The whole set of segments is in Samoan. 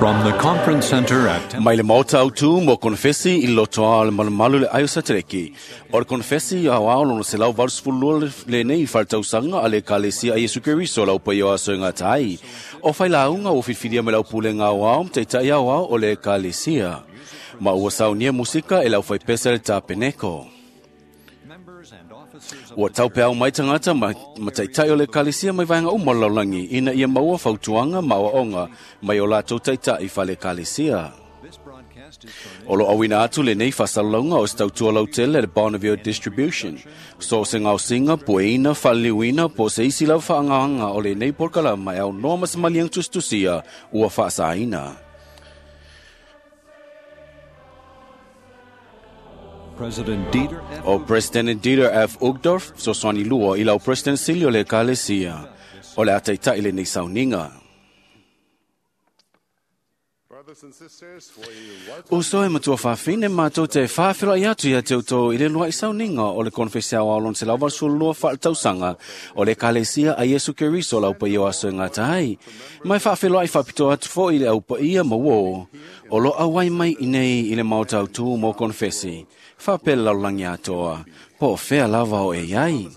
From the conference center at Mai le maota autu mo konfesi i lotoa o le malumalu le aio satereki. O le konfesi au ao lono se lau 82 le nei whaltausanga a le kalesia a Yesu Keriso lau pai o aso e ngā tai. O whai launga o whiwhiria me lau pule ngā au teitai au ao o le kalesia. Ma ua saunia musika e lau whai pesa le tapeneko. Ua taupeau mai tangata ma taitai o le kalesia mai vaenga uma laulangi ina ia maua fautuanga ma oaonga mai o latou taitai fale kalesia. O lo awina atu le nei whasalonga o stautua lautele le Bonneville Distribution. So se ngausinga, pueina, whaliliuina, po se isi lau whaangahanga o le nei porkala mai au noa masamaliang tustusia ua whaasaina. President Dieter F. O President Dieter F. Uchtdorf, soswani lua i lau President Silio le kalesia. O le ataitai le nei sauninga. O soe matua whawhine mātou te whawhira i atu ia te uto i le lua i sauninga o le konfesia o aulon se lauval sulua whaatausanga o le kalesia a Yesu Keriso lau pa ia aso e ngā tai. Mai whawhira i whapito atu fo i le au pa ia mawō o lo awai mai i nei i le maota autu mō konfesi. Whapele laulangi atoa, po whea lava o e iai.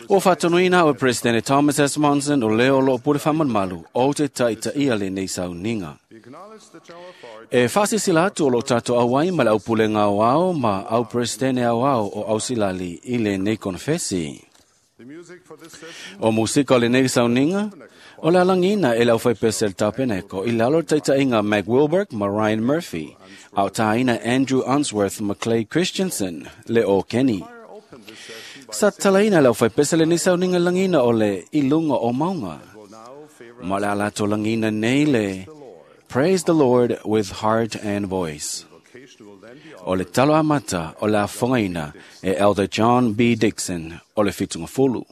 O whatonuina o President Thomas S. Monson o leo lo pure whamanmalu o te taita ia le nei sauninga. E whasisila atu o lo tātou awai ma le au pulenga o ao ma au presidente au ao o ausilali i le nei konfesi. O musika o le nei sauninga, o le alangina e lau whai pesel tapeneko i lalo taitainga Mac Wilberg ma Ryan Murphy, au tāina Andrew Unsworth ma Clay Christensen le o Kenny. Sa talaina lau whai pesel le nei sauninga langina o le ilunga o maunga. Ma le alato langina nei le Praise the Lord with heart and voice. O le talo amata o le afongaina e Elder John B. Dixon o le fitunga fulu.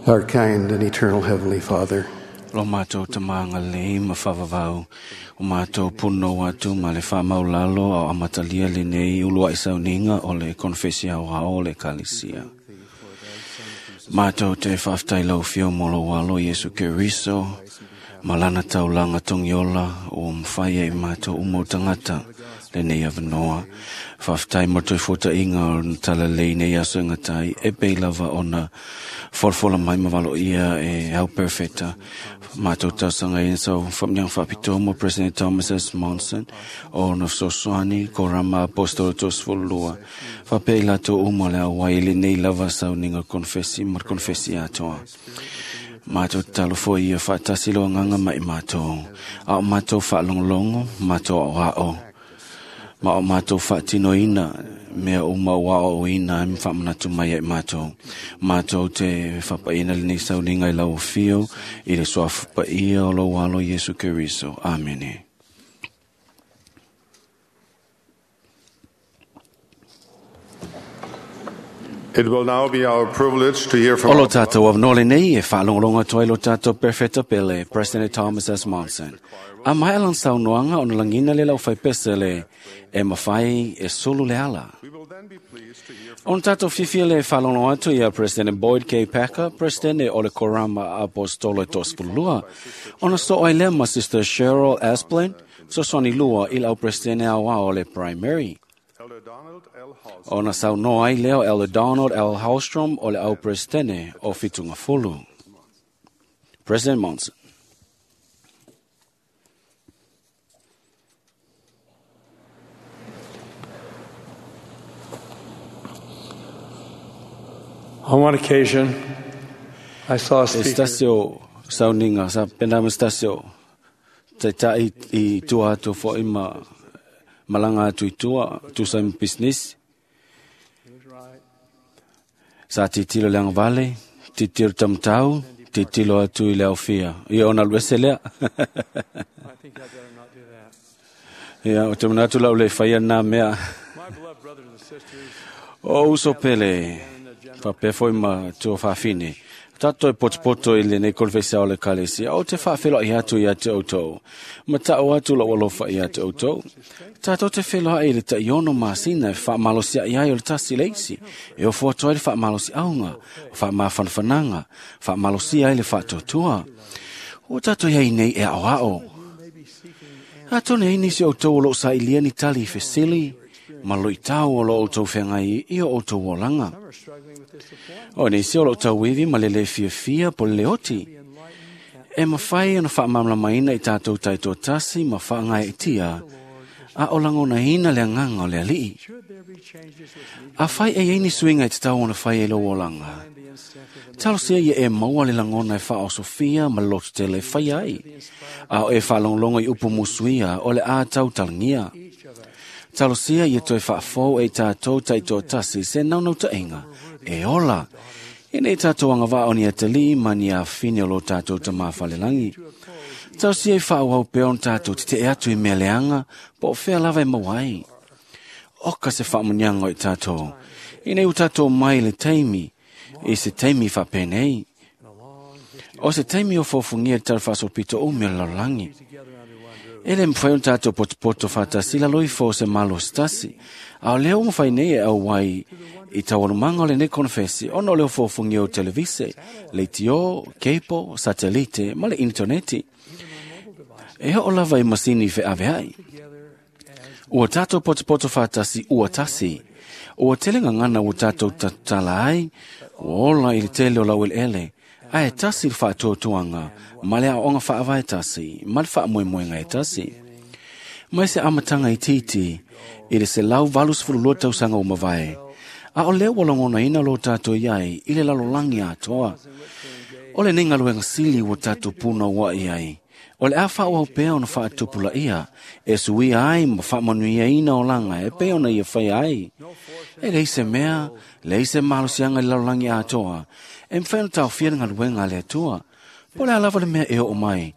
Our kind and eternal Heavenly Father, Lo mātou te maanga lei ma whawawau, o mātou puno atu ma le whamaulalo au amatalia le nei ulua i sauninga o le konfesia o hao o le kalisia. Mātou te whaftai lau fio molo walo Yesu Keriso, ma lana taulanga tongiola o mwhaia i mātou umo tangata, lenei avanoa. Faafetai mo toe fuataʻiga o na talalei nei aso e gatai e pei lava ona folafola mai ma valoia e au perfeta. Matou tausaga ina sau faamaniaga faapitoa mo President Thomas S. Monson o na fesoasoani korama apostolo 32 faapea i latou uma o le auai i lenei lava sauniga konefesi ma le konefesi atoa. Matou tatalo foi ia faatasi lo agaga ma i matou, a o matou faalogologo, matou aoao, ma o matou faatinoina mea uma ua aoaoina ai ma faamanatu mai ai matou. Matou te faapaina lenei sauniga i lau afio i le suafa paia o lou alo Iesu Keriso. Amene. It will now be our privilege to hear from O lo tātou avanoa lenei e faalogologo atu ai lo tātou perfeta pele, President Thomas S. Monson. A mai alan saunoaga ona lagina le lau faipese le e mafai e sulu le ala. We will then be pleased to hear from Ona tātou fiafia le faalogologo atu ia President Boyd K. Packer, President o le Korama Apostolo e 32. Ona so ai lea ma Sister Cheryl Asplin, fesoasoani lua i lau President aoao o le Primary. Elder Donald L. Halsey, Ona saunoa ai lea o Elder Donald L. Hallstrom o le au Presidente o Fitungafulu. President Monson. On one occasion, I saw a E speaker stasio sauninga sa pena ma stasio te tai i tua atu fo i ma malanga atu i tua tu sa i business sa titilo le angavale titilo tamtau titilo atu i le aufia ia ona luese lea. I think I better not do that. Ia o te manatu lau le whaia nā mea. My beloved brothers and sisters, O uso pele, whapea foi ma tua whawhine. Tātou e potopoto i lenei konfesi o le kalesia, o te whawheloa i atu i atu outou. Ma tau atu lau alofa i atu outou. Tātou te wheloa i le taiono masina e whaamalosia i ai o le tasi leisi. E o fuatua ai le whaamalosi aunga, whaamawhanawhananga, whaamalosia ai le whaatuatua. O tātou iai nei e ao ao. Atone ai nisi o outou o loo sa ilia ni tali i fesili, ma lo i tau o lo outou whengai i o outou olanga. some are struggling with disappointment. O nisi o lo tau iwi ma le le fiafia po le leoti. E mawhai ana whaamamlamaina i tātou taito tasi ma whaangai e tia, a o langona hina le anganga o le alii. Should there be changes which need A whai e eini suinga i te tau ona whai e lo olanga. to be incentive and Talo sia ia e maua le langona e wha o Sofia ma lotu te le whai ai. A o e whaalonglongo i upu musuia o le a tau talangia. each of us Talo sia ia toe whaafou e tātou taito tasi se naunau tainga. E ola. E nei tātou anga vā o ni atali ma ni a whine o lo tātou ta mawhalelangi. Talo sia i whaau au peo on tātou te te atu i mea leanga, po o whea lava e mawai. Oka se whaamunyanga o i tātou. I nei u tātou mai le taimi, i se taimi whapenei. and a long history O se taimi o fōfungia te tara pito o mea lalangi. together under one roof. E le mwhai o tātou potopoto whātasi la loi fō se malo stasi. A o leo mwhai nei e au wai i taualumanga o le nei konfesi ona o leo fōfungia o televise, le tio, keipo, satelite, ma le interneti. E ho o lava i masini fe ave ai. Together as Ua tātou potopoto whātasi ua tasi. Ua tele ngangana ua tātou tatala ai, ua ola i le tele o lau ele ele. Ae tasi le whaatuatuanga, ma le aonga whaavae tasi, ma le whaamoemoenga e tasi. Mai se amatanga i titi, i le se lau 82 tausaga o mavae. A o lea ua lagona ina lo tātou iai, i le lalolagi atoa. O le nei galuega sili ua tātou puna ua i ai. O le a whaau pea ona whaatupula ia, e suia ai ma whaamanuiaina o langa e pe ona ia whai ai. E lei se mea, lei se malosianga i le lalolagi atoa, e mwhai ona taofia le galuega a le Atua. Po le a lava le mea e oo mai.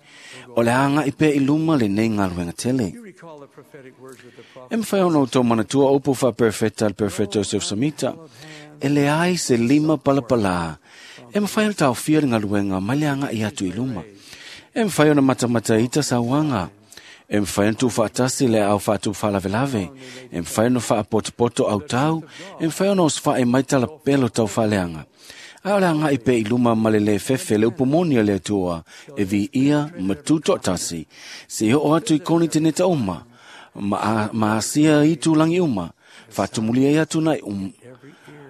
O le anga i pea i luma le nei galuega tele. you recall the prophetic words of the prophet. E mwhai ona o tō manatua upu wha perfecta al perfecto Joseph Samita. E le ai se lima palapala. E mwhai ona taofia le galuega mai le anga i atu i luma. E mwhai ona matamata ita sauanga. E mwhai ona tūwhaatasi le au whaatu whalavelave. E mwhai ona whaapotopoto au tau. E mwhai ona oswha e maitala pelo tau whaleanga. A o le anga i pe i luma ma le le fefe le upomoni o le atua e vi ia ma tūtoatasi. Se i ho atu i koni te neta uma. Ma asia i tūlangi uma, whātumulia i atu nai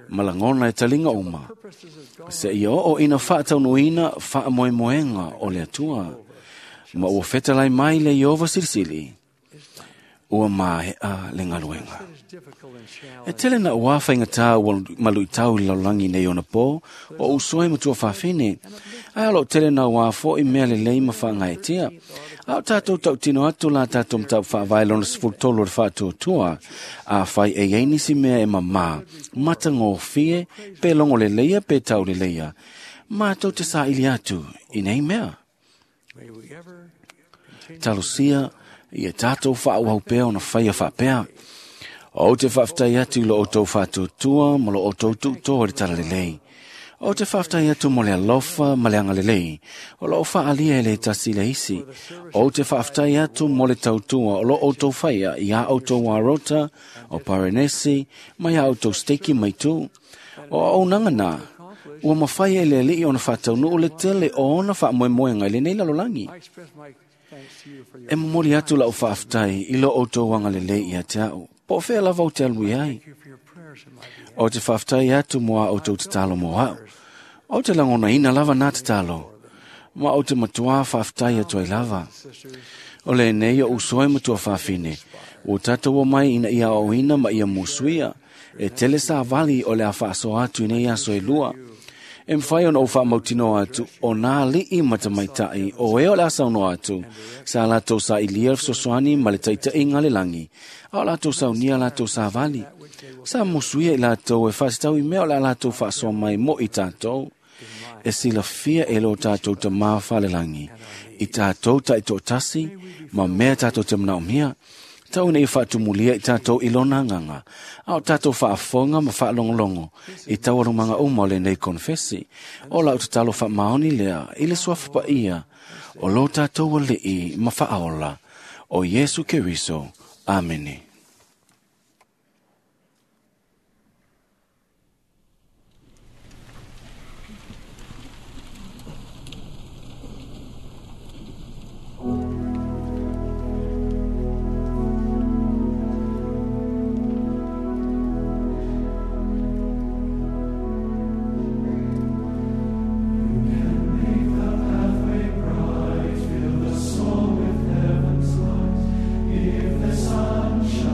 malangona e talinga uma. Se ia o ina whaataunuina whaamoemoenga o le atua. Ma ua fetalai mai le Iova silisili. Ua maea le galuega. E tele na ua whaingatā ua maluitau i laulangi nei ona pō, o usoe matua whawhine. Ai alo tele na ua fo i mea le lei ma whangaetia. Au tātou tautino atu la tātou mtau whaavai lona 13 o le whaatuatua. A whai e einisi mea e mamā, mata ngō fie, pe longo le leia, pe tau le leia. Mātou te sa ili atu, i nei mea. Talusia, ia tātou whaauau pea ona whaia whaapea. O te whaaftai atu lo o tau whaatuatua ma lo o tau tuutoa le talalelei. O te whaaftai atu mo le alofa ma le angalelei. O lo o whaalia e le tasi le isi. O te whaaftai atu mo le tautua o lo o tau whaia i a o tau warota, o Parenesi, mai a o tau steki mai tū. O au nanga nā, ua mawhai e le alii ona whataunu o le tele o ona whaamoemoenga i le nei lalolangi. E momoli atu lau whaaftai i lo o tau angalelei i a te au. Po whea lava o te alui ai. O te whaaftai atu moa o tau tatalo mo au. O te langona ina lava nā tatalo. Ma o te matua whaaftai atu ai lava. O le nei o usoe matua whaafine. O tātou o mai ina ia o ina ma ia musuia. E tele sa vali o le a whaasoa atu ina ia soe lua. E mwhai ona o whaamautino atu o nā li'i matamaitai o e o le asauno atu. Sa lātou sa ilia sosoani ma le taitai ngā le langi. A o lātou sa unia lātou sa vali. Sa musuia i lātou e whaasitau i mea o la lātou whaasoa mai mo i tātou. E silafia e lo tātou ta mā whalelangi. I tātou ta i tōtasi, ma mea tātou te manaomia. Tau nei whaatumulia i tātou i lona nganga. A o tātou whaafonga ma whaalongolongo. I tau arumanga uma o le nei konfesi. O lau tatalo whaamaoni lea, i le suafa ia. O lo tātou alii ma whaaola. O Yesu Keriso. Amene. If the sun shines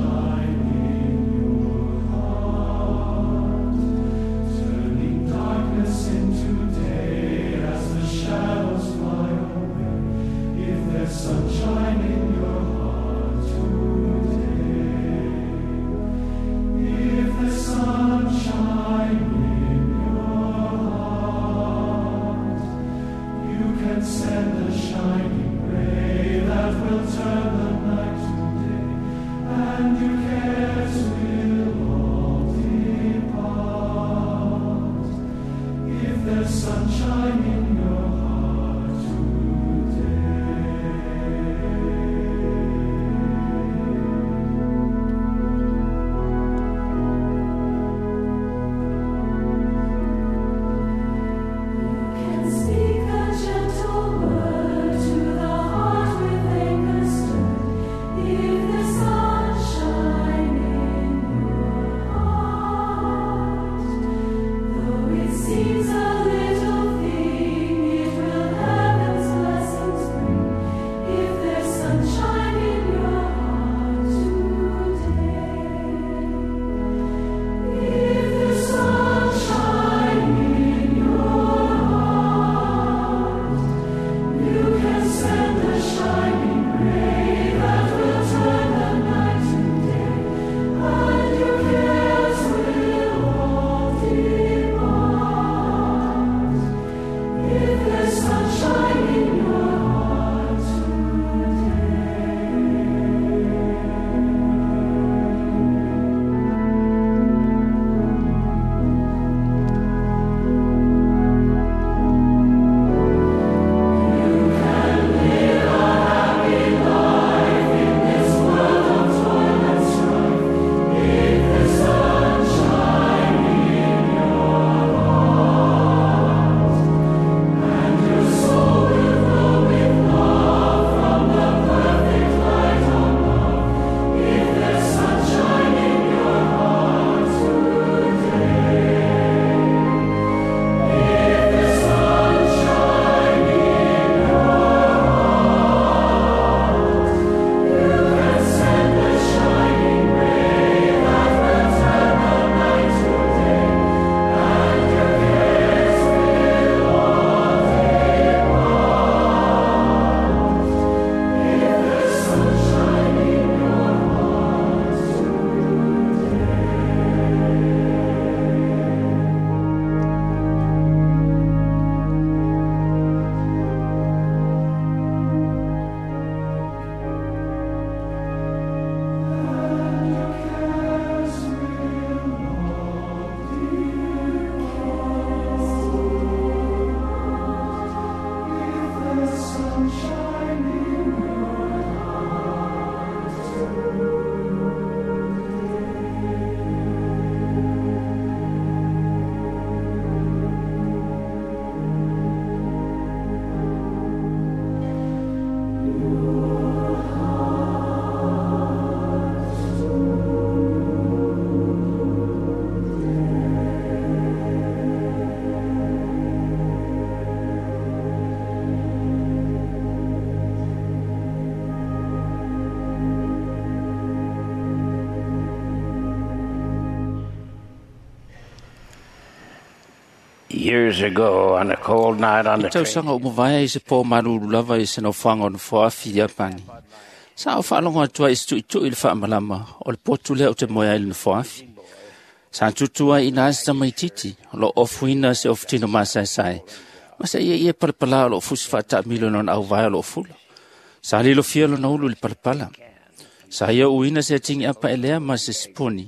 Years ago, on a cold night on the train, Tausaga ua mavae i se pō malulu lava i se nofoaga o Nofoafi Iapani. Sa ou faalogo atu ai i se tuʻituʻi i le faamalama o le potu lea ou te moe ai i le Nofoafi. Sa tutu ai i ina se tamaititi o loo ofuina se ofutino masaesae ma se ieie palapalā o loo fusi faataamilo i lona auvae o loo fula. Sa lilofia lona ulu i le palapala. Sa ia uina se atigi apa elea ma se siponi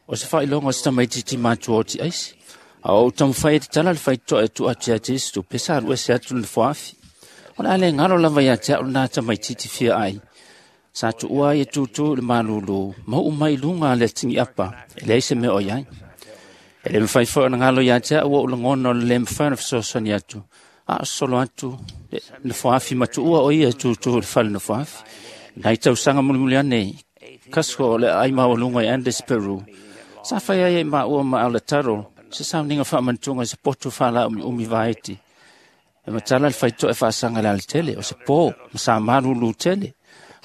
o se faailoga o se tamaititi matua o tiaisi. A ou taumafai e tatala le faitotoa e tuu atu ia te isi tupe sa alu ese atu le nofoafi. O le a le galo lava ia te au lenā tamaititi fia ai. Sa tuua ai e tutū i le malūlū, ma uu mai i luga a le atigiapa, e leai se mea o i ai. E le mafai foi ona galo ia te au ou lagona o le lē mafai ona fesoasoani atu, a o sosolo atu le nofoafi ma tuua o ia e tutū i le fale nofoafi. Nai tausaga mulimuli ane, Cusco o le aai maualuga i Andes, Peru. Sa fai ai ai maua ma Alataro, se sauniga faamanatuga i se potu faalaaumiumi vaiti. E matala le faitotoa e faasaga i le alatele, o se pō, ma sa malūlū tele.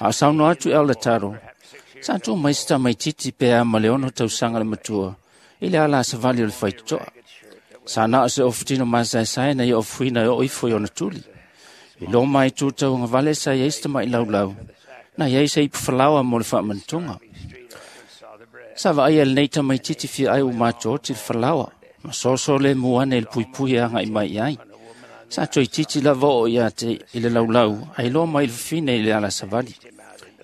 A o saunoa atu i Alataro, sa tuu mai se tamaititi pe a ma le 6 tausaga le matua, i le ala a savali o le faitotoa. Sa na o se ofutino masaesae na ia ofuina e oo ifo i ona tuli. I lo mai tu tauagavale sa i ai se tamaʻi laulau, na iai se ipu falaoa mo le faamanatuga. Sa vaaia lenei tamaititi fia ai ua matooti le falaoa, ma soso le mu ane i le puipui e agaʻi mai i ai. Sa toeititi lava oo ia te i le laulau, ae iloa mai i le fafine i le ala savali.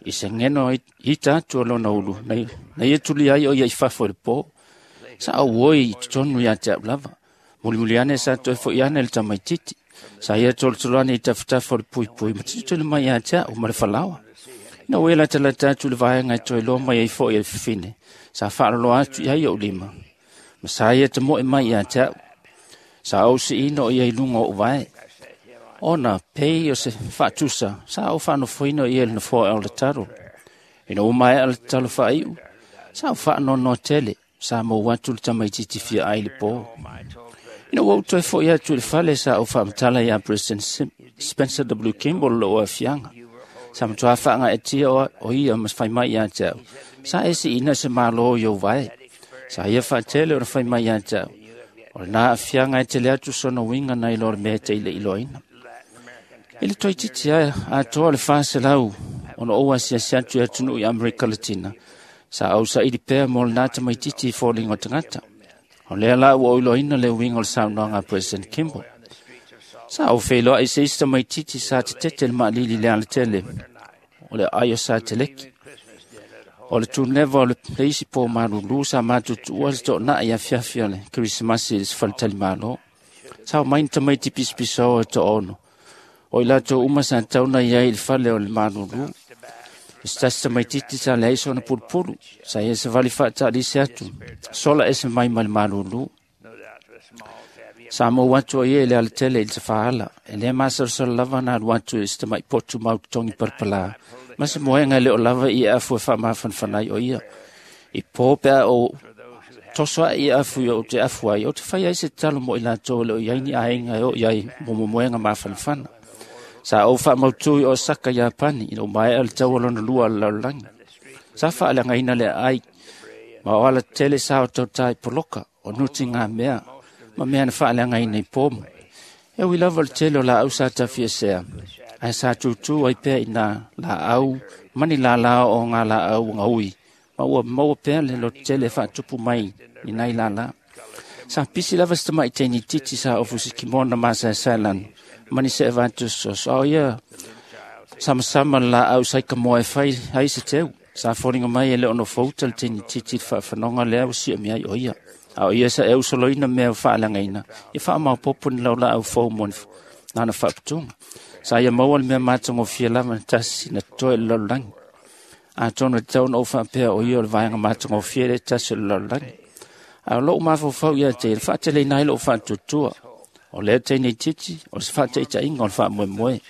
I se geno ita atu o lona ulu, na ia tuli ai o ia i fafo i le pō. Sa auoi i totonu ia te au lava. Mulimuli ane sa toe foʻi ane le tamaititi. Sa ia tolotolo ane i tafatafa o le puipui, ma tilotilo mai ia te au ma le falaoa. Ina ua ia latalata atu i le vaega e toe iloa mai ai foʻi e le fafine, sa faaloloa atu i ai ou lima. Ma sa ia tamoe mai ia te au. Sa ou siina o ia i luga o ou vae. Ona pei o se faatusa, sa ou faanofoina o ia i le nofoa o le talo. Ina ua maea le tatalo faaiu, sa ou faanoanoa tele, sa mou atu le tamaititi fia ai i le pō. Ina ua ou toe foʻi atu i le fale, sa ou faamatala iā President Spencer W. Kimball lou aafiaga. Sa matuā faagaeatia o ia ma fai mai ia te au. Sa e siina se mālō i ou vae. Sa ia faatele ona fai mai ia te au. O lenā aafiaga e tele atu sona uiga nai lo le mea e te iloiloaina. I le toeitiiti atoa le 400 ona ou asiasi atu i atunuu i Amerika Latina, sa ou saili pea mo lenā tamaititi i foliga o tagata. O lea la ua ou iloaina le uiga o le saunoaga a President Kimball. Sa ou feiloai se isi tamaititi sa tetete le maalili i le alatele o le aai o Sateleki. O le tuneva o le isi pō malūlū sa matutuua se toonai afiafi o le Kerisimasi i le sefaletalimalo. Sa o mai ni tamaiti pisapisao e toaono. O i latou uma sa tauna i ai i le fale o le malūlū. I se tasi tamaititi sa leai sona pulupulu, sa ia savali faataalisi atu, sola ese mai ma le malūlū. Sa mou atu o ia i le alatele i le tafaala, e lē masalosalo lava na alu atu i se tamaʻi potu mau totogi palapalā, ma se moega e le o lava i afu e faamafanafana ai o ia. I pō pe a ou toso aʻe i afu i ou te afu ai, ou te fai ai se tatalo mo i latou e le o i ai ni aiga e oo i ai mo momoega mafanafana. Sa ou faamautū i Osaka, Iapani, ina ua maea le taua lona lua o le lalolagi. Sa faaleagaina le aai, ma o alatele sa o tautā i poloka, o nuti ngā mea, ma mea na faaleagaina i pomu. E ui lava o le tele o laau sa tafiesea, ae sa tutū ai pea i nā laau, ma ni lālā o ngā laau gaui, ma ua maua pea le lototele e faatupu mai i nai lālā. Sa pisi lava se tamaʻi teinititi sa ofu se kimona masaesae lanu, ma ni seʻe vatusoso. A o ia samasama le laau saikamoa e fai ai se teu. Sa foliga mai e le o nofouta le teinititi i le faafanoga lea ua siamia ai o ia. A o ia sa e usoloina mea ua faaleagaina, ia faamaopopo ni laulaau fou mo lana faaputuga. Sa ia maua le mea matagofie lava na tasi na totoe i le lalolagi. Atonu e tatau ona ou faapea o ia o le vaega matagofie le tasi o le lalolagi. A o lou mafaufau ia te i le faateleina ai lou faatuatua. O lea teinititi o se faataitaiga o le faamoemoe.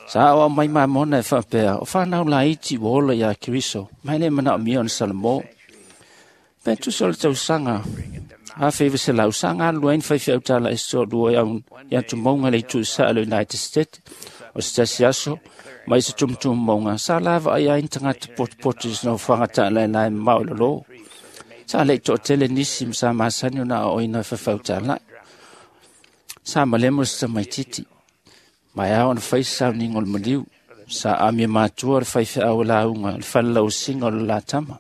Sa aoao mai mamona e faapea, o fanau laiti ua ola iā Keriso, ma e le manaomia ona salamo. Pe tusa o le tausaga 1900, sa galulue ai ni faifeau talaese toalua i atumauga i le itu i saʻa o le United States. O se tasi aso, mai se tumutumumauga, sa lavaai ai ni tagata potopoto i se nofoaga taalaelae mamao i lalo. Sa leʻi toatele nisi ma sa masani ona aoaoina e faifeau talaʻi. Sa malemo se tamaititi. Ma e ao na fai sauniga o le maliu. Sa amia matua le faifeau e lauga le falelausiga o le latama.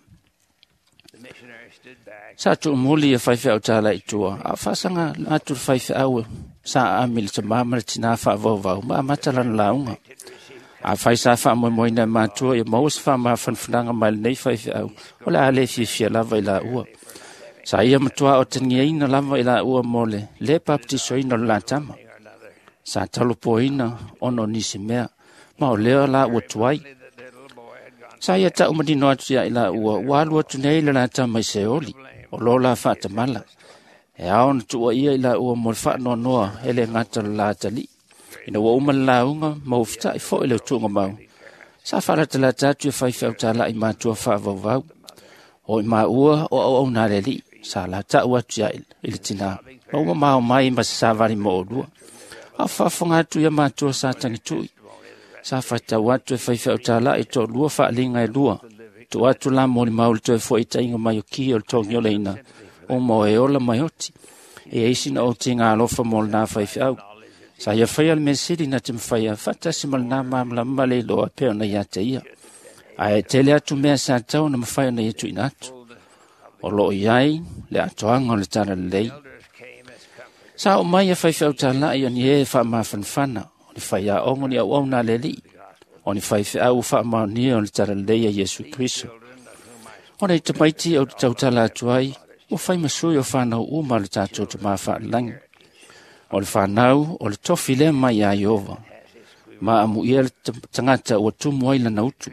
Sa tuumuli ia faifeau tālai i tua, a o faasaga atu le faifeau sa aami le tamā ma le tinā faavauvau ma amata lana lauga. Afai sa faamoemoeina e matua ia maua se faamafanafanaga mai lenei faifeau, o le a le fiafia lava i laua. Sa ia matuā otagiaina lava i laua mo le lē papatisoina o le latama. Sa talopoina ona o nisi mea, ma o lea la ua tuai. Sa ia ta'u manino atu ia i laua, ua alu atu nei le latama i Seoli, o lo la faatamala. E ao ona tuuaia i laua mo le faanoanoa e le gata o le latali'i. Ina ua uma le lauga ma ua feta'i fo'i le utuugamau, sa faalatalata atu ia faifeau tāla'i matua faavauvau. O i maua o auauna a le Alii, sa lata'u atu ia i le tinā, ma ua mamao mai ma se savali mo oulua. A o faafofoga atu ia matua sa tagitu'i. Sa faitau atu e faifeau tāla'i to'alua faaliga e lua, tuu atu la molimau le toe fo'itaiga mai o ki o le togiolaina, uma o e ola mai oti. E ai sina ou tiga alofa mo lenā faifeau. Sa ia faia le mea sili na te mafaia faatasi ma lenā malamalama ma le iloa e pei ona ia te ia. Ae tele atu mea sa tatau ona mafai ona ia tuuina atu. O loo i ai le atoaga o le talalelei. Sa oo mai ia faifeau tāla'i o ni ē faamafanafana, o ni faiaoga o ni auauna a le Alii, o ni faifeau ua faamaonia o le talalelei a Iesu Keriso. O nei tamaiti ou te tautala atu ai, ua fai ma sui o fanau uma o le tatou Tamā faalelagi. O le fanau o le tofi lea mai ia Ieova, ma amuia le tagata ua tumu ai lana utu.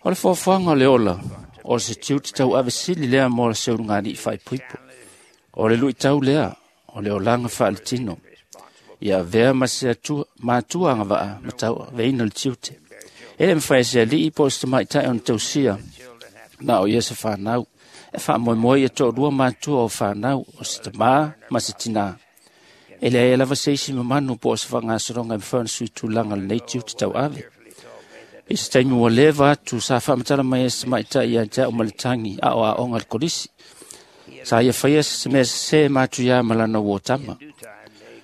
O le foafoaga o le ola, o se tiute tauave sili lea mo le seulugalii faaipoipo. O le luitau lea, o le olaga faaletino. Ia avea ma se atua, matua agavaa ma tauaveina le tiute. E le mafai e se alii po o se tamaitai ona tausia, na o ia se fanau. E faamoemoe ia to'alua matua o fanau, o se tamā ma se tinā. E leai lava se isi mamanu po o se faagasologa e mafai ona sui tulaga lenei tiute tauave. I se taimi ua leva atu sa faamatala mai ai se tamaitai ia te a'u ma le tagi a o aoga i le kolisi. Sa ia faia se mea sesē matuiā ma lana uō tama.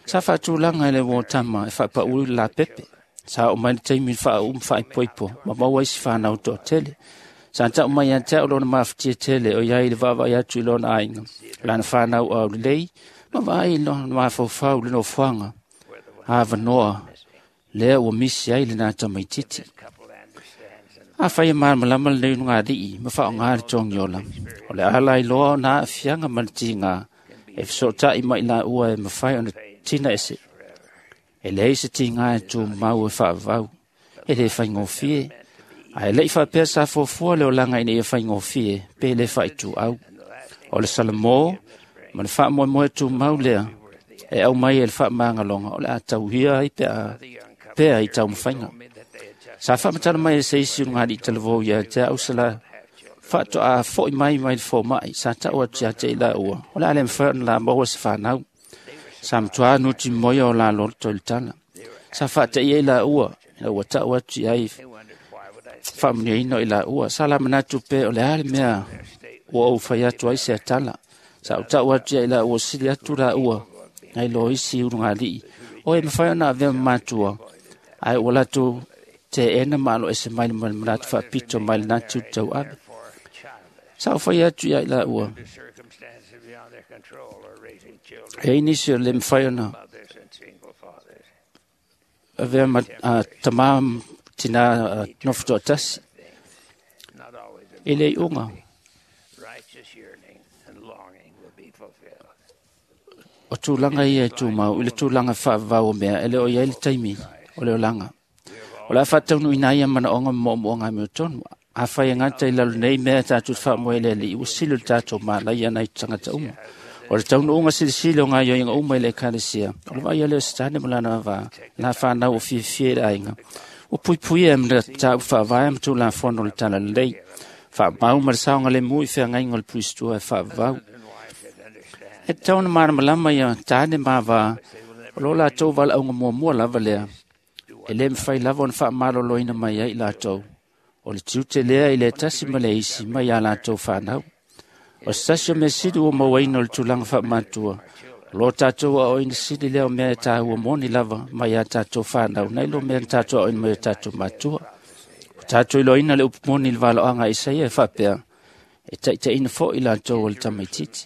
Sa faatulaga e le uō tama e faapaʻu le lapepe. Sa oo mai le taimi i le faau'u ma faaipoipo ma maua isi fanau toatele. Sa ta'u mai ia te a'u lona mafatia tele o iai le vaavaai atu i lona aiga, lana fanau aulelei, ma vaai i lona mafaufau i le nofoaga avanoa lea ua misi ai lenā tamaititi. Afai e malamalama lenei ulugalii ma faaaogā le togiola, o le a lailoa ona aafiaga ma le tigā e fesoota'i ma i laua e mafai ona tina ese. E leai se tigā e tumau e faavavau, e lē faigofie, ae le'i faapea sa fuafua le olaga ina ia faigofie pe lē faaituau. O le Salomō ma le faamoemoe tumau lea e aumai e le faamagaloga o le a tauia ai pea i taumafaiga. Sa faamatala mai e se isi ulugalii talavou ia te a'u se la faatoā fo'i mai mai le foma'i sa ta'u atu ia te i laua, o le a le mafai ona la maua se fanau. Sa matuā nutimoia o la loto i le tala. Sa faataʻia i laua ina ua ta'u atu i ai faamanuiaina o i laua. Sa la manatu pe o le a le mea ua ou fai atu ai se atala. Sa ou ta'u atu ia i laua sili atu laua nai lo isi ulugalii o e mafai ona avea ma matua, ae ua latou teena ma aloese mai le manatu faapito mai lenā tiute tauave. Sa ou fai atu ia i laua, e ai nisi o le mafai ona avea ma tamā tinā nofo toatasi i le iuga. O tulaga ia e tumau i le tulaga faavavau o mea e le o i ai le taimi o le olaga. O le a faataunuuina ai ia manaoga ma moomooga amiotonu. Afai e gata i lalo nei mea tatou te faamoe i le Alii, ua sili o le tatou malaia nai tagata uma. O le taunuuga silisili o gaoioiga uma i le Ekalesia, o le vaaia lea o Setane ma lana vavā, la fanau o fiafia i le aiga. Ua puipuia e ma mataupu faavae ma tulafono o le talalelei. Faamau ma le saogalemu i feagaiga o le puisitua e faavavau. E tatau ona malamalama ia tane ma avā, o lo latou valaauga muamua lava lea, e lē mafai lava ona faamaloloina mai ai i latou. O le tiute lea i le tasi ma le isi mai iā latou fanau. O se tasi o mea sili ua mauaina o le tulaga faamatua, Lo tātou a oina sili leo mea e tāua moni lava mai a tātou whānau, nei lo mea tātou a oina mai a tātou matua. O tātou iloina le upu moni le valoanga Isaia e whapea, e taitaina fo i lātou o le tamaititi.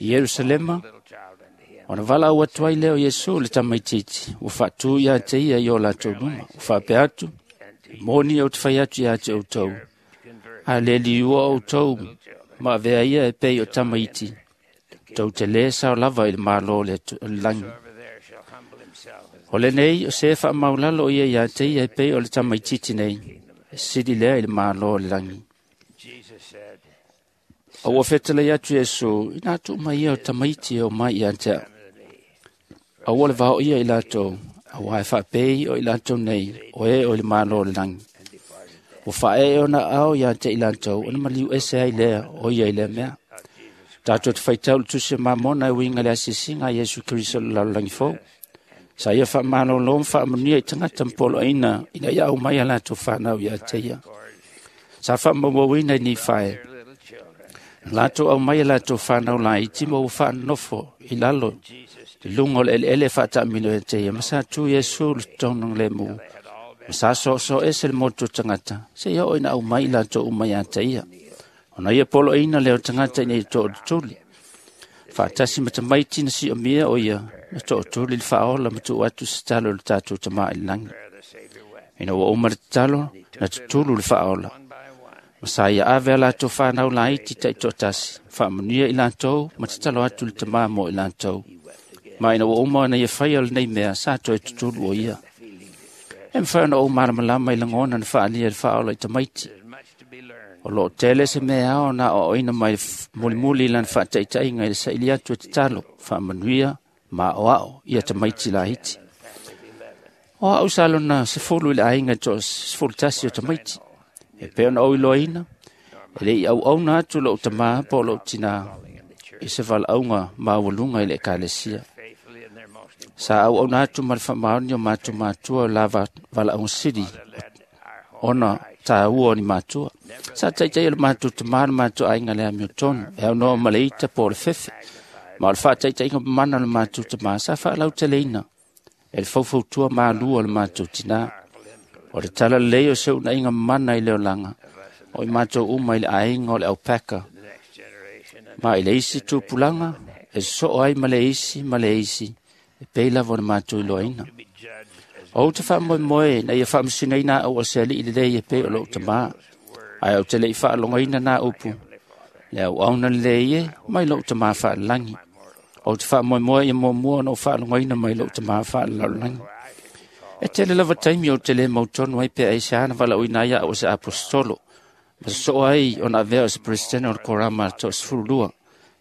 I Yerusalema, ona vala au atu ai leo Iesu le tamaititi, ua whaatu ia te ia i o lātou luma, ua whapea atu, moni au te whai atu ia te outou, a le liua outou, ma avea ia e pei o tamaiti, tau te lē sao lava i le mālō le langi. O le nei o se whaamaulalo ia ia te ia e pei o le tamaititi nei, e sili lea i le mālō le langi. A ua whetele atu Iesu, ina atu mai ia o tamaiti e o mai ia te au. A ua le vao ia i lātou, a ua e whaapei o i lātou nei, o e o i le mālō le langi. Ua whae e ona ao ia te i lātou, ona maliu ese ai lea o ia i lea mea. Tātou te whaitau le tusi mamona e winga le asisinga Iesu Kristo le lalolagi fou. Sa ia whaamalolo ma whaamanuia i tangata mpolo aina ina ia au mai a lātou whanau ia te ia. Sa whaamauauina i ni whae. Lātou au mai a lātou whanau lai i tima ua whaanofo i lalo i lunga o le eleele whaatamilo e te ia. Ma sa tu Iesu le tonong le mu. Ma sa so so ese le motu tangata. Se ia o ina au mai i lātou umai a te ia. Ona ia polo aina leo tangata ina i tō tuli. Whaatasi matamaiti na si o mia o ia, na tō tuli le whaola matu atu se talo le tātou tama i langi. Ina ua uma le talo, na tutulu le whaola. Masa ia ave a lātou whanau laiti tai tō tasi, whaamanuia i lātou, ma te talo atu le tama mō i lātou. Ma ina ua uma na ia whai o le nei mea, sa toe tutulu o ia. E mwhai ona o malamalama i langona na whaalia le whaola i tamaiti. O lo tele se mea ao na o oina mai mulimuli lan whaataitainga i le saili atu e te talo, whaamanuia, ma o ao, ia tamaiti lahiti. O au salona se fulu i le ainga to se fulu tasi o tamaiti. E peo na oi loaina, e le i au au na atu lo tama po lo tina i se vala aunga maualunga i le ekalesia. Sa au au na atu ma le whamaoni o mātu mātua o lava vala aunga siri ona tā ua ni mātua. Sa taitai o le mātua te māna mātua ainga le amio tonu, e au noa maleita po le fefe. Ma o le whaataitai ngā mana le mātua te mā, sa whaalau te leina. E le faufautua mālua o le mātua tina. O le tala lei o se una inga mana i leo langa. O i mātou uma i le ainga o le aupeka. Ma i le isi tupulanga, e so ai ma le isi, ma le isi, e pei lava o le mātou i loaina. O te wha moe na ia whaamasina ina au o se ali i le lei e pei o lou tamā. Ai au te lei whaalongaina nā upu. Le au auna le lei e mai lou tamā whaalalangi. O te wha moe ia mua na o whaalongaina mai lou tamā whaalalangi. E tele lava taimi o te le mautonu ai pe ai se ana wala uina ia o se apostolo. Ma so ai o na avea o se presidente o le korama to sefululua.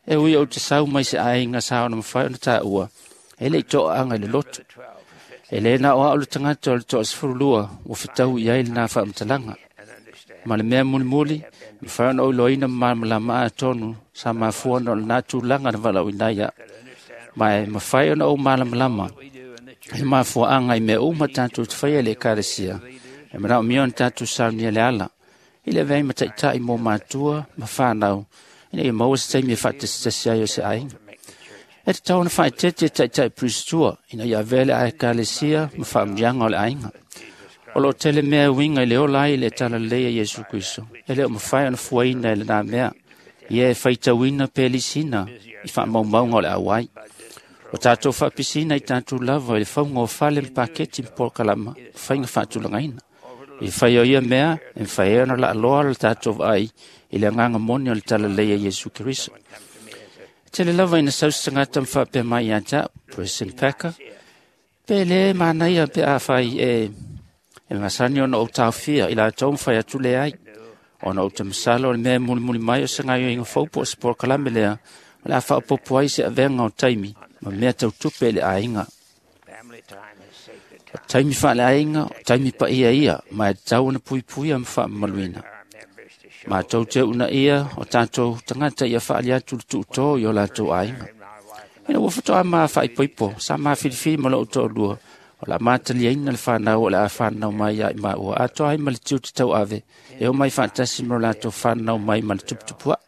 E ui o te sau mai se ainga sa ona mawhai ona tā ua. E lei toa anga i le loto. E le na o au le tangata o le toa sefululua ua whitau i ai le nā whaamatalanga. Ma le mea mulimuli, mawhai ona oiloina malamalama a tonu sa mafua na o le nā tūlanga na wala uina ia. Ma e mawhai ona o malamalama e mafua anga i mea uma tātou te whaia le ekalesia. E manao mia ona tātou saunia le ala. I le vei mataitai mō mātua, ma whānau, ina i maua se taimi e whaatesitasi ai o se ainga. E te tau na whaetete taitai pristua, ina ia vele a ekalesia ma whaamrianga o le ainga. O lo tele mea winga i le ola ai le tala leia Iesu Kristo. E leo mawhai ona fuaina e le nā mea. Ia e whaitauina pelisina i whaamaumaunga o le awai. O tātou whaapisina i tātou lava i le whaunga o whale mpaketi mpolkalama, whainga whaatulangaina. I whai o ia mea, e whai ona la aloa le tātou ai i le anganga moni o le tala leia Iesu Kristo. Tele lava ina sausi tangata mwhapea mai ia tā, President Packer, pe le manaia pe a whai e masani ona o tāwhia i la tau mwhai atu le ai. Ona o te masalo o le mea mulimuli mai o se ngaio inga faupo o se porokalame lea, o le a whaopopo ai se avenga o taimi, ma mea tautupe le ainga. O taimi wha le ainga, o taimi pa ia ia, ma e tau ona puipuia ma whaamaluina. Ma tau te una ia o tātou tangata ia whaali atu le tuutō i o lātou ainga. Ina ua whatoa maa whaipoipo, sa maa whiriwhiri ma lou to'olua, o la mātaliaina le whanau o le a whanau mai ia i maua. Atoa ai ma le tiu te tau ave, e o mai whaatasi ma o lātou whanau mai ma le tuputupua.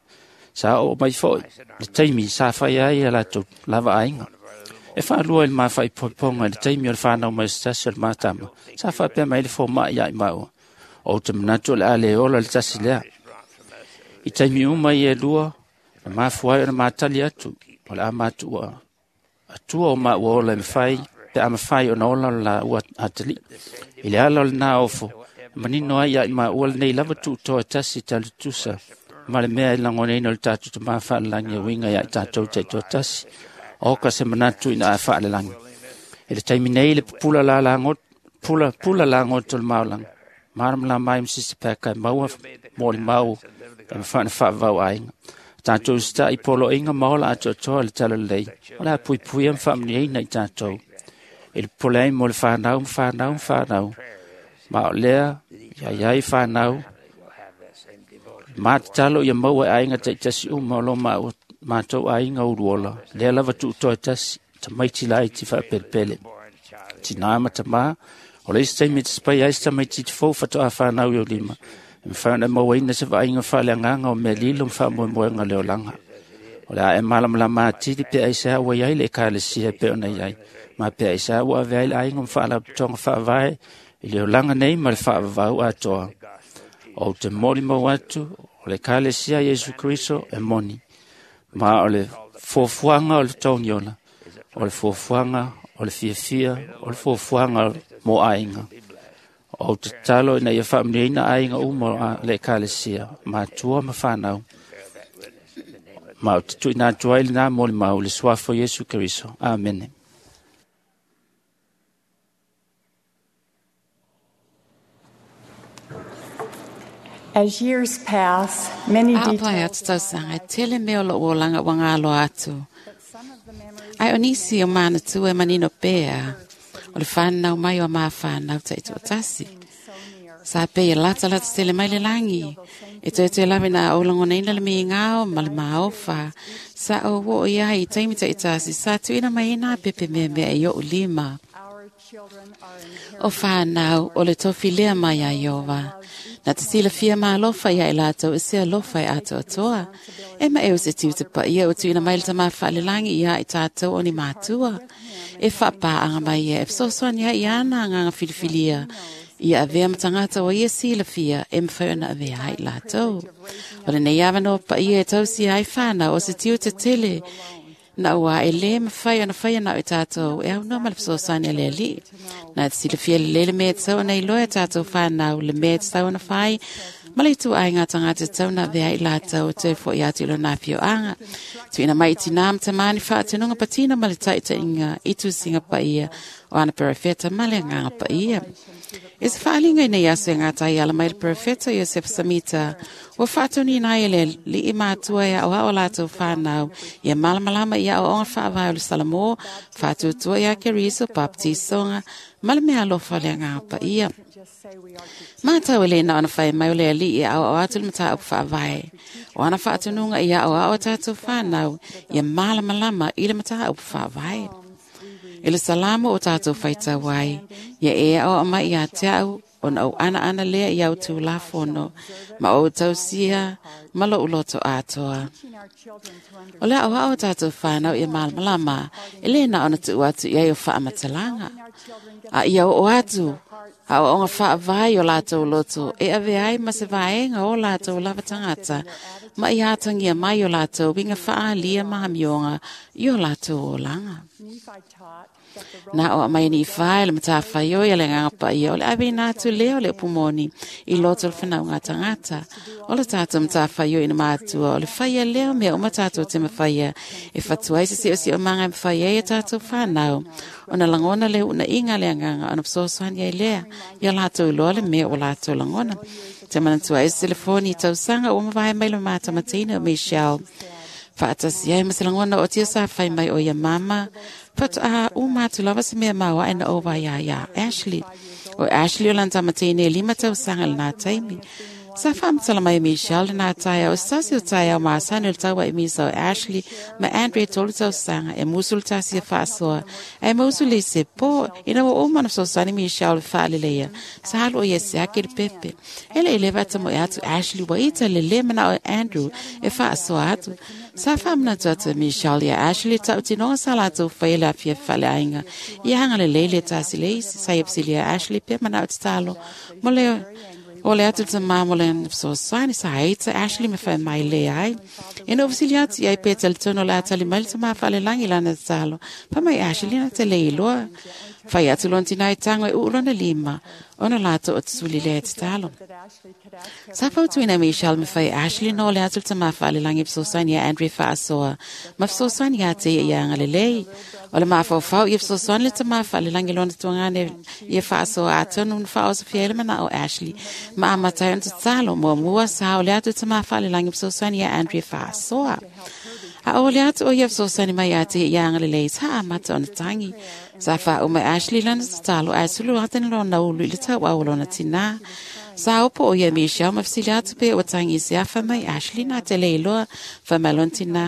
Sa oo mai fo'i le taimi sa fai ai a latou lava aiga. E faalua i le mafaipoipoga i le taimi o le fanau mai o se tasi o le matama. Sa faapea mai le fomaʻi ia i maua. Ou te manatu o le a le ola le tasi lea. I taimi uma ia e lua, na mafua ai ona matali atu, o le a matuua atua o maua ola e mafai, pe a mafai ona ola o le laua atalii. I le ala o lena ofo, manino ai ia i maua lenei lava tuutoa e tasi talutusa ma le mea e lagonaina o le tatou Tamā Faalelagi e uiga ia i tatou taitoatasi. O ka se manatu ina a faalelagi. I le taimi nei le pupula lalagoto, pula, pula lagoto le maolaga. Malamalama ai ma Sister Packer e maua mo le mau e mafai ona faavavau aiga. Tatou sita'i poloaiga ma ola atoatoa le talalelei, o le a puipuia ma faamanuiaina i tatou. I le popole ai mo le fanau ma fanau ma fanau, ma o lea ia i ai fanau, matatalo ia maua e aiga taitasi uma o lo matou aiga uluola, lea lava tuutoa tasi, tamaiti laiti faapelepele. Tinā ma tamā, o le isi taimi e tasapai ai se tamaititi fou faatoa fanau i lima, e mafai ona e mauaina se vaaiga faaleagaga o mea lilo ma faamoemoega o le olaga. O le a e malamalama atili pe aisea ua i ai le ekalesia e pei ona i ai, ma pe aisea ua avea ai le aiga ma faalapotopotoga faavae i le olaga nei ma le faavavau atoa. Ou te molimau atu o le ekalesia Iesu Keriso e moni, ma o le fuafuaga o le togiola, o le fuafuaga o le fiafia, o le fuafuaga mo aiga. Ou te tatalo ina ia faamanuiaina aiga uma o le ekalesia, matua ma fanau. Ma ou te tuuina atu ai lena molimau i le suafa o Iesu Keriso. Amene. As years pass, many A pae atu tausaga e tele mea o lou olaga ua galoa atu. Ai o nisi o manatua e manino pea, o le whanau mai o maa whanau taitoatasi. Sa pei e lata lata tele mai le langi. E toe toe lawe na o langonaina le miingao ma le maofa. Sa o wo o ia i taimi taitasi sa tuina mai ina pepe mea mea e o lima. O whanau o le tofi lea mai a Iova. Na te silafia maalofa ia i lātou e se alofa e atoatoa. E ma e o se tiu te paia o tuina mai le tama whaalelangi ia i tātou o ni mātua. E whaapāanga mai ia e fesoasoani ai i ana nganga filifilia. Ia avea matangata o ia silafia e mwhai ona avea ai lātou. O le nei awanoa paia e tausia ai whanau o se tiu te tele. Na ua e le mawhai ona whai ana o tātou e au noa ma le fesoasoani a le alii. Na te silafia le lele mea te tau ana iloa e tātou whanau le mea te tau ana whai. Ma le itu ai ngā tangata tau na vea i lātou te fo i atu ilo nā whio anga. Tuina mai i tina matamani whaatenunga patina ma le taitainga i tusinga paia o ana perefeta ma le nganga paia. E se whaalinga i nei aso e ngā tai ala mai le perefeta Iosef Samita, ua whaatoni nai e le lii mātua e au ao lātou whanau, ia malamalama ia au onga whaavai o le Salamo, whaatutua ia Keriso, baptisonga, ma le mea alofa le ngā paia. Mātau e le na ona whai mai o le alii e au au atu le mata au whaavai. O ana whaatununga ia au au tātou whanau, ia malamalama i le mata au whaavai. I le salamo o tātou whaitau ai, ia e au mai ia te au, ona au ana ana lea i au tū lafono, ma o tausia, ma lo uloto atoa. O le au au tātou whanau ia malamalama, e le na ona tuu atu ia i o whaamatalanga. A ia o atu, a o onga whaavai o lātou loto, e ave ai ma se vaenga o lātou lava tangata, ma i atangia mai o lātou winga whaalia mahamionga i o lātou olanga. Na o mai ni whai le matawhai o ia le nganga paia o le awe nā tu leo le upumoni i loto le whanau ngā tangata. O le tātou matawhai o ina mātua o le whaia leo mea o matātou te mawhaia e whatua ai se sio sio manga e mawhaia e tātou whanau. O na langona le una inga le anganga o na psosoani ai lea ia lātou loa le mea o lātou langona. Te manatua e se telefoni tausanga o mawhai mai le māta matina o Michelle. Whaatasi ai maselangona o tia sa whai mai o ia mama. But o mātu lava se mea maua e na o wai a ia Ashley. O Ashley o lanta matine e lima tausanga le nā taimi. Sa faamatala mai e Michelle lenā taeao, o se tasi o taeao masani o le tauaimisa o Ashley ma Andre 3 tausaga, e musu le tasi e faasoa, ae mausu le isi e po, ina ua uma ona fesoasoani Michelle i le faaleleia, sa alu o ia e siaki le pepe. E le i leva tamoe atu Ashley ua ita le lē manao e Andrew e faasoa atu. Sa faamanatu atu e Michelle ia Ashley tautinoga sa latou faia le afiafi faaleaiga, ia agalelei le tasi le isi. Sa ia fesilia Ashley pe manao tatalo mo le o le atu le tamā mo le fesoasoani. Sa ita Ashley ma fai mai le ai. Ina ua fesili atu i ai pe talitonu o le a tali mai le tamā faalelagi i lana tatalo. Fai mai Ashley na te le iloa. Fai atu lona tinā i tago e uu lona lima, ona latou o tasuli lea e tatalo. Sa fautuina e Michelle ma fai Ashley no le atu le tamā faalelagi e fesoasoani ia Andre faasoa, ma fesoasoani ia te ia ia agalelei. O le mafaufau ia fesoasoani le tamā faalelagi lona tuagane ia faasoa atonu na faaosofia ai le manao o Ashley. Ma amata ai ona tatalo, muamua sa o le atu le tamā faalelagi e fesoasoani ia Andre faasoa. A o le atu o ia fesoasoani mai ia te ia agalelei, sa amata ona tagi. Sa faauma e Ashley lana tatalo ae sulu atene lona ulu i le tauau o lona tinā. Sa opo o ia Michelle ma fesili atu pe ua tagi i se afa mai Ashley na te le iloa, fai mai lona tinā.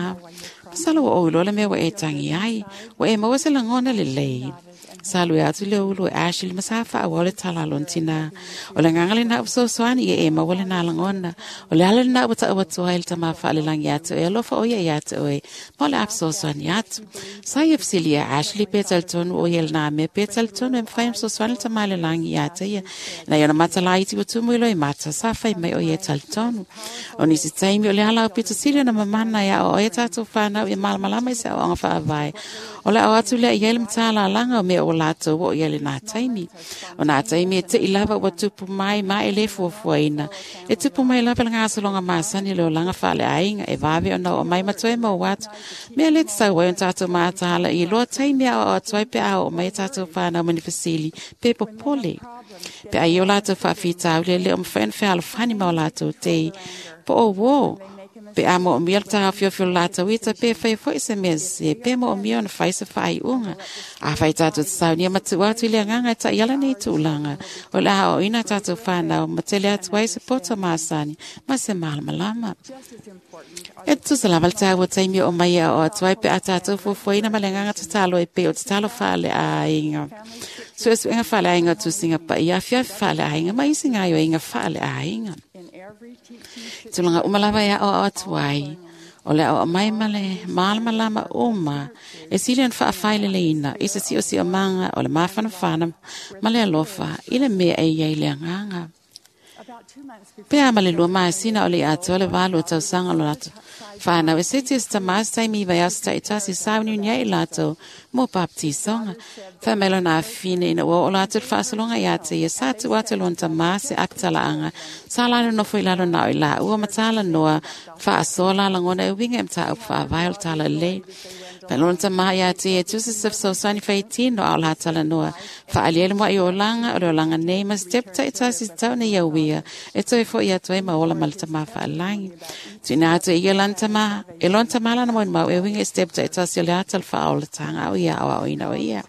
Masalo ua ou iloa le mea ua e tangi ai, ua e maua se lagona lelei. Sa alu e atu le ulu e Ashley ma sa faaauau le tala a lona tinā. O le agaga lenā ua fesoasoani ia e maua lenā lagona. O le ala lenā ua taua atu ai le tamā faalelagi ia te oe, alofa o ia ia te oe, ma o le a fesoasoani atu. Sa ia fesili ia Ashley pe talitonu o ia lenā mea, pe talitonu e mafai ona fesoasoani le tamā lelagi ia te ia. Na ia ona mata laiti ua tumu i loi mata, sa fai mai o ia e talitonu. O nisi taimi o le ala o pito sili ona mamana e ao ai tātou whānau ia malamalama i se aoaoga faavae. O le ao atu lea i ai le matālalaga o mea o latou o ia le nā taimi. O nā taimi e tei lava ua tupu mai ma e le fuafuaina. E tupu mai lava le ngasologa masani le olaga faaleaiga e vave ona oo mai ma toe maua atu. Mea le tatau ai ona tatou mataala i loa taimi e aoao atu ai pe a oo mai a tatou whānau ma ni fesili pe popole. Pe ai o latou faafitauli e le o mafai ona fealofani ma o latou tei. Po o uō, pe a moomia le taofiofio o latou ita pe fai foi se mea sese, pe moomia ona fai se faaiuga. A fai tatou te saunia ma tuu atu i le agaga e taiala nei tulaga, o le a aoaoina tatou whānau ma tele atu ai se poto masani ma se malamalama. E tutusa lava le taua taimi o mai e aoao atu ai pe a tatou fuafuaina ma le agaga tatalo e pei o tatalo faaleaiga. Suesuega faaleaiga o tusiga paia, afiafi faaleaiga ma isi gaoioiga faaleaiga. Tulaga uma lava e aoao atu ai, o le aoao mai ma le malamalama uma, e sili ona faafaileleina i se siosiomaga o le mafanafana ma le alofa i le mea e i ai le agaga. Pe a ma le 2 masina o le atoa le 8 tausaga o lo latou whānau e seti e se tamā se taimi i vai aso taitasi sauniuni ai i latou mo baptisoga. Fai mai lona afine ina ua oo latou le faasologa ia te ia, sa tuu atu e lona tamā se apitalaaga, sa la nonofo i lalo na o i laua ma talanoa faasoa la lagona e uiga i mataupu faavae o le talalelei. Fai lona tamā ia te ia e tusa se fesoasoani faitino a o la talanoa. Faaali ai le mua'i o olaga o le olaga nei ma se tepu taitasi se tau nei auia e toe fo'i atu ai ma ola ma le tamā faalelagi. Tuuina atu e ia lana tamā, e lona tamā lana molimau e uiga i se tepu taitasi o le ata o le faaolataga o ia aoaoina o ia.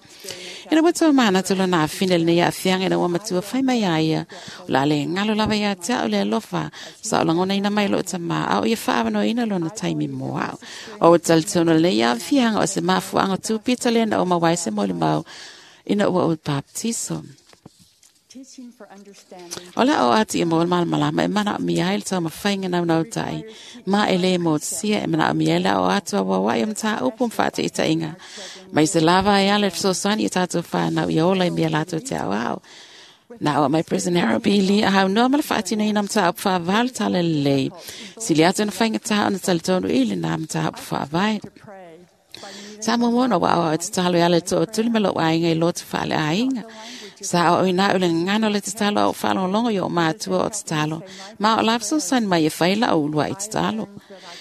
Ina ua toa manatu lona afine lenei aafiaga ina ua matua fai mai a ia, o le a le galo lava ia te au le alofa, sa o lagonaina mai loo tamā, a o ia faaavanoaina lona taimi mo au. O ua talitonu lenei aafiaga o se mafuaaga tupita lea na o maua ai se molimau ina ua ou baptiso. O le ao atu ia mo le malamalama e manaomia ai le taumafaiga naunautai ma e lē motusia e manaomia ai le ao atu auauai o mataupu ma faataitaiga mai se lava ai ala e fesoasoani i tatou whānau ia ola i mea latou te aoao. Na o mai President Harold B. Lee a haunoa ma le faatinoina o mataupu faavae o le talalelei. Sili atu ona faigata ona talitonu i lenā mataupu faavae. Sa muamua ona ua aoao e tatalo e ala e tootuli ma lou aiga i lotu faaleaiga. Sa aoaoina au i le gagana o le tatalo a ou faalogologo i oo matua o tatalo, ma o la fesoasoani mai e fai lau uluai tatalo.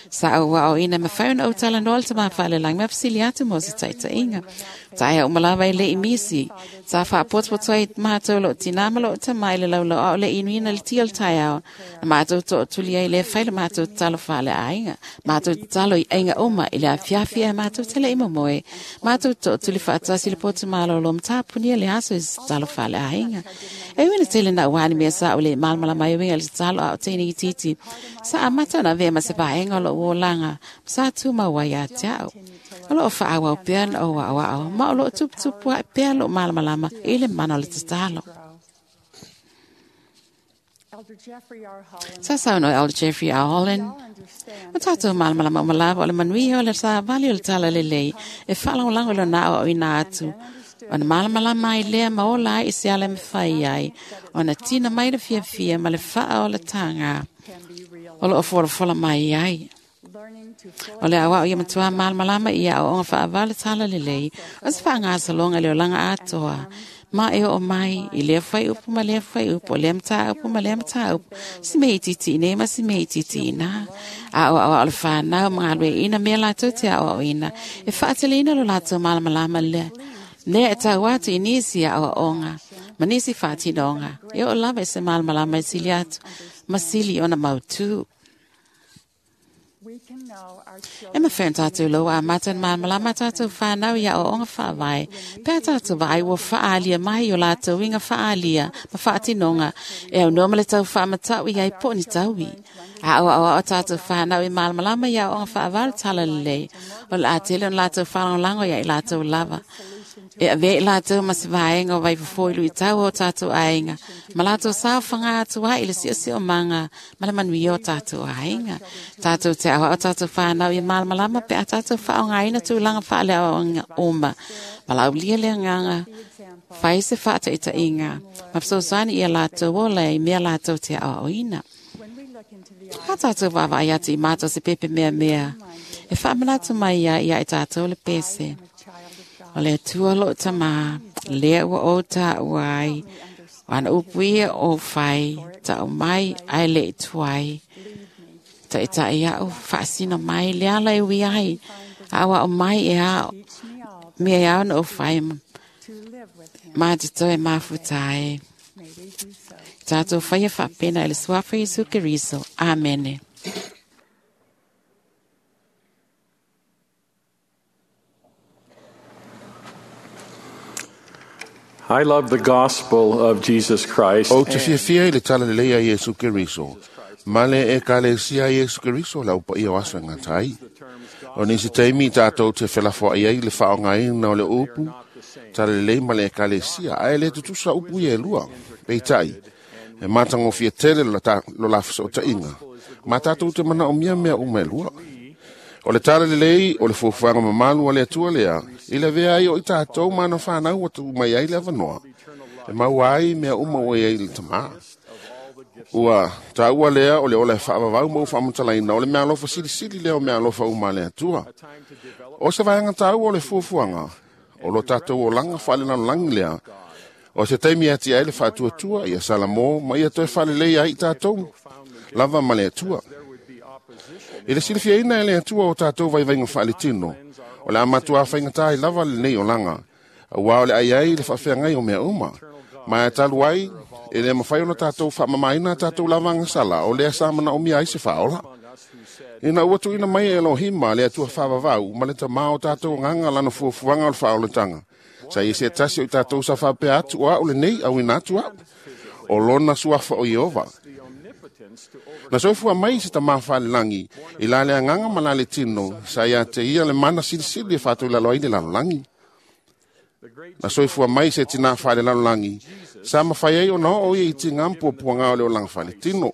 Sa ou aoaoina e mafai ona ou talanoa i le tamā faalelagi ma fesili atu mo se taitaiga. Taea uma lava e le i misi. Sa faapotopoto ai matou loo tinā ma loo tamā i le laulau a o le inuina le tia o le taeao. Na matou tootuli ai lea fai le matou tatalo faaleaiga. Matou tatalo i aiga uma i le afiafi ae matou te le i momoe. Matou tootuli faatasi i le potu malolo ma tapunia le aso i se tatalo faaleaiga. E uina tele na uani mea sa o le malamalama ai uiga i le tatalo a o teine itiiti. Sa amata ona avea ma se vaega o lo'u olaga, ma sa tumau ai ia te a'u. O lo'o fa'aauau pea ona ou a'oa'o, ma o lo'o tuputupu a'i pea lo'u malamalama i le mana o le tatalo. Sa saunoa Elder Jeffrey R. Holland, O tātou malamalama uma lava o le manuia o le savali o le talalelei e faalagolago i lona aoaoina atu. Ona malamalama ai lea ma ola ai i se ala e mafai ai, ona tina mai le fiafia ma le faaolataga o loo folafola mai ai. O le aoao ia matua malamalama i aoaoga faavale le talalelei, o se faagasologa i le olaga atoa, ma e oo mai i lea fuaiupu ma lea fuaiupu, o lea mataupu ma lea mataupu, si mea itiiti iinei ma si mea itiiti iinā. Aoaoa o le fanau ma galueaiina mea latou te aoaoina, e faateleina lo latou malamalama lea, lea e tau atu i nisi aoaoga ma nisi faatinoga, e oo lava i se malamalama e sili atu ma sili ona mautū. E mafai ona tatou loua amata ona malamalama a tatou fanau i aoaoga faavae, pe a tatou vaai ua faaalia mai o latou uiga faaalia ma faatinoga e aunoa ma le tau faamata'u i ai po o ni taui. Aoaoa o tatou fanau i malamalama i aoaoga faavae o le talalelei, o le a tele ona latou faalagolago ia i latou lava. E avea i latou ma se vaega o vaifofo i luitau o tatou aiga, ma latou saofaga atu ai i le siosiomaga ma le manuia o tatou aiga. Tatou te aoao tatou fanau ia malamalama pe a tatou faaaogaina tulaga faaleaoaoga uma. Valaaulia le agaga, fai se faataitaiga, ma fesoasoani ia latou ola i mea latou te aoaoina. A tatou vaavaai atu i mata o se pepe meamea, e faamanatu mai ai ia i tatou le pese. O le Atua lo'u tamā, lea ua ou taua ai, o ana upu ia ou fai, ta'u mai ae le'i tuai. Ta'ita'i a'u faasino mai le ala e ui ai, a'oa'o mai e ao, mea e ao ona ou fai, ma te toe mafuta ai. Tatou faia faapena i le suafa o Iesu Keriso. Amene. I love the gospel of Jesus Christ. Ou te fiafia i le talalelei a Iesu Keriso. Ma le Ekalesia a Iesu Keriso le au paia o aso e gata ai. O nisi taimi tātou te felafoai ai le faaaogaina o le upu talalelei ma le Ekalesia, ae le tutusa upu ia e lua. Peitai, e matagofie tele lo la fesootaiga, ma tātou te manaomia mea uma e lua. O le talalelei o le fuafuaga mamalu a le Atua lea, i le avea ai o i tātou ma ana fanau ua tuu mai ai le avanoa, e maua ai mea uma ua i ai le tamā. Ua taua lea o le ola e faavavau ma ua faamatalaina o le meaalofa silisili lea o meaalofa uma a le Atua. O se vaega taua o le fuafuaga, o lo tatou olaga faalelalolagi lea, o se taimi e atiae ai le faatuatua ia Salamo ma ia toe faalelei ai i tatou lava ma le Atua. I le silifiaina e le Atua o tatou vaivaiga faaletino, o le a matua faigata ai lava lenei olaga, auā o le ai ai le faafeagai o mea uma. Ma e talu ai, e le mafai ona tatou faamamaina tatou lava agasala o lea sa manaomia ai se faaola. Ina ua tuuina mai e Elohima le Atua faavavau ma le tamā o tatou agaga lana fuafuaga o le faaolataga, sa ia se tasi o i tatou sa faapea atu o a'u lenei auina atu a'u, o lona suafa o Ieova. Na soifua mai se tamā faalelagi i la le agaga ma la le tino, sa ia te ia le mana silisili e faatoilalo ai le lalolagi. Na soifua mai se tinā faalelalolagi, sa mafai ai ona oo ia i tigā ma puapuagā o le olaga faaletino.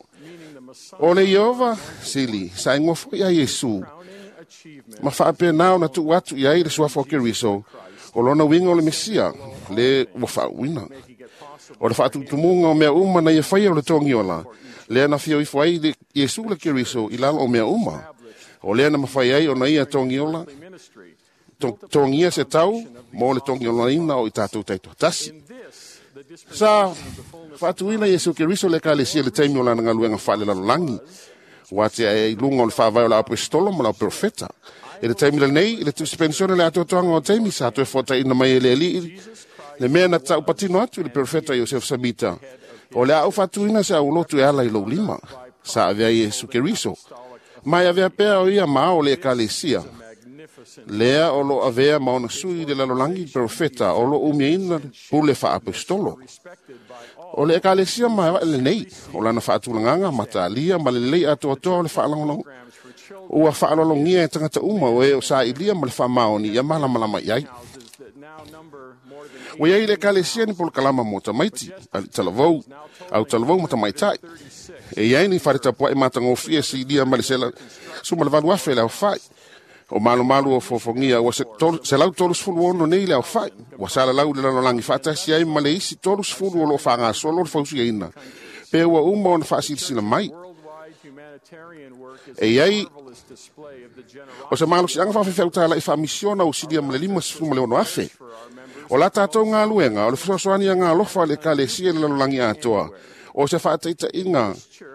O le Ieova sili, sa igoa foi ia Iesu, ma faapena ona tuu atu i ai le suafa o Keriso, o lona uiga o le Mesia, le ua faauuina. O le faatutumuga o mea uma na ia faia o le togiola, lea na fia ifo ai le Iesu le Keriso i lalo o mea uma. O lea na mafai ai ona ia togiola, togia se tau mo le togiolaina o i tatou taitoatasi. Sa faatuina Iesu Keriso le Ekalesia i le taimi o lana galuega faalelalolagi, ua atiae ai i luga o le faavae o le aposetolo ma le auperofeta. I le taimi lenei, i le tusipenisione le atoatoaga o taimi sa toe fuataina mai e le Alii le mea na taupatino atu i le perofeta Iosefo Samita, o le a ou faatuina se aulotu e ala i lou lima, sa avea Iesu Keriso. Ma e avea pea o ia ma ao le Ekalesia. Lea o lo avea ma ona sui le lalolagi profeta o lo umiaina pule faapostolo. O le ekalesia maevae lenei, o lana faatulagaga matalia ma lelei atoatoa o le faalagolago ua faalologia e tagata uma o e o sailia ma le faamaoni ia malamalama i ai. Ua iai le ekalesia ni polokalama mo tamaiti, alii talavou, au talavou ma tamaitai. E iai ni fale tapuai matagofie silia ma le 108,000 le aofai. O malumalu o fofogia ua 136 nei le aofai. Ua salalau i le lalolagi faatasi ai ma le isi 30 o loo faagasolo le fausiaina. Pe ua uma ona faasilasila mai. E iai o se malosiaga faafefeautalai faamisiona o silia ma le 56,000. O la tatou galuega o le fesoasoani agalofa a le ekalesia i le lalolagi atoa. O se faataitaiga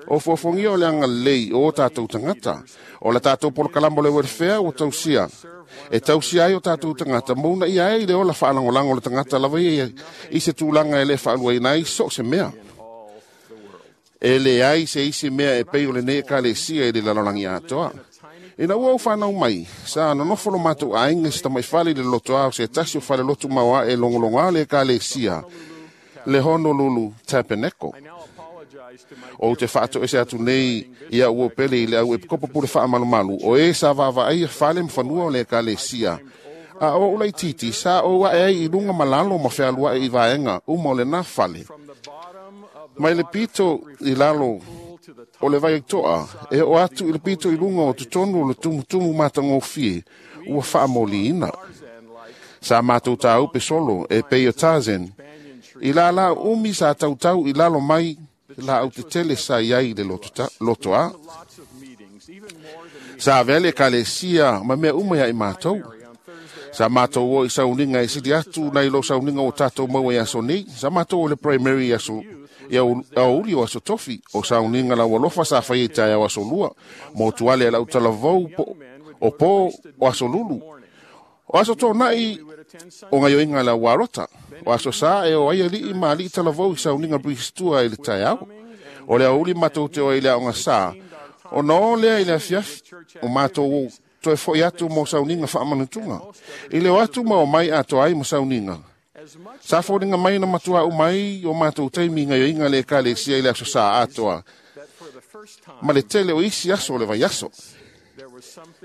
o fofogia o le agalelei o tatou tagata. O la tatou polokalama o le welfare ua tausia. E tausia ai o tatou tagata mauna ia ai le ola faalagolago o le tagata lava ia i se tulaga e le faaluaina ai so o se mea. E leai se isi mea e pei o lenei ekalesia i le lalolagi atoa. Ina ua ou whanau mai, sa nonofo lo matou aiga i se tamaifale i le lotoa o se tasi o falelotu maoae e logologoa le ekalesia, le Honolulu Tabernacle. Ou te faatoese atu nei ia ua pele i le au epikopo pule faamalumalu o e sa vaavaaia fale ma fanua o le ekalesia. A o ula titi sa o ae ai i lunga malalo ma fealuae i vaega uma o lena fale. Mai le pito i lalo o le vai toa, e o atu i le pito i lunga o totonu o le tumutumu matagofie, ua faamoliina. Sa matou tāupe solo e pei o Tarzan, i la la umi sa tautau i lalo mai la au te tele sa iai le lotoa. Sa avea le ekalesia ma mea uma ia i mātou. Sa mātou o i sauniga e sili atu nai lo sauniga o tātou maua i aso nei. Sa mātou o le primary aso ia aouli o aso tofi o sauniga lau alofa sa fai e tae au aso lua. Mo tuale a lau talavou o pō o aso lulu. O aso tōnai o ngaioinga lau warota. O aso sa e o ai alii ma alii talavou i sauniga bristua i le tae au. O le aouli matou te o i le aonga sa. O na o lea i le afiafi o mātou toe foi atu mo sauniga faamanutuga. I le o atu ma o mai atoa ai mo sauniga. Sa foliga mai na matua u mai o matou taimi ngaioinga le ekalesia i le aso sa atoa. Ma le tele o isi aso o le vaiaso.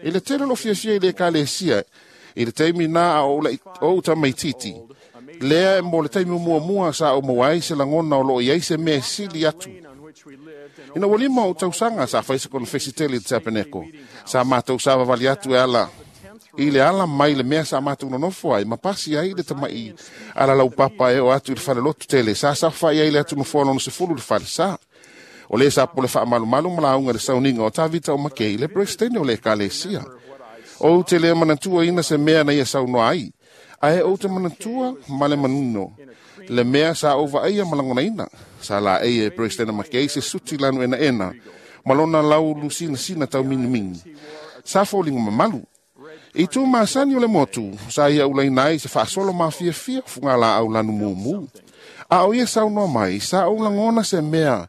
I le tele lo fiafia i le ekalesia, i le taimi nā a o tamaititi. Lea e mo le taimi muamua sa o maua ai se lagona o loo iai se mea sili atu. Ina ua lima o tausaga sa fai se konofesi tele i le tapeneko. Sa matou sa vavali atu e ala i le ala mai le mea sa matou nonofo ai, ma pasi ai le tamai ala lau papa e o atu i le falelotu tele. Sa safai ai le atu nofoa lona 10 le fale sa. O le sa pole faamalumalu ma lauga le sauniga o Tavita o Makei le presidente o le ekalesia. O te le manatua ina se mea na ia saunoa ai. Ae ou te manatua ma le manino. Le mea sa ou vaaia ma lagonaina. Sa la ei e presidente Makei se suti lanu ena ena. Ma lona lau lusina sina tau minimini. Sa foliga mamalu. I tū masani o le motu, sa ia ulaina ai se faasolo mafiafia fuga la au lanu mumu. A o ia saunoa mai, sa ou lagona se mea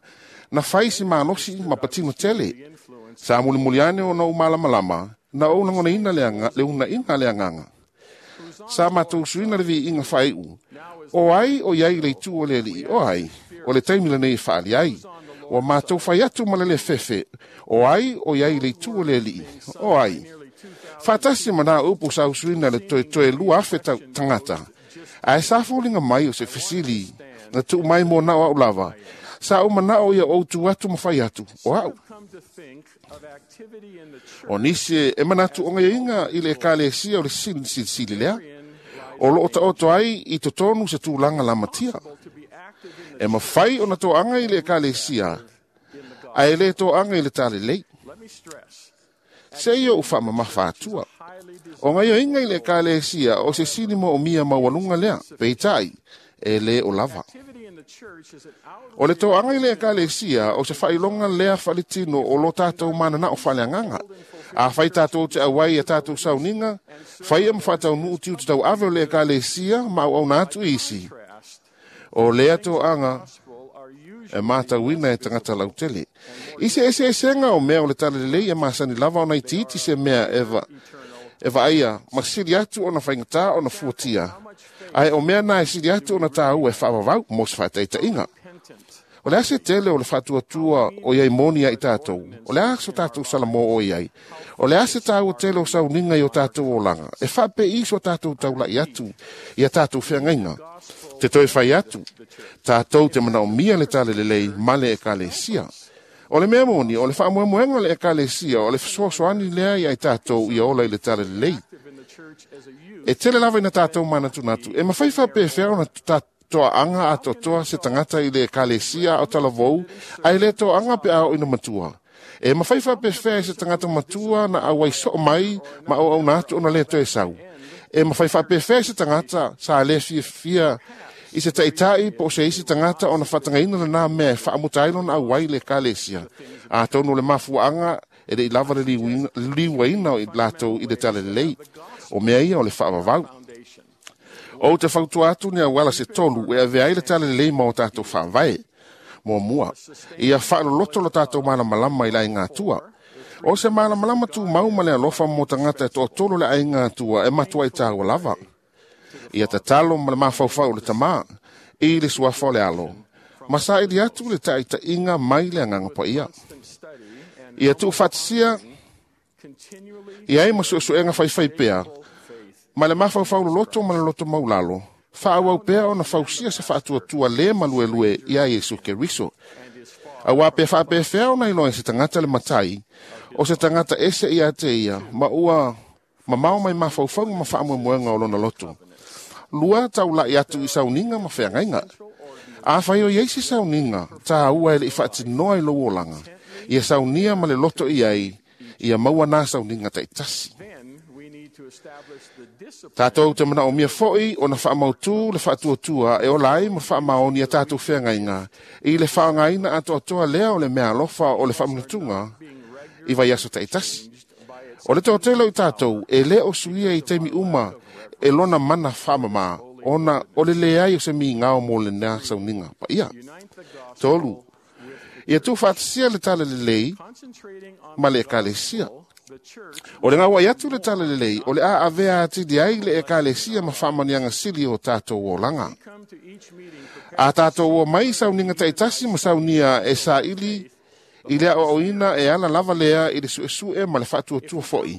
na fai si malosi ma patino tele. Sa mulimuli ane o na ou malamalama, na ou lagonaina le unaiga le agaga. Sa matou suina le viiga faaiu. O ai o iai le itu o le alii, o ai, o le taimi lenei e faali ai. Ua matou fai atu ma le le fefe, o ai o iai le itu o le alii, o ai. Faatasi ma nā upu sa usuina le toe 2,000 tagata. Ae sa foliga mai o se fesili na tuu mai mo nao au lava. Sa ou manao ia ou tu atu ma fai atu, o au. O nisi e manatu o ngaiinga i le ekalesia o le silisili lea. O loo taoto ai i totonu se tulaga lamatia. E mafai ona toaga i le ekalesia, ae le toaga i le talelei. Se ia u faamamafa atua. O ngaioinga i le ekalesia o se sili mo o mia maualuga lea, peitai, e le o lava. O le toaga i le ekalesia o se faailoga lea faaletino o lo tatou mananao faaleagaga. A fai tatou te auai a tatou sauniga, faia ma faataunuu tiute tauave o le ekalesia ma auauna atu isi. O lea toaga e matauina e tagata lautele. I se eseesega o mea o le talalelei e masani lava ona itiiti se mea e vaaia ma sili atu ona faigata ona fuatia. Ae o mea na e sili atu ona tāua e faavavau mo se faataitaiga. O le a se tele o le faatuatua o iai moni ai tātou. O le a so tātou salamo o iai. O le a se tāua tele o sauniga i o tātou olaga. E faapei so tātou taulai atu ia tātou feagaiga. Te toe fai atu. Tātou te manaomia le talalelei ma le ekalesia. O le mea moni, o le faamoemoega o le ekalesia, o le fesoasoani lea ia i tātou ia ola i le talalelei. E tele lava ina tātou manatunatu. E mafai faapefea ona toaga atoatoa se tagata i le ekalesia o talavou, ae le toaga pe a oo ina matua. E mafai faapefea i se tagata matua na auai soo mai ma auauna atu ona le toe sau. E mafai faapefea i se tagata sa le fiafia i se taitai po o se isi tagata ona faatagaina lenā mea e faamuta ai lona auai i le ekalesia. Atonu o le mafuaaga e leʻi lava le liuaina o i latou i le talalelei. O mea ia o le faavavau. Ou te fautua atu ni auala se tolu e avea ai le talalelei ma o tātou faavae. Muamua, ia faaloloto lo tātou malamalama i le aiga atua. O se malamalama tumau ma le alofa mo tagata e toatolu le aiga atua e matuai tāua lava. Ia tatalo ma le mafaufau o le tamā i le suafa o le alo. Ma saili atu le taitaiga mai le agaga paia. Ia tuufaatasia i ai ma suesuega faifai pea ma le mafaufau loloto ma le loto maulalo. Faaauau pea ona fausia se faatuatua le maluelue ia Iesu Keriso. Auā pe faapefea ona iloa e se tagata le matai, o se tagata ese ia te ia, ma ua mamao mai mafaufauga ma faamoemoega o lona loto. Lua taulai atu i sauniga ma feagaiga. Afai o iai se sauniga, tāua e leʻi faatinoa i lou olaga. Ia saunia ma le loto i ai, ia maua nā sauniga taitasi. Tātou te manaomia foi ona faamautū le faatuatua e ola ai ma faamaoni a tātou feagaiga i le faaaogaina atoatoa lea o le mea alofa o le faamanatuga i vaiaso taitasi. O le toatele o i tātou e le o suia i taimi uma e lona mana faamamā ona o le leai o se migao mo lenā sauniga paia. Tolu, ia tuufaatasia le talalelei ma le ekalesia. O le gauai atu le talalelei, o le a avea atili ai le ekalesia ma faamaniaga sili o tātou olaga. A tātou o mai sauniga taitasi ma saunia e saili i le aoaoina e ala lava lea i le suesue ma le faatuatua foi.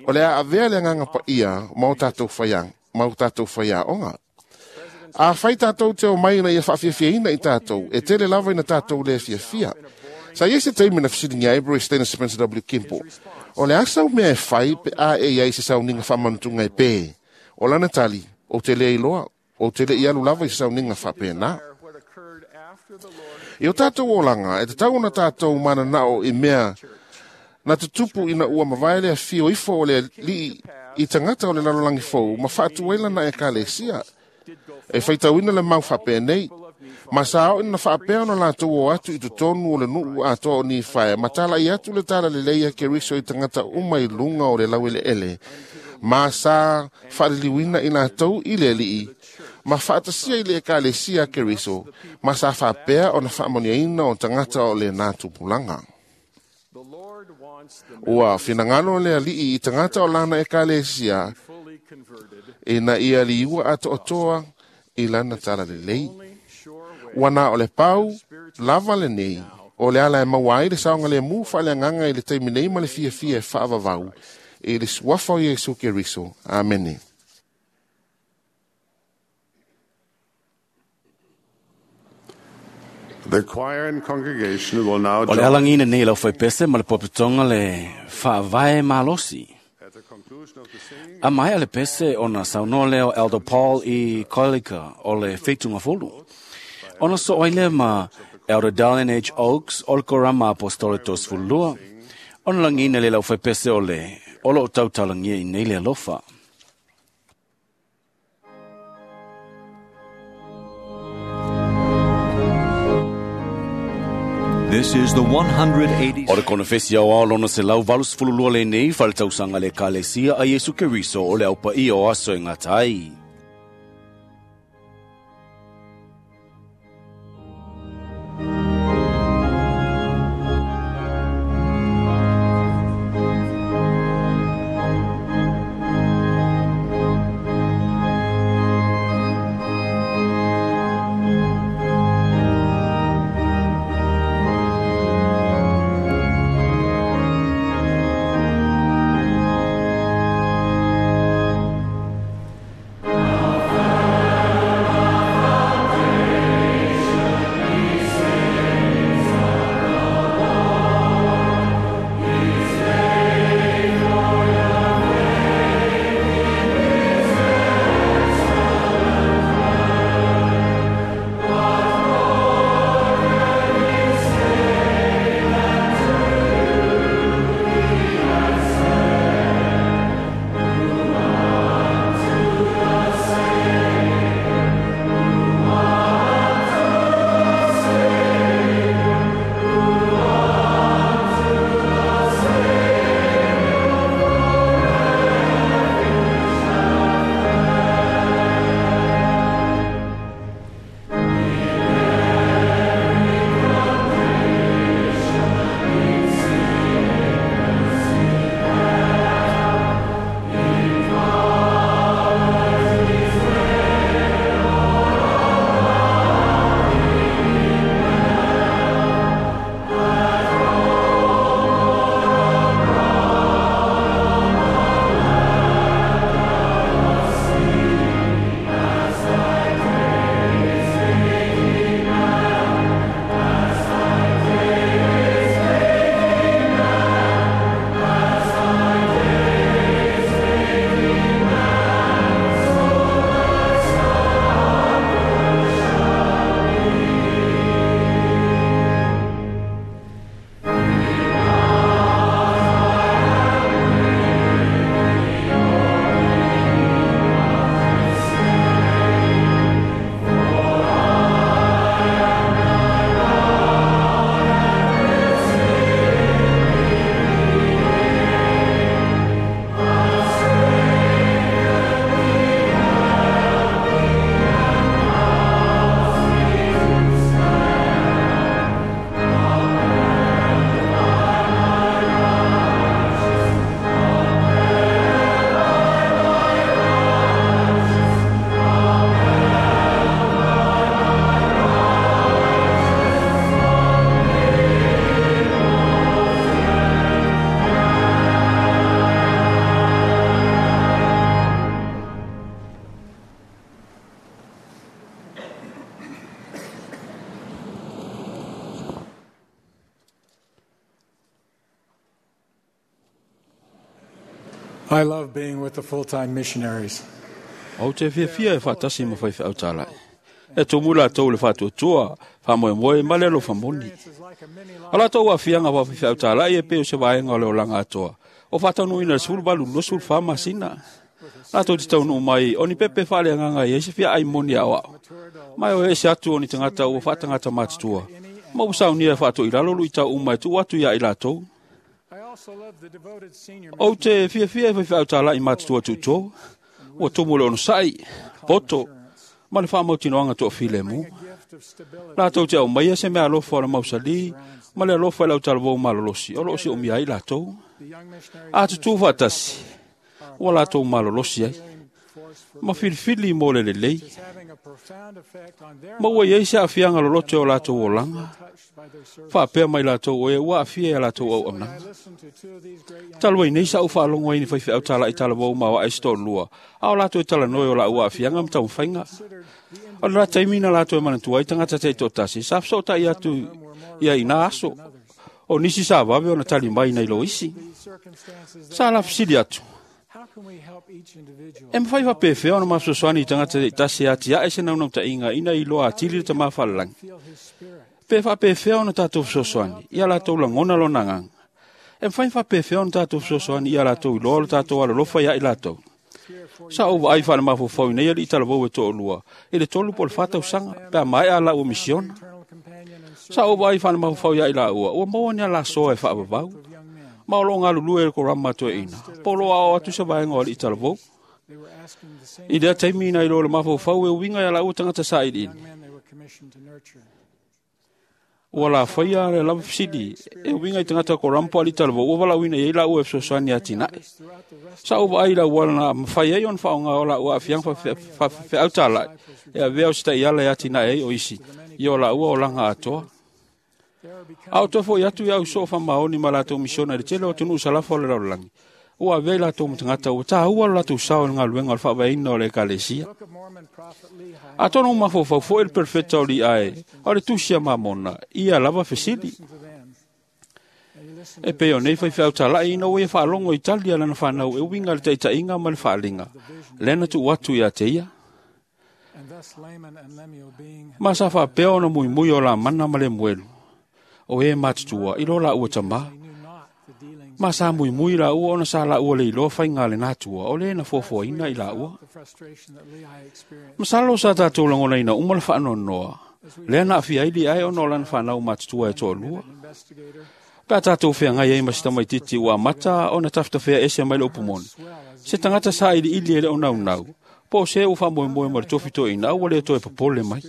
O le a avea le agaga paia ma o tātou faiaoga. A fai tātou te o mai ina ia faafiafiaina i tātou, e tele lava ina tātou le fiafia. Sa ia se taimi na fesiligia ai Bruce Dennis Spencer W. Kimpo. O le asa o mea e fai pe a e iai se sauniga faamanutuga e pē. O lana tali, ou te le iloa, ou te le i alu lava i se sauniga faapenā. I o tātou olaga, e tatau ona tātou mananao i mea na tutupu ina ua mavae le afio ifo o le alii i tagata o le lalolagi fou ma faatuai lana ekalesia. E faitauina le mau faapenei. Ma sa oo ina faapea ona latou o atu i totonu o le nuu atoa o Nifae, ma talai atu le talalelei a Keriso i tagata uma i luga o le laueleele. Ma sa faaliliuina i latou i le alii, ma faatasia i le ekalesia a Keriso, ma sa faapea ona faamoniaina o tagata o lenā tupulaga. Ua finagalo le alii i tagata o lana ekalesia, ina ia liua atoatoa i lana talalelei. Ua na o le pau lava lenei, o le ala e maua ai le saogalemu faaleagaga i le taimi nei ma le fiafia e faavavau i le suafa o Iesu Keriso. Amene. The choir and congregation will now O le join alagiina nei lau faipese ma le popotoga le faavae malosi. at the conclusion of the singing. A mai a le pese ona saunoa lea o Elder Paul i Koilika o le Feitugafulu. Ona so ai lea ma Elder Darlene H. Oaks o le Korama Apostole 32. Ona lagiina le lau faipese o le o loo tautalagia i nei le alofa. This is the 180. O le konofesi au ao lona se lau 82 lenei faletausaga le ekalesia a Iesu Keriso o le aupaia o aso e gata ai. I love being with the full-time missionaries. Ou te fiafia e faatasi ma faifeau talai. E tumu latou le faatuatua, faamoemoe ma le alofa moni. O latou aafiaga faafaifeau talai e pei o se vaega o le olaga atoa, o faataunuuina le 18-24 masina. Latou te taunuu mai o ni pepe faaleagaga e ai se fiaai moni aoao. Ma e o ese atu o ni tagata ua faatagata matutua, ma ua saunia e faatoilalo luitau uma e tuu atu ia i latou. Ou te fiafia e faifeau talai matutua tuutou, ua tumu le onosai, poto, ma le faamautinoaga toafilemu. Latou te aumaia se mea alofa o le mausali ma le alofa i le autalavou malolosi o loo siomia ai latou. A tutū faatasi, ua latou malolosi ai, ma filifili mo le lelei, ma ua iai se aafiaga loloto o latou olaga, faapea mai latou oe ua aafia ia latou auaunaga. Talu ai nei sa ou faalogo ai ni faifeau talai talavou ma oae se toalua, a o latou e talanoe o laua aafiaga ma taumafaiga. O le la taimi na latou e manatua ai tagata taitoatasi sa fesootai atu ia i na aso, o nisi sa vave ona tali mai nai lo isi. Sa lafesili atu, e mawhai whapewhea ona mafesoasoani i tagata taitasi e atiae se naunautaiga ina iloa atili le tamā falelagi. Pe faapefea ona tatou fesoasoani ia latou lagona lona agaga. E mafai faapefea ona tatou fesoasoani ia latou iloa lo tatou alolofa ia i latou. Sa ou vaai faalemafaufau i nei alii talavou e toalua i le 3 po o le 4 tausaga pe a maea laua misiona. Sa ou vaai faalemafaufau ia i laua ua maua ni alasoa e faavavau, ma o loo galulue e le korama toeaina, po o loo aoao atu se vaega o alii talavou. I lea taimi na iloa le mafaufau e uiga ia laua tagata sailiili. Ua lafaia le lava fesili e uiga i tagata korama po o alii talavou ua valaauina i ai laua e fesoasoani atinae. Sa ou vaai i le auala na mafai ai ona faaaoga o laua aafiaga faafefeau talai e avea o se taiala e atinae ai o isi i o laua olaga atoa. A o toe foi atu ia au soo faamaoni ma latou misiona i le tele o atunuu salafa o le lalolagi, ua avea i latou ma tagata ua tāua lo latou sao i le galuega o le faavaeina o le ekalesia. Atonu ua mafaufau foi le perofeta o Liae o le tusi a Mamona ia lava fesili. E pei o nei faifeau talai ina ua ia faalogo i tali a lana fanau e uiga i le taitaiga ma le faaliga, lea na tuu atu ia te ia. Ma sa faapea ona muimui o Lamana ma Lemuelu, o e matutua i lo laua tamā. Ma sa muimui laua ona sa laua le iloa faiga le natua o le na fuafuaina i laua. Masalo sa tatou lagonaina uma le faanoanoa, lea na aafia ai Liae ona o lana fanau matutua e toalua. Pe a tatou feagai ai ma se tamaitiiti ua amata ona tafetafea ese mai le upu moni, se tagata sailiili e le o naunau, po o se ua faamoemoe ma le tofi toeaina ua le toe popole mai.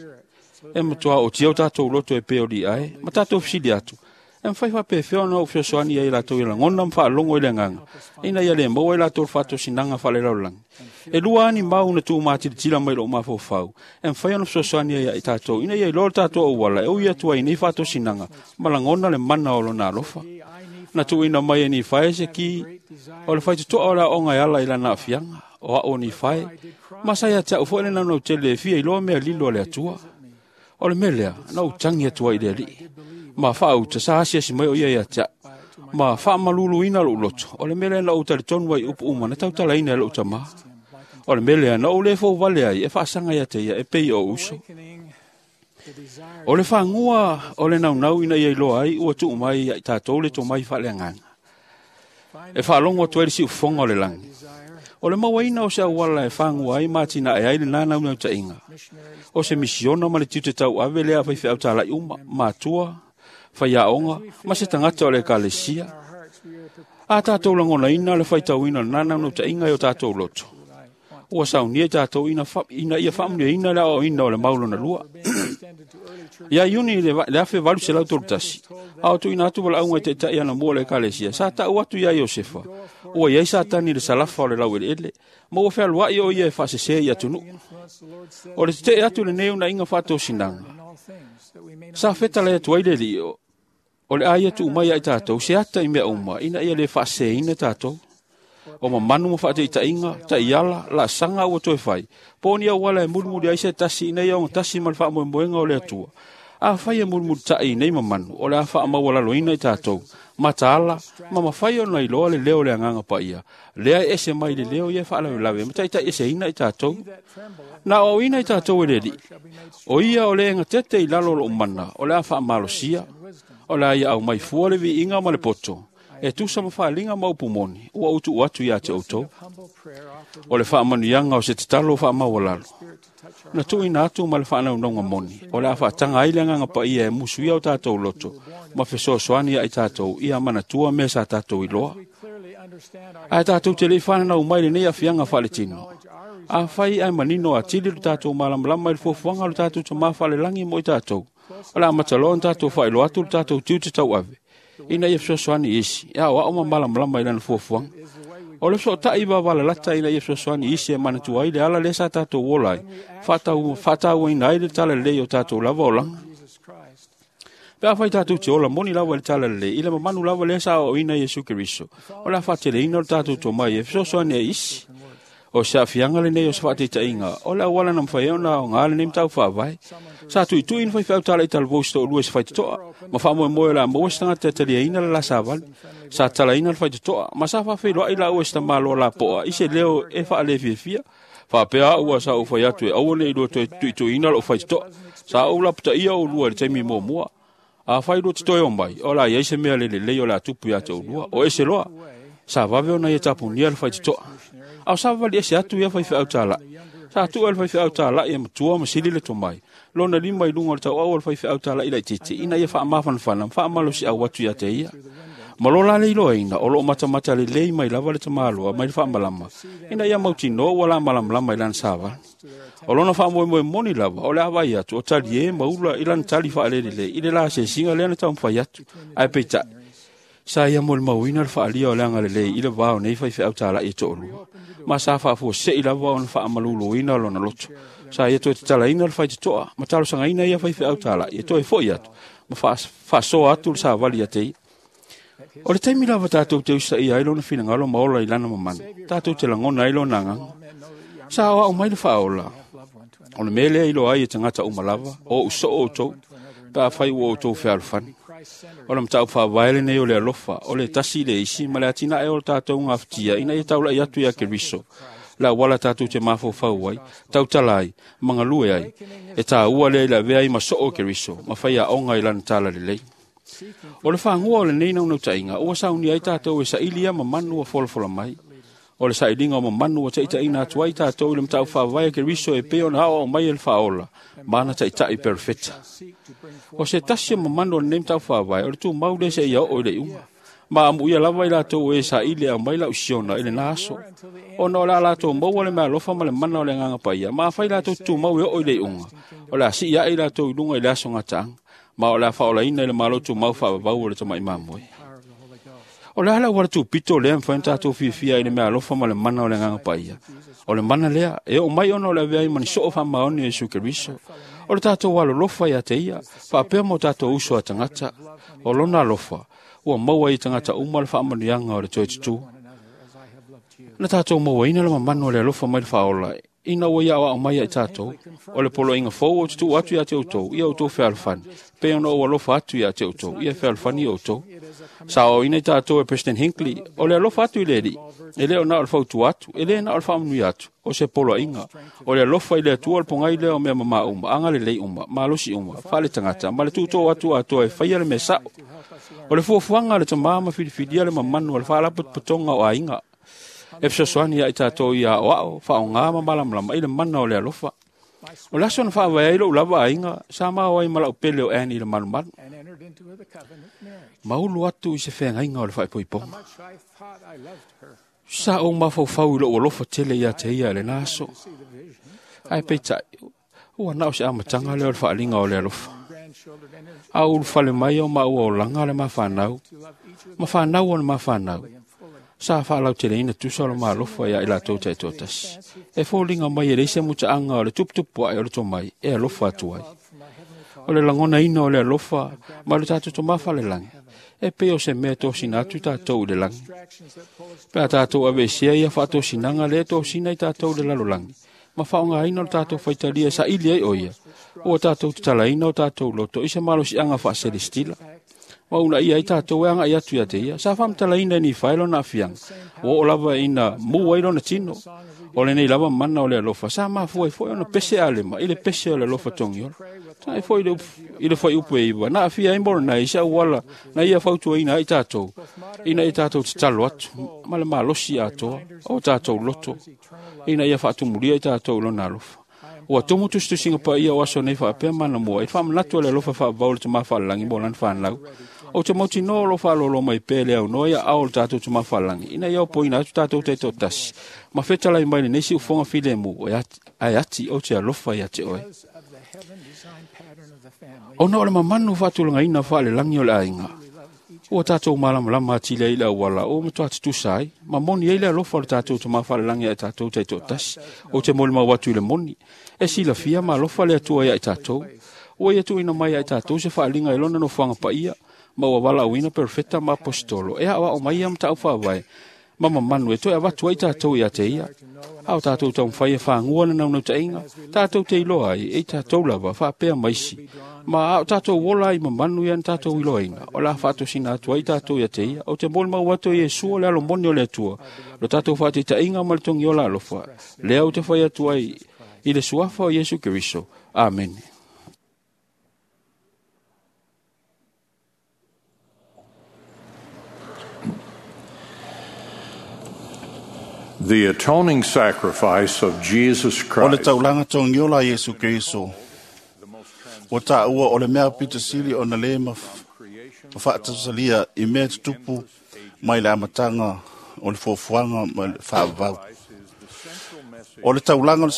E matua otia o tatou loto e pei o Liae, ma tatou fesili atu, e mafai faapefea ona ou fesoasoani ai latou i lagona ma faalogo i le agaga, ina ia le maua ai latou le faatosinaga faalelalolagi. E lua ani mau na tuumatilatila mai lou mafaufau, e mafai ona fesoasoani ai ia i tatou, ina ia iloa le tatou auala e ui atu ai nei faatosinaga ma lagona le mana o lona alofa. Na tuuina mai e Nifae se ki o le faitotoa o le aoga e ala i lana aafiaga, o ao o Nifae, ma sa ia te au foi le naunau tele e fia iloa mea lilo a le Atua. O le mea lea, na ou tagi atu ai i le alii, ma faauta sa asiasi mai o ia ia te au, ma faamaluluina lou loto. O le mea lea na ou talitonu ai upu uma na tautalaina e lou tamā. O le mea lea na ou le fouvale ai e faasaga ia te ia e pei o uso. O le fagua o le naunau ina ia iloa ai ua tuu mai ia i tatou le tomai faaleagaga. E faalogo atu ai le siufofoga o le lagi. O le mauaina o se auala e fagua ai ma atinae ai le nanaunautai. O se misiona ma le tiute tauave lea a faifeau talai uma, matua, faiaoga ma se tagata o le ekalesia. A tatou lagonaina le faitauina o le nanaunautai e o tatou loto, ua saunia i tatou ina ia faamuniaina le aoaoina o le mau lona lua. Ia Iuni le 1831, a o tuuina atu valaauga i taitai anamua o le ekalesia, sa tau atu ia Iosefa, ua iai Satani i le salafa o le laueleele, ma ua fealuai o ia e faasese i atunuu. O le tetee atu lenei unaiga faatosinaga, sa fetalai atu ai le alii, o le a ia tuu mai ia i tatou se ata i mea uma, ina ia le faaseseina tatou. O mamanu ma faataitaiga, taiala, laasaga ua toe fai, po o ni auala e mulimuli ai se tasi ina ia ogatasi ma le faamoemoega o le Atua. Afai e mulimulitai i nei mamanu, o le a faamaualaloina i tatou, Mataala, ma mafai ona iloa le leo o le Agaga Paia, lea e ese mai le leo ia e faalavelave ma taitaiʻeseina i tatou. Na aoaoina i tatou e le Alii, o ia o le egatete i lalo o loʻu mana, o le a faamalosia, o le a ia aumai fua le viiga ma le poto, e tusa ma faaliga ma upu moni, ua ou tuu atu ia te outou. O le faamanuiaga o se tatalo faamaualalo, na tuuina atu ma le faanaunauga moni, o le a faataga ai le Agaga Paia e musuia o tatou loto, ma fesoasoani ia i tatou ia manatua mea sa tatou iloa. Ae tatou te le i fananau mai lenei aafiaga faaletino. Afai ae manino atili lo tatou malamalama i le fuafuaga o le tatou Tamā Faalelagi mo i tatou, o le a amata loa ona tatou faailoa atu le tatou tiute tauave, ina ia fesoasoani i isi, e aoao ma malamalama i lana fuafuaga. O le fesootai vavalalata ina ia fesoasoani i isi e manatua ai le ala lea sa tatou ola ai, faatauaina ai le talalelei o tatou lava olaga. Pe afai tatou te ola moni lava i le talalelei, i le mamanu lava lea sa aoaoina Iesu Keriso, o le a faateleina o le tatou tomai e fesoasoani ai i isi. O se aafiaga lenei o se faataitaiga, o le auala na mafai ai ona aoga lenei mataupu faavae. Sa tuitui na faifeau talaʻi talavou se toʻalua i se faitotoa, ma faamoemoe o le a maua se tagata e taliaina le la savali. Sa talaina le faitotoa, ma sa faafeiloai laua i se tamaloa lapoa i se leo e faalefiafia. Faapea au ua sa ou fai atu e aua neʻi lua toe tuituiina loʻu faitotoa. Sa ou lapataia oulua i le taimi muamua. Afai lua te toe omai, o le a iai se mea le lelei o le a tupu ia te oulua. O ese loa, sa vave ona ia tapunia le faitotoa. A o savavali ese atu ia faifeau talaʻi. Sa tuu e le faifeau talaʻi e matua ma sili le tomai, lona lima i luga o le tauau o le faifeau talaʻi laitiiti, ina ia faamafanafana ma faamalosiau atu ia te ia. Ma lo la le iloaina, o loo matamata lelei mai lava le tamaloa mai le faamalama, ina ia mautinoa ua la malamalama i lana savali. O lona faamoemoe moni lava, o le a vaai atu, o talie ma ula i lana tali faalelelei i le la asiasiga lea na taumafai atu. Ae peitai, sa ia molimauina le faalia o le agalelei i le va o nei faifeau talaʻi e toʻalua, ma sa faafuaseʻi lava ona faamaluluina lona loto. Sa ia toe tatalaina le faitotoa ma talosagaina ia faifeau talaʻi e toe foʻi atu ma faasoa atu le savali ia te ia. O le taimi lava tatou te usaia ai lona finagalo ma ola i lana mamanu, tatou te lagona ai lona agaga. Sa aoao mai le faaola, o le mea lea iloa ai e tagata uma lava, o ou soo outou, pe afai ua outou fealofani. O le mataupu faavae lenei o le alofa, o le tasi i le isi ma le atinae o le tatou gafatia ina ia taulaʻi atu ia Keriso, le auala tatou te mafaufau ai, tautala ai, ma galue ai, e taua lea i le avea ai ma soo o Keriso, ma faiaoga i lana talalelei. O le fagua o lenei naunautaiga, ua saunia ai tatou e saili ia mamanu ua folafola mai. O le sailiga o mamanu ua taitaiina atu ai tatou i le mataupu faavae a Keriso e pei ona aoao mai e le faaola, ma ana taitai perofeta. O se tasi o mamanu o lenei mataupu faavae, o le tumau lea seia oo i le iuga. Ma amuia lava i latou e saili e aumai lau siona i lena aso, ona o le a latou maua le meaalofa ma le mana o le Agaga Paia, ma afai latou te tumau e oo i le iuga, o le a sii ae i latou i luga i le aso gataaga, ma o le a faaolaina i le Malo tumau faavavau o le Tamaʻi Mamoe. O le a le auala tupito lea e mafai ona tatou fiafia ai i le meaalofa ma le mana o le Agaga Paia? O le mana lea e oo mai ona o le avea ai ma ni soo faamaoni o Iesu Keriso. O le tatou alolofa ia te ia, faapea ma o tatou uso a tagata. O lona alofa, ua maua ai i tagata uma le faamanuiaga o le toe tutū. Na tatou mauaina le mamanu o le alofa mai le faaola, ina ua ia aoao mai ia i tatou. O le poloaiga fou ou te tuu atu ia te outou, ia outou fealofani, pei ona ou alofa atu ia te outou, ia fealofani outou. Sa aoaoina i tatou e President Hinckley, o le alofa atu i le Alii, e le o na o le fautua atu, e le na o le faamanuia atu, o se poloaiga. O le alofa i le Atua o le pogai lea o mea mamā uma, agalelei uma, malosi uma, faaletagata, ma le tuutoo atu atoa e faia le mea saʻo. O le fuafuaga a le Tamā ma filifilia le mamanu o le faalapotopotoga o aiga, e fesoasoani ia i tatou ia aoao, faaaoga ma malamalama i le mana o le alofa. O le aso na faavae ai loʻu lava aiga, sa mao ai ma lau pele o Annie i le malumalu. Ma ulu atu i se feagaiga o le faaipoipoga. Sa ou mafaufau i loʻu alofa tele ia te ia i lena aso. Ae peitai, ua na o se amataga lea o le faaliga o le alofa. A ou ulufale mai o maua olaga le mafanau, ma fanau o le mafanau, sa faalauteleina tusa o le malofa ia i latou taitoatasi. E foliga mai e leai se mutaaga o le tuputupu ae o le tomai e alofa atu ai. O le lagonaina o le alofa ma le tatou Tamā Falelagi, e pei o se mea e tosina atu tatou i le lagi. Pe a tatou aveesea ia faatosinaga lea e tosina i tatou i le lalolagi, ma faaaogaina o le tatou faitalia e saili ai o ia, ua tatou tatalaina o tatou loto i se malosiaga faaselestila. Ma una ia i tātou e anga i atu ia te ia. Sa whamtalaina ni whaelo na afianga. O o lava ina mua i lona tino. O le nei lava mana o le alofa. Sa mafua i foi ona pese alema. I le pese o le alofa tongi ola. Sa i foi i le fai upu e iwa. Na afia i morona i sa uala. Na ia fautua ina i tātou. Ina i tātou te talo atu. Ma le malosi atoa. O tātou loto. Ina ia whaatumulia i tātou lona alofa. Ua tumu tusitusinga pa ia o aso nei whaapea mana mua. I whaamanatu le alofa whaavau le te mawhaalangi mo lan whanau. O te moti no lo whaalolo mai pele au noa ia ao le tātou te mawhaalangi. Ina ia opo ina atu tātou te tōtasi. Ma whetalai mai le neisi ufonga file mu o ai ati o te alofa ia te oe. Ona o le mamanu whaatulanga ina whaale langi o le ainga. Ua tātou malamalama atile i le awala o matua tutusa ai. Ma moni ei le alofa o le tātou te mawhaalangi ai tātou te tōtasi. O te moli mau atu i le moni. E sila fia ma alofa le atua ia i tātou. Ua ia tuina mai ai tātou se whaalinga i lona no whanga pa ia. Ma ua wala uina perfecta ma apostolo. E awa o mai ia mta au whaawai. Ma mamanu e toe awatu ai tātou ia te ia. Au tātou tau mwhai e whaangua na naunau tainga. Tātou te iloa ai, e tātou lava, whaapea maisi. Ma au tātou wola ai mamanu ia na tātou iloa ina. O la whaatosina atu ai tātou ia te ia. O te moli mau atu i e sua le alo moni o le atua. Lo tātou whaate tainga ma le tongi ola alofa. Le au te whai atu ai i le suafa o Yesu Keriso. Amen. The atoning sacrifice of Jesus O le Christ taulanga tongiola Yesu Keriso. O tā ua o le mea pita sili o na le ma whaatasalia i mea tutupu mai le amatanga o le fofuanga ma le whaavau. O le taulanga o le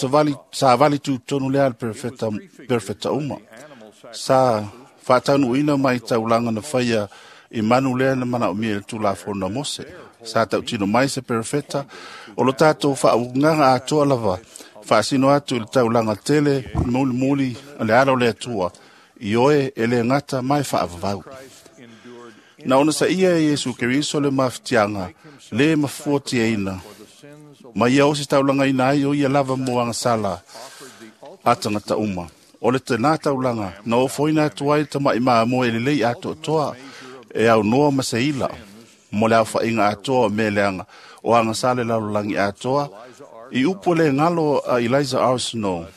savali tūtonu lea le perfecta uma. Sa whaatanu mai taulanga na whaia i manu lea na mana o mea le tūlāfona Mose. Sa tautino mai se perfecta o lo tātou whaunganga atoa lava whaasino atu i le taulanga tele muli muli le alo le atua i oe e le ngata mai whaavavau. Na ona sa ia e Yesu Keriso le mawhitianga le mafuati e ina. Ma ia osi taulanga ina ai o ia lava moanga sala atangata uma. O le tēnā taulanga na o foina atu ai tamai maa moe le lei ato toa e au noa ma se ila. Mo le au whainga atoa o meleanga o anga sale lalolangi atoa i upo le ngalo a Eliza Arsenault.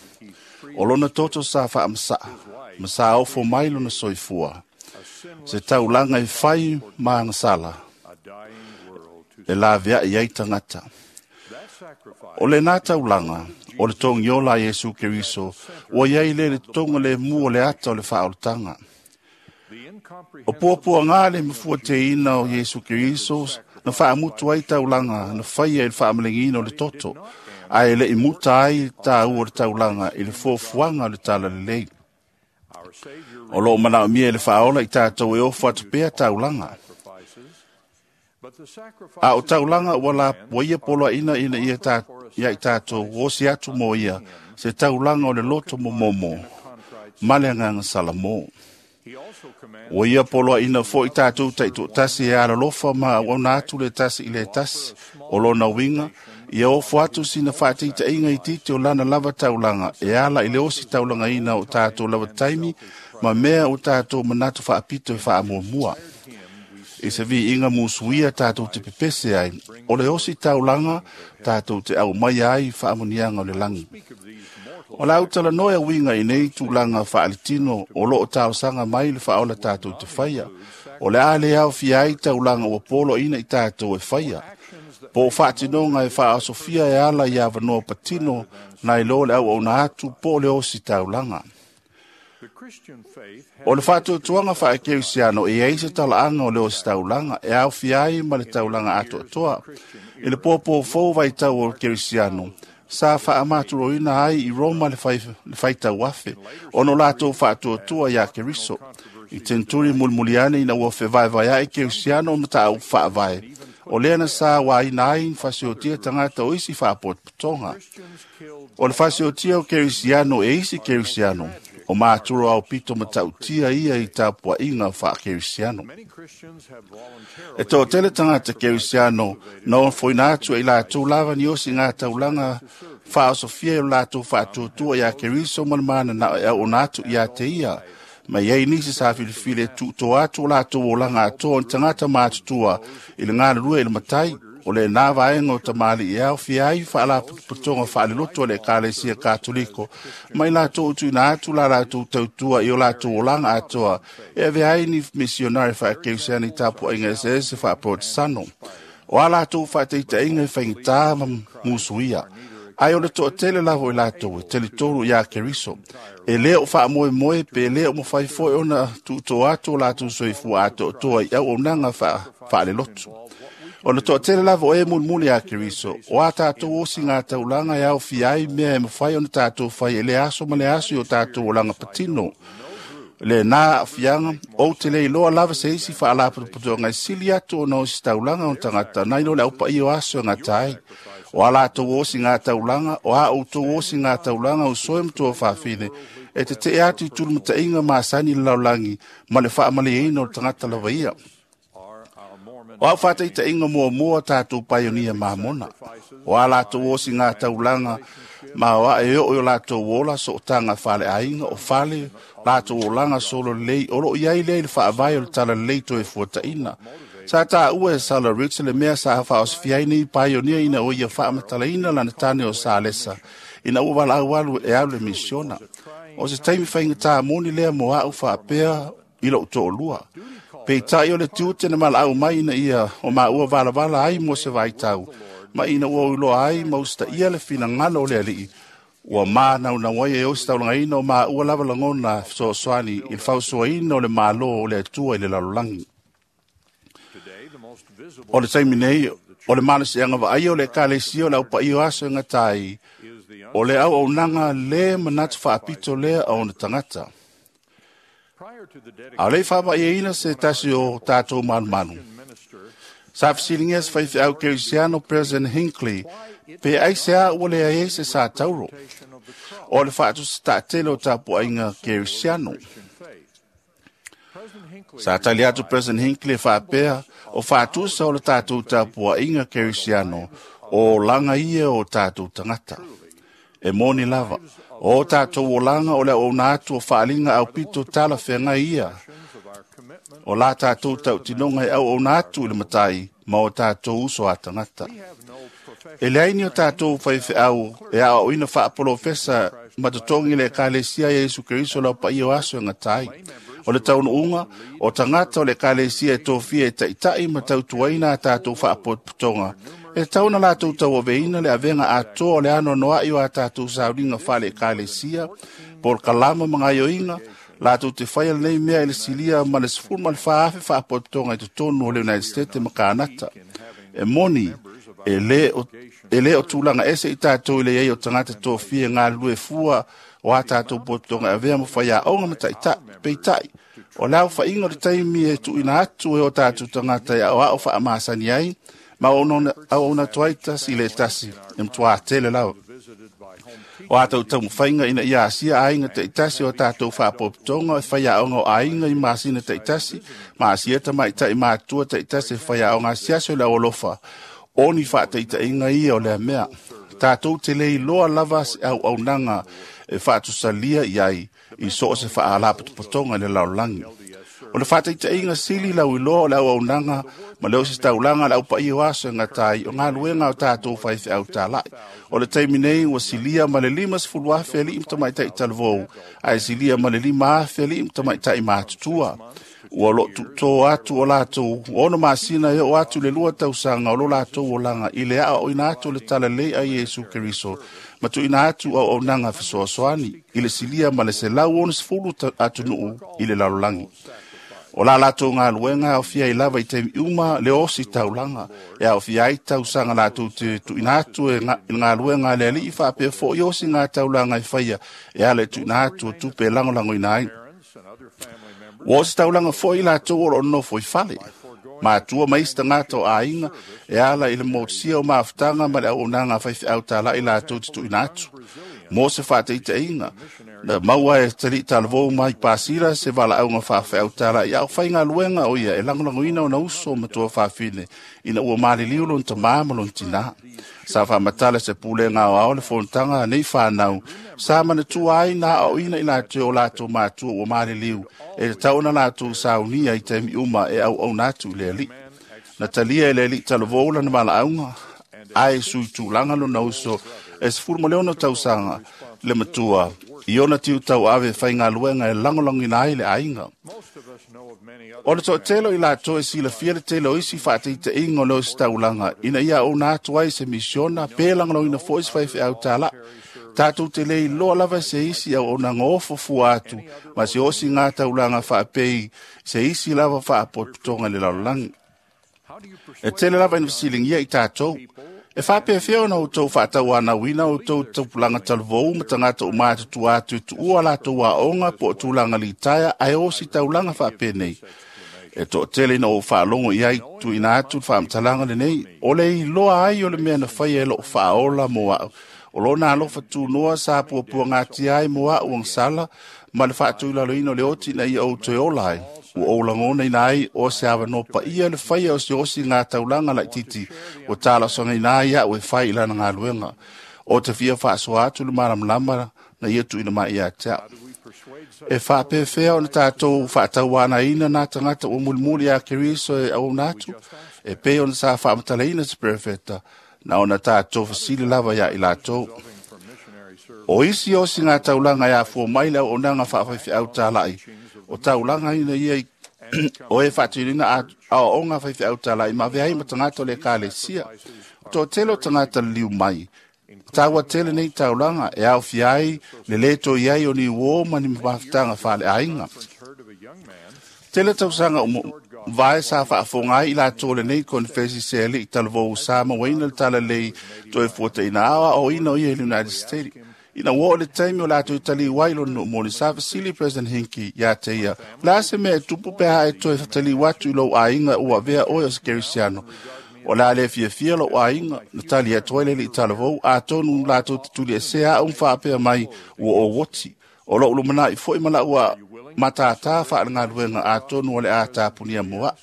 O lona toto sa whaamasa, ma sa ofo mai lona soifua. Se taulanga i whai ma anga sala. E la vea i ai tangata. O le nā taulanga, o le tongiola Yesu Keriso, o iai le le tonga le mu o le ata o le whaoltanga. O puapua ngā le mafua te ina o Yesu Keriso, na whaamutu ai taulanga, na whaia i le whaamalengina o le toto, a e le i muta ai tā ua le taulanga i le fuafuaga o le talalelei. O loo manaomia e le faaola i tātou e ofo atu pea taulaga. A o taulaga ua la ua ia poloaʻina ina ia tā, ia i tātou osi atu mo ia se taulaga o le loto momomo ma le agaga Salamo. Ua ia poloaʻina foʻi tātou taʻitoʻatasi e alalofa ma auauna atu le tasi i le tasi o lona uiga ia ofo atu sina faataitaʻiga i titi o lana lava taulaga e ala i le osi taulagaina o tātou lava taimi ma mea o tātou manatu faapito e faamuamua. I se viiga musuia tātou te pepese ai, o le osi taulaga tātou te au mai ai faamuniaga o le lagi. O la utala noe uiga i nei tulaga faalitino o loo taosaga mai le faaola tātou te faia. O le a le aofia ai taulaga ua poloaʻina i tātou e faia. Po o faatinoga e faaosofia e ala i avanoa patino na i lo le auauna atu po o le osi taulaga. O le faatuatuaga faakerisiano e ai se talaaga o le osi taulaga e aofia ai ma le taulaga atoatoa. I le pōpō fou vaitau o le kerisiano, sa faamaturoina ai i Roma le faitau afe, ona o latou faatuatua iā Keriso. I tenturi mulimuliane ina ua fevaevaeaʻi kerisiano ma taau faavae. O lea na sa waina ai fasiotia tagata o isi faapotopotoga. O le fasiotia o kerisiano e isi kerisiano, o māturo au pito matautia ia i tapuaʻiga faakerisiano. E toʻatele tagata kerisiano na ofoina atu e i latou lava ni osi gā taulaga faaosofia e o latou faatuatua iā Keriso ma le mananao e auona atu iā te ia Ma iai nisi sa filifili e tuutoa atu o latou olaga atoa o ni tagata matutua i le galulue i le matai. O lena vaega o tamalii e aofia ai faalapotopotoga faalelotu a le Ekalesia Katoliko ma i latou tuuina atu la latou tautua i o latou olaga atoa e avea ai ni misionari faakerisiano i tapuaiga eseese faaporotesano. O a latou faataitaiga e faigata ma musuia, ai o le toatele lava i latou e talitonu iā Keriso. E lē o faamoemoe pe lē o mafai foi ona tuutoa atu o latou soifua atoatoa i auaunaga faalelotu. O le toatele lava o e mulimuli iā Keriso, o a tatou osiga taulaga e aofia ai mea e mafai ona tatou fai e le aso ma le aso i o tatou olaga patino. Lena aafiaga, ou te le iloa lava se isi faalapotopotoga e sili atu ona ositaulaga o tagata nai lo le aupaia o aso e gata ai. O a latou osiga taulaga, o a outou osiga taulaga o soe ma tuafafine, e tetee atu i tulumataiga masani i le lalolagi ma le faamalieina o le tagata lava ia. O au faataitaiga muamua tatou paionia mamona. O a latou osiga taulaga ma o a e oo i o latou ola sootaga faaleaiga o fale latou olaga solo lelei o loo i ai lea i le faavae o le talalelei toe fuataina. Sa taua e Sala Rich le mea sa faaosofia ai nei paionia ina o ia faamatalaina lana tane o Salesa ina ua valaau alu e alu le misiona. O se taimi faigata moni lea mo au faapea i lou toalua. Peitai o le tiute na malaau mai ina ia o maua valavala ai mo se vaitau, ma ina ua uiloa ai ma usitaia le finagalo o le alii, ua manaunau ai e ositaulagaina o maua lava lagona fesoasoani i le fausoaina o le Malo o le Atua i le lalolagi. O le taimi nei, o le malosiaga vaaia o le Ekalesia o le aupaia o aso e gata ai, o le auaunaga lē manatu faapito lea a ona tagata. A o le i faamaiaina se tasi o tatou malumalu, sa fesiligia se faifeau kerisiano President Hinckley pe aisea ua leai ai se sa tauro o le faatusataatele o tapuaiga kerisiano. Sa tali atu President Hinckley e faapea o faatusa o le tatou tapuaiga kerisiano o olaga ia o tatou tagata. E moni lava, o tatou olaga o le auauna atu o faaaliga aupito talafeagai ia. O la tatou tautinoga e auauna atu i le matai ma o tatou uso a tagata. E leai ni o tatou faifeau e aoaoina faapolofesa ma totogi le Ekalesia ia Iesu Keriso lau paia o aso e gata ai. O le taunuuga, o tagata o le Ekalesia e tofia e taitai ma tautuaina a tatou faapotopotoga, e tatau ona latou tauaveina le avega atoa o le anoanoai o a tatou sauniga faale-Ekalesia, po o le kalama ma gaioiga, latou te faia lenei mea i le silia ma le 14,000 faapotopotoga i totonu o le United States ma Kanata. E moni, e lē o tulaga ese i tatou i le iai o tagata tofia e galulue fua o a tatou potopotoga e avea ma faiaoga ma taitai. Peitai, o le aofaiga o le taimi e tuuina atu e o tatou tagata e aoao faamasani ai, ma auauna atu ai tasi i le tasi e matuā tele lava. O a tautaumafaiga ina ia asia aiga taitasi o tatou faapotopotoga e faiaoga o aiga i masina taitasi, ma asia tamaitai matua taitasi e faiaoga asiasi o le aualofa, o ni faataitaiga ia o lea mea. Tatou te le iloa lava se auaunaga e faatusalia i ai i so o se faalapotopotoga i le lalolagi. O le faataitaiga sili lauiloa o le auaunaga ma le ositaulaga le aupaia o aso e gata ai o galuega o tatou faifeau talai. O le taimi nei ua silia ma le 50,000 alii ma tamaitai talavou, ae silia ma le 5,000 alii ma tamaitai matutua. Ua loo tuutō atu o latou 6 masina e oo atu le 2 tausaga o lo latou olaga i le aoaoina atu o le talalelei a Iesu Keriso ma tuuina atu auaunaga fesoasoani i le silia ma le 160 atunuu i le lalolagi. O la latou galuega e aofia ai lava i taimi uma le ositaulaga, e aofia ai tausaga latou te tuuina atu e le galuega a le alii faapea foi osiga taulaga e faia e ala i tuuina atu o tupe e lagolagoina ai. Ua ositaulaga foi latou o loo nonofo i fale, matua ma isi tagata o aiga e ala i le motusia o mafutaga ma le auaunaga a faifeau talai latou te tuuina atu. Mo se faataitaiga, Na maua e tali talavou mai pasira se valaauga faafeau talai au faigaluega o ia e lagolagoina ona uso ma tuafafine ina ua maliliu lona tamā ma lona tinā. Sa faamatala se pulega aoao le fonotaga nei fanau sa manatua ai na aoaoina i latou o latou matua ua maliliu e tatau ona latou saunia i taimi uma e auauna atu i le alii. Na talia e le alii talavou lana valaauga ae sui tulaga lona uso e 16 tausaga le matua i ona tiu tauave faigaluega e lagolagoina ai le aiga. O le toatele i latou e silafia le tele o isi faataitaiga o le ositaulaga ina ia auauna atu ai se misiona pe lagolagoina foi se faifeau talai. Tatou te le iloa lava se isi auaunaga ofo fua atu ma se osiga taulaga faapei se isi lava faapotopotoga i le lalolagi. E tele lava ina fesiligia i tatou. E faapefea ona outou faatauanauina outou tupulaga talavou ma tagata uma matutua atu e tuua latou aoga po o tulaga litaea ae ositaulaga faapenei. E toatele ina ou faalogo i ai tuuina atu le faamatalaga lenei, o le iloa ai o le mea na faia e loo faaola mo au. O lona alofa tunoa sa puapuagatia ai mo au agasala ma le faatulaloina o le oti ina ia ou toe ola ai. Ua ou lagonaina ai o se avanoa paia le faia o se osiga taulaga laititi ua talosagaina ai au e fai i lana galuega. O te fia faasoa atu le malamalama na ia tuuina mai ia te au. E faapefea ona tatou faatauanaina nā tagata ua mulimuli ia Keriso e auauna atu, e pei ona sa faamatalaina se perofeta, na ona tatou fesili lava ia i latou. O isi osiga taulaga e afua mai le auaunaga faafaifeau talai, o taulaga ina ia o e faatinoina aoaoga faifeau talai ma avea ai ma tagata o le ekalesia. O toatele o tagata liliu mai, taua tele nei taulaga e aofia ai le lē toi ai o ni uō ma ni mafutaga faaleaiga. Tele tausaga vae sa faafofoga ai i latou lenei konefesi se alii talavou sa mauaina le talalelei toe fuataina aoaoina o ia i le United States. Ina ua oo le taimi o latou taliu ai lona nuumoli, sa fesili President Hinckley ia te ia, o le a se mea e tupu pe a e toe taliu atu i lou aiga ua avea oe o se kerisiano. O le a le fiafia lou aiga, na tali atu ai le alii talavou, atonu latou te tuliesea au ma faapea mai ua ou oti. O lou lumanai foi ma lau matātā faalegaluega atonu o le a tapunia mo au.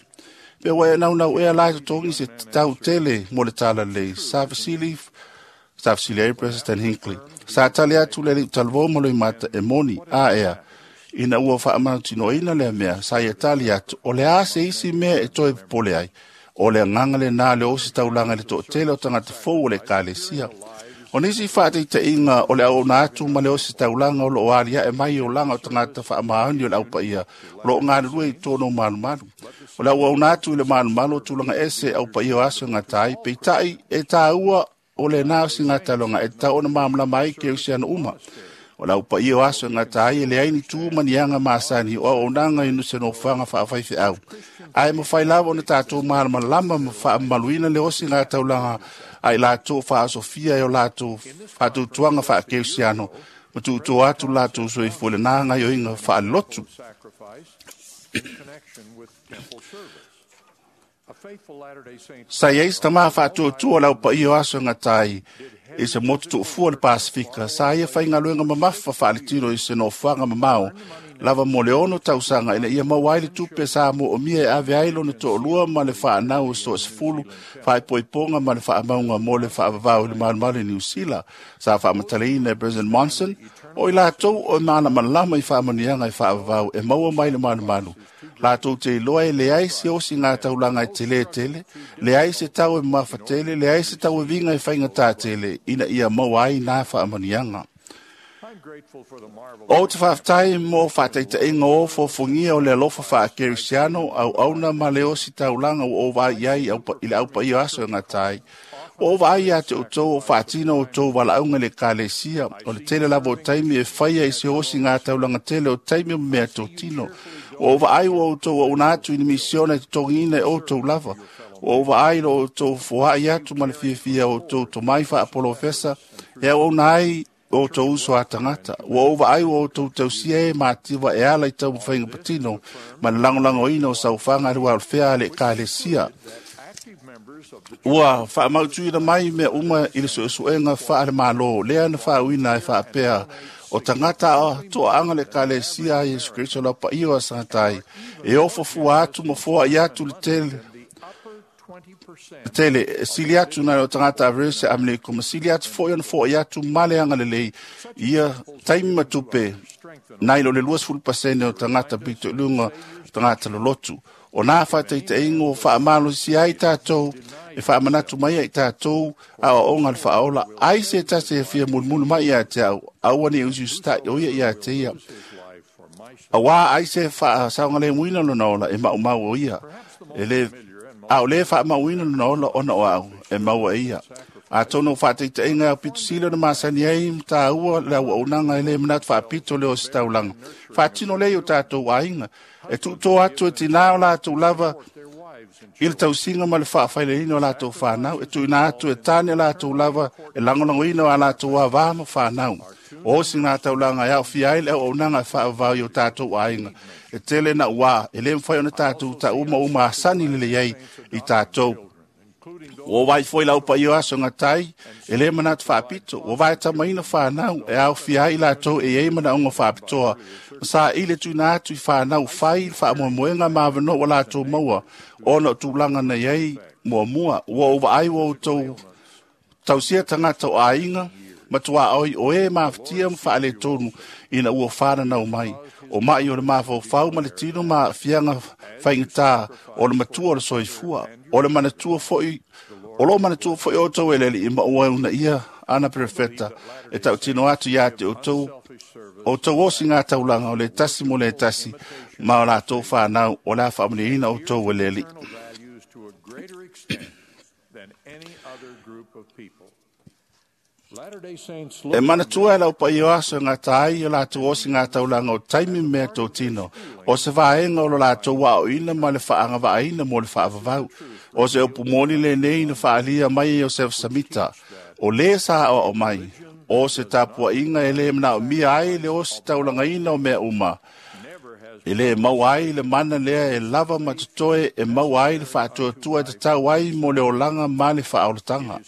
Pe ua e naunau ea la e totogi se tau tele mo le talalelei, sa fesili ai President Hinckley. Sa tali atu le alii talavou ma loimata e moni a ea, ina ua faamautinoaina lea mea, sa ia tali atu, o le a se isi mea e toe popole ai. O le agaga lenā le ositaulaga i le toatele o tagata fou o le ekalesia. O nisi faataitaiga o le auauna atu ma le ositaulaga o loo aliae mai olaga o tagata faamaoni o le aupaia o loo galulue i totonu o malumalu. O le auauna atu i le malumalu o tulaga ese aupaia o aso e gata ai, peitai e tāua o lenā osigataloga e tatau ona malamalama ai kerisiano uma. O le aupaia o aso e gata ai e leai ni tu ma ni aga masani o auaunaga i se nofoaga faafaifeau. Ae mafai lava ona tatou malamalama ma faamamaluina le osigataulaga a i latou faasofia e o latou faatautuaga faakerisiano ma tuutua atu latou soifua i lenā gaoioiga faalelotu. Sa i ai se tamā faatuatua o le aupaia o aso e gata ai i se motu tuufua o le Pasifika, sa ia faigaluega mamafa faaletino i se nofoaga mamao lava mo le 6 tausaga ina ia maua ai le tupe sa moomia e ave ai lona toalua ma le faanau o se toasefulu faaipoipoga ma le faamauga mo le faavavau i le malumalu i Niu Sila. Sa faamatalaina e President Monson, o i latou o e malamalama i faamanuiaga e faavavau e maua mai le malumalu. Latou te iloa e leai se osiga taulaga e telē tele, leai se tau e mamafa tele, leai se tauaviga e faigatā tele ina ia maua ai nā faamanuiaga. O te faafetai mo faataitaiga o fofogia o le alofa faakerisiano auauna ma le ositaulaga ua ou vaai ai i le aupaia o aso e gata ai. Ua ou vaai ia te outou o faatino outou valaauga i le ekalesia, o le tele lava o taimi e faia i se osiga taulaga tele o taimi o mea totino. Ua ou vaai ua outou auauna atu i ni misiona e totogiina e outou lava. Ua ou vaai lo outou foai atu ma le fiafia o outou tomai faapolofesa e auauna ai outou uso a tagata. Ua ou vaai ua outou tausia e mativa e ala i taumafaiga patino ma le lagolagoina o saufaga le uaolefea a le ekalesia. Ua faamautuina mai mea uma i le suesuega faale-malo lea na faauina e faapea O tagata a toaaga le ekalesia a Iesu Keriso lau paia o asaga e ofofua atu ma foaʻi atu le tele tele e sili atu nai o tagata Averese Amerika ma sili atu foʻi ona foaʻi atu ma le agalelei ia taimi ma tupe nai lo le 20% o tagata pito i luga tagata lolotu. O nā faataitaiga ua faamalosi ai tatou e faamanatu mai ai tatou aoaoga le faaola ai se tasi e fia mulimuli mai ia te au aua ne i usiusitaʻi o ia ia te ia. Auā ai se faasaogalemuina lona ola e maumau o ia. E le a o lē faamauina lona ola ona o au e maua e ia. Atonu o faataitaiga au pitosili ona masani ai ma tāua le auaunaga e lē manatu faapito le o se taulaga. Faatino lea i o tatou aiga e tuutō atu e tinā o latou lava i le tausiga ma le faafaileina o latou fanau e tuuina atu e tane latou lava e lagolagoina o a latou avā ma fanau. O osi taulaga e aofia ai le auaunaga e faavavau i o tatou aiga e tele na uā e lē mafai ona tatou taʻuma uma asani lelei ai i tatou. Ua vai foi lau paia o aso gatai e lē manatu faapito ua vaetamaina fanau e aofia ai latou e iai manaoga faapitoa ma saʻili e tuuina atu i fanau fai le faamoemoega ma avanoa ua latou maua ona o tulaga na iai muamua. Ua ou vaai ua outou tausia tagata o aiga ma tuaoi o e mafatia ma faaletonu ina ua fananau mai. O mai o le mafaufau ma le tino ma aafiaga faigata o le matua o le soifua. O le manatua foi o loo manatua foi outou e le alii ma ua uunaia ana perofeta e tautino atu iā te outou outou osiga taulaga o le tasi mo le tasi ma o latou fanau o le a faamanuiaina outou e le alii. E manatua e lau paia o aso e gata ai o latou osiga taulaga o taimi mea totino o se vaega o lo latou aoina ma le faagavaaina mo le faavavau. O se upu moni lenei na faaalia mai e Iosefa Samita o lē sa aoao mai o se tapuaʻiga e lē manaomia ai le osi taulagaina o mea uma. E lē maua ai le mana lea e lava ma totoe e maua ai le faatuatua e tatau ai mo le olaga ma le faaolataga.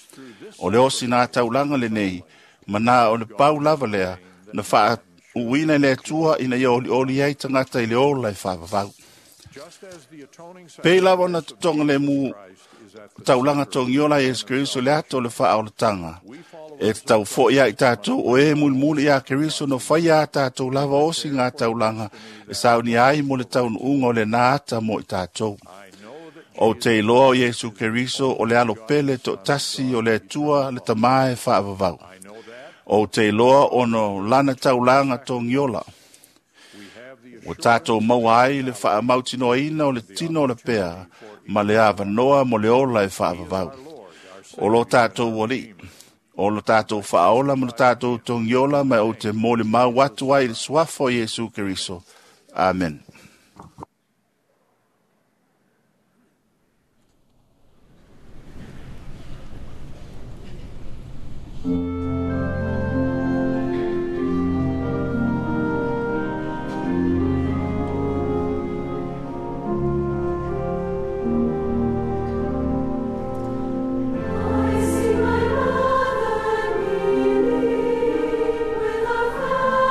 O le osi nā taulaga lenei ma na o le pau lava lea na faauuina e le Atua ina ia olioli ai tagata i le ola e faavavau. Pei lava ona totoga lemu taulaga togiola a Iesu Keriso le ato o le faaolataga. E tatau foʻi ai tatou o e mulimuli iā Keriso no faia a tatou lava osiga taulaga e saunia ai mo le taunuuga o lenā ata mo i tatou. Ou te iloa o Iesu Keriso o le alopele toʻatasi o le Atua le Tamā e faavavau. Ou te iloa ona lana taulaga togiola. Ua tatou maua ai le faamautinoaina o le tino o le pea ma le avanoa mo le ola e faavavau. O lo tatou alii, o lo tatou faaola ma lo tatou togiola ma ou te molimau atu ai i le suafa o Iesu Keriso. Amen. I see my mother kneeling with our family.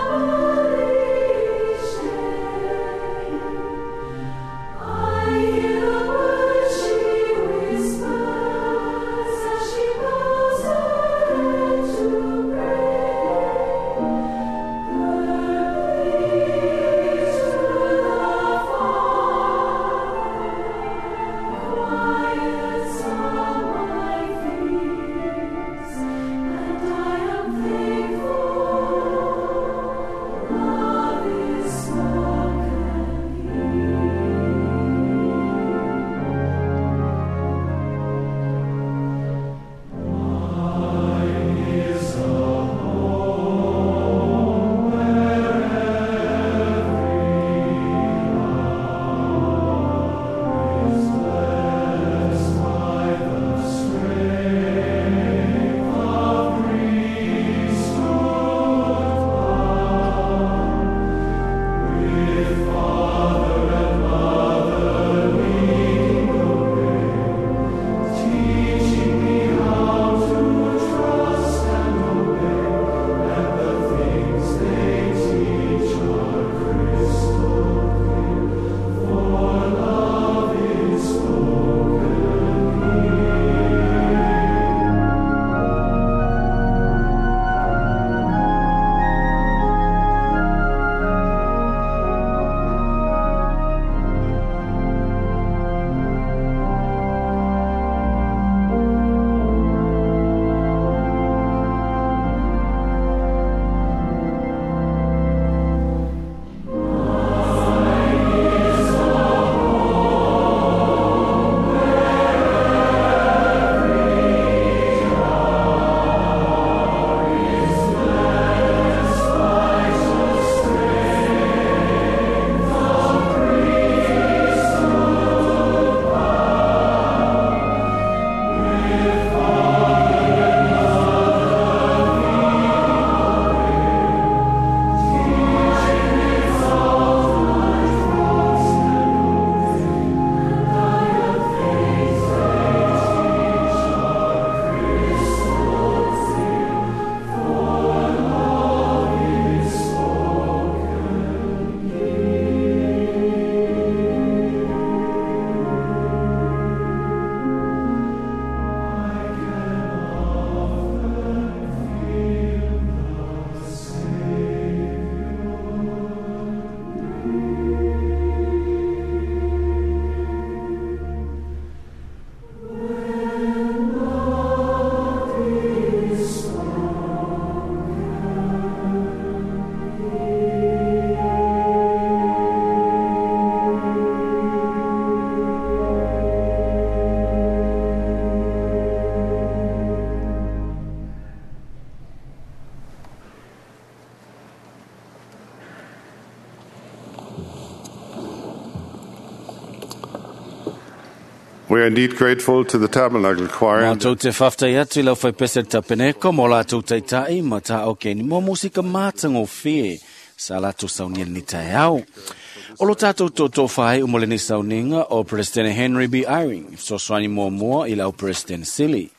We are indeed grateful to the Tabernacle Choir and Mātou te whawhtai atu i lau whaipese tapeneko mō lātou taitai ma tā o keni mō musika mātango whie sa lātou saunia ni tai au. O lo tātou tō whai o mole ni sauninga o President Henry B. Eyring, so swani mua mua i lau President Sili.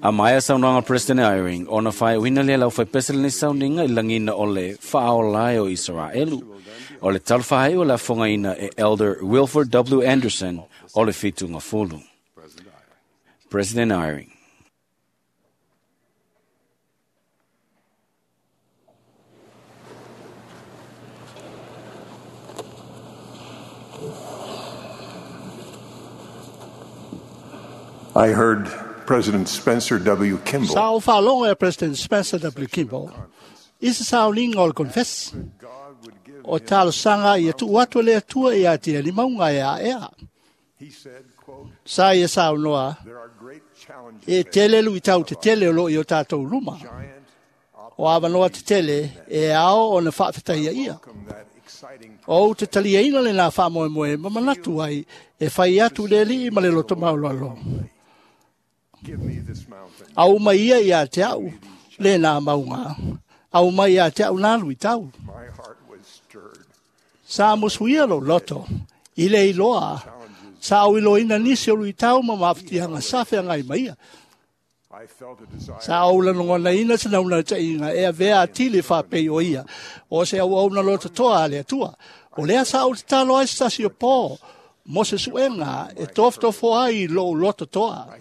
A maia saunoanga President Eyring, ona whai uina le lau whaipese ni sauninga i langina o le whaolae o Israelu. O le talwhai o la whangaina e Elder Wilford W. Anderson o le whitunga fulu. President Eyring. I heard President Spencer W. Kimball Sa o whaalongo e President Spencer W. Kimball, i se sauninga o le confess, o talosanga ia tuu atu le atua ia te ali maunga e a ea. Sa ia saunoa, e tele lui tau te tele o lo i o tātou luma. O awanoa te tele e ao o na whaafetaia ia. O te talia ina le nā whaamoemoe ma manatu ai e whai atu le li ma le loto maulalo. Au mai ia ia te au le nā maunga. Au mai ia te au nā lui tau. Sa musuia lo loto, i le iloa, sa au iloina nisi o lui tau ma mawhitianga sa whengai maia. Sa au lanongona ina se nauna te inga e avea atili whapei o ia, o se au au na loto toa ale atua. O lea sa au te talo ai sasi o pō, mo se suenga e tofotofo ai lo loto toa.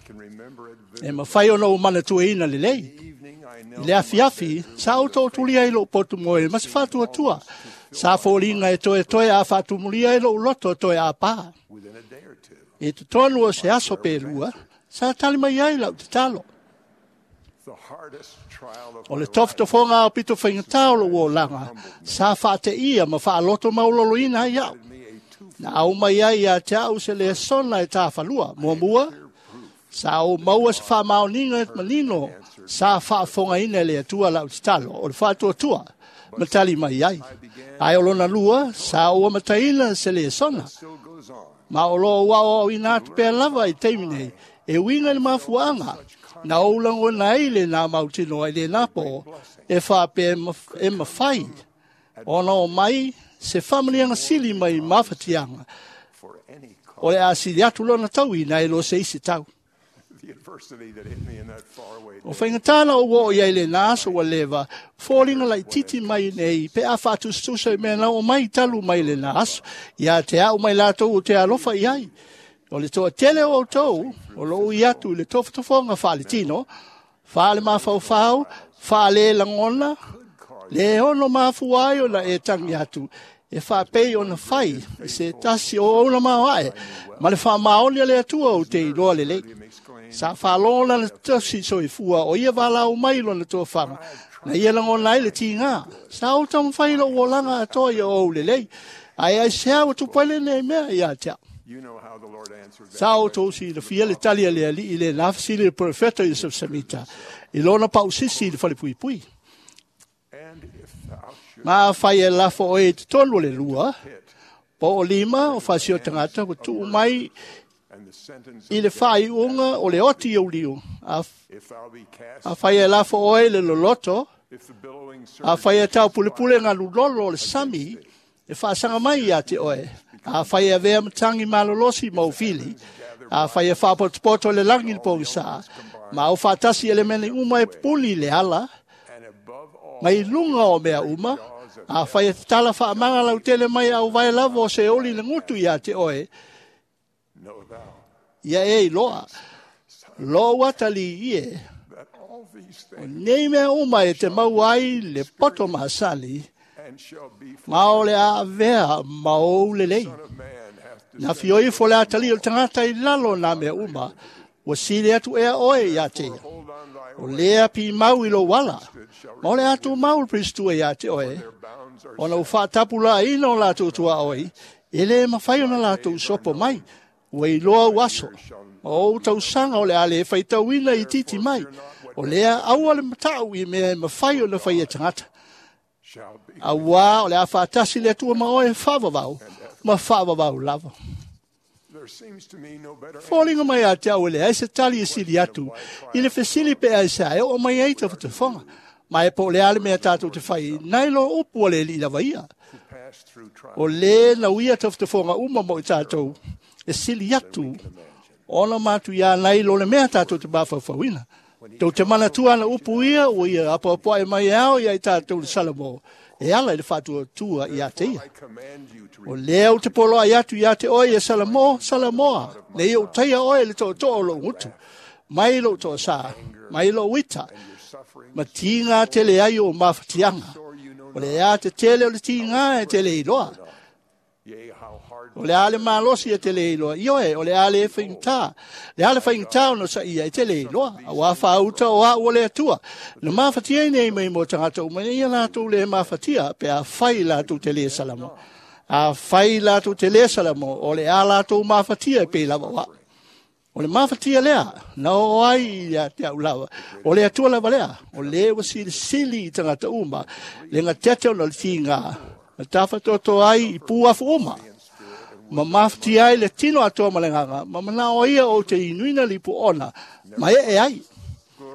E mawhai ona o mana tueina le lei. I le afi afi, sa au tō tuli ai lo potu moe, ma se whātua tua. Sa fōlinga e toe toe a whātumulia e lo loto toe a pā. E te tonu o se aso pērua, sa tali mai ai lau te talo. O le tofotofoga o pito whaingatao lo o langa, sa whaate ia ma whaaloto maulolo ina ai au. Na au mai ai ia te au se le sona e tāwhalua, mua mua, sa o maua se whaamaoninga e manino, sa whaafonga ina le atua lau te talo, o le whaatuatua, matali mai ai. Ai o lona lua, sa o mataina se le sona. Ma o loa wao au ina atu pēr lava i teimi nei, e winga le mafuanga, na o ulango na eile nā mautino ai le nāpo, e whaape e mawhai. Ona o mai, se whamanianga sili mai mawhatianga. O le asili atu lona tau ina e lo se isi tau. O whaingatana o o ia le nā aso wa lewa, fōringa lai titi mai nei, pe a whaatustusa i mea nau o mai talu mai le nā aso, ia te au mai lātou o te alofa i ai. O le toa tele o tau, o lo ui atu i le tofotofonga whaale tino, whaale mawhauwhau, whaale langona, le ono mafuai o na e tangi atu, e whaapei o na whai, e se tasi o ona mawae, ma le whaamaoni a le atua o te iloa le lei. Sa whaalona na tosi soifua o ia walau mai lona toa whanga. Na ia langona ai le tingā. Sa o tamawhai lo olanga atoa ia o le lei. Ai ai se au tupele nei mea ia te au. Sa o tōsi le fia le tali a le ali i le nafasili le profeta i samita. I lona pausisi i le whale pui pui. Ma whai e lafo o e te tonu le lua. Po o lima o whasio tangata ko tuu mai i le whai unga o le oti o liu. A whai e lafo oe le loloto, a whai e tau pulepule ngā lulolo o le sami, e whaasanga mai ia te oe. A whai e vea matangi malolosi maufili, a whai e whaapotopoto le langi le pongisa, ma o whaatasi ele mene uma e puli le ala, mai lunga o mea uma, a whai e tala whaamanga lau tele mai au vai lavo o se oli le ngutu ia te oe, ia e iloa, lo watali ie, o nei mea uma e te mau ai le poto masali, ma o le a vea ma o le lei. Na fioi fo le atali o tangata i lalo nā mea uma, ua sile atu ea oe ia te ia. O lea pi mau i lo wala, ma o le atu mau le pristua ia te oe, ona u whaatapu la ina o lātou tua oe, e le mawhai ona lātou sopo mai, ua iloa uaso. Ma o tausanga o le ale e whaitauina i titi mai, o lea aua le matau i mea e mawhai o na whai e tangata. Aua o le a whaatasi le atua ma oe whawawau, ma whawawau lava. Foliga mai ia te au e leai se tali e sili atu i le fesili pe ai se a e oo mai ai tafatafoga. Ma e po o le a le mea tātou te fai nai lo upu a le alii lava ia. O lē nauia tafatafoga uma mo i tātou e sili atu ona matuiā nai lo le mea tātou te mafaufauina. Tou te manatua ana upu ia ua ia apoapoai mai e ao ia i tātou le Salamo e ala i le faatuatua ia te ia. O lea ou te poloai atu ia te oe e Salamo, Salamoa, nei ou taia oe i le tootoo o lou gutu, mai lou toasā, mai lou ita, ma tiga tele ai o mafatiaga. O le ea te tele o le tiga e te le iloa. O le a le malosi e te le iloa. Ioe, o le a le faigata. Le a le faigata ona saia e te le iloa. Auā faauta o au o le Atua. Na mafatia nei mai mo tagata uma ina ia latou le mafatia pe afai latou te le salamo. Afai latou te le salamo, o le a latou mafatia e pei lava o au. O le mafatia lea, na oo ai ia te au lava. O le Atua lava lea, o le ua silisili i tagata uma, le gatete ona o le tiga, ma tafatoto ai i puafu uma. Ma mafatia ai le tino atoa ma le agaga, ma manao ia ou te inuina lipu ona, ma ee ai.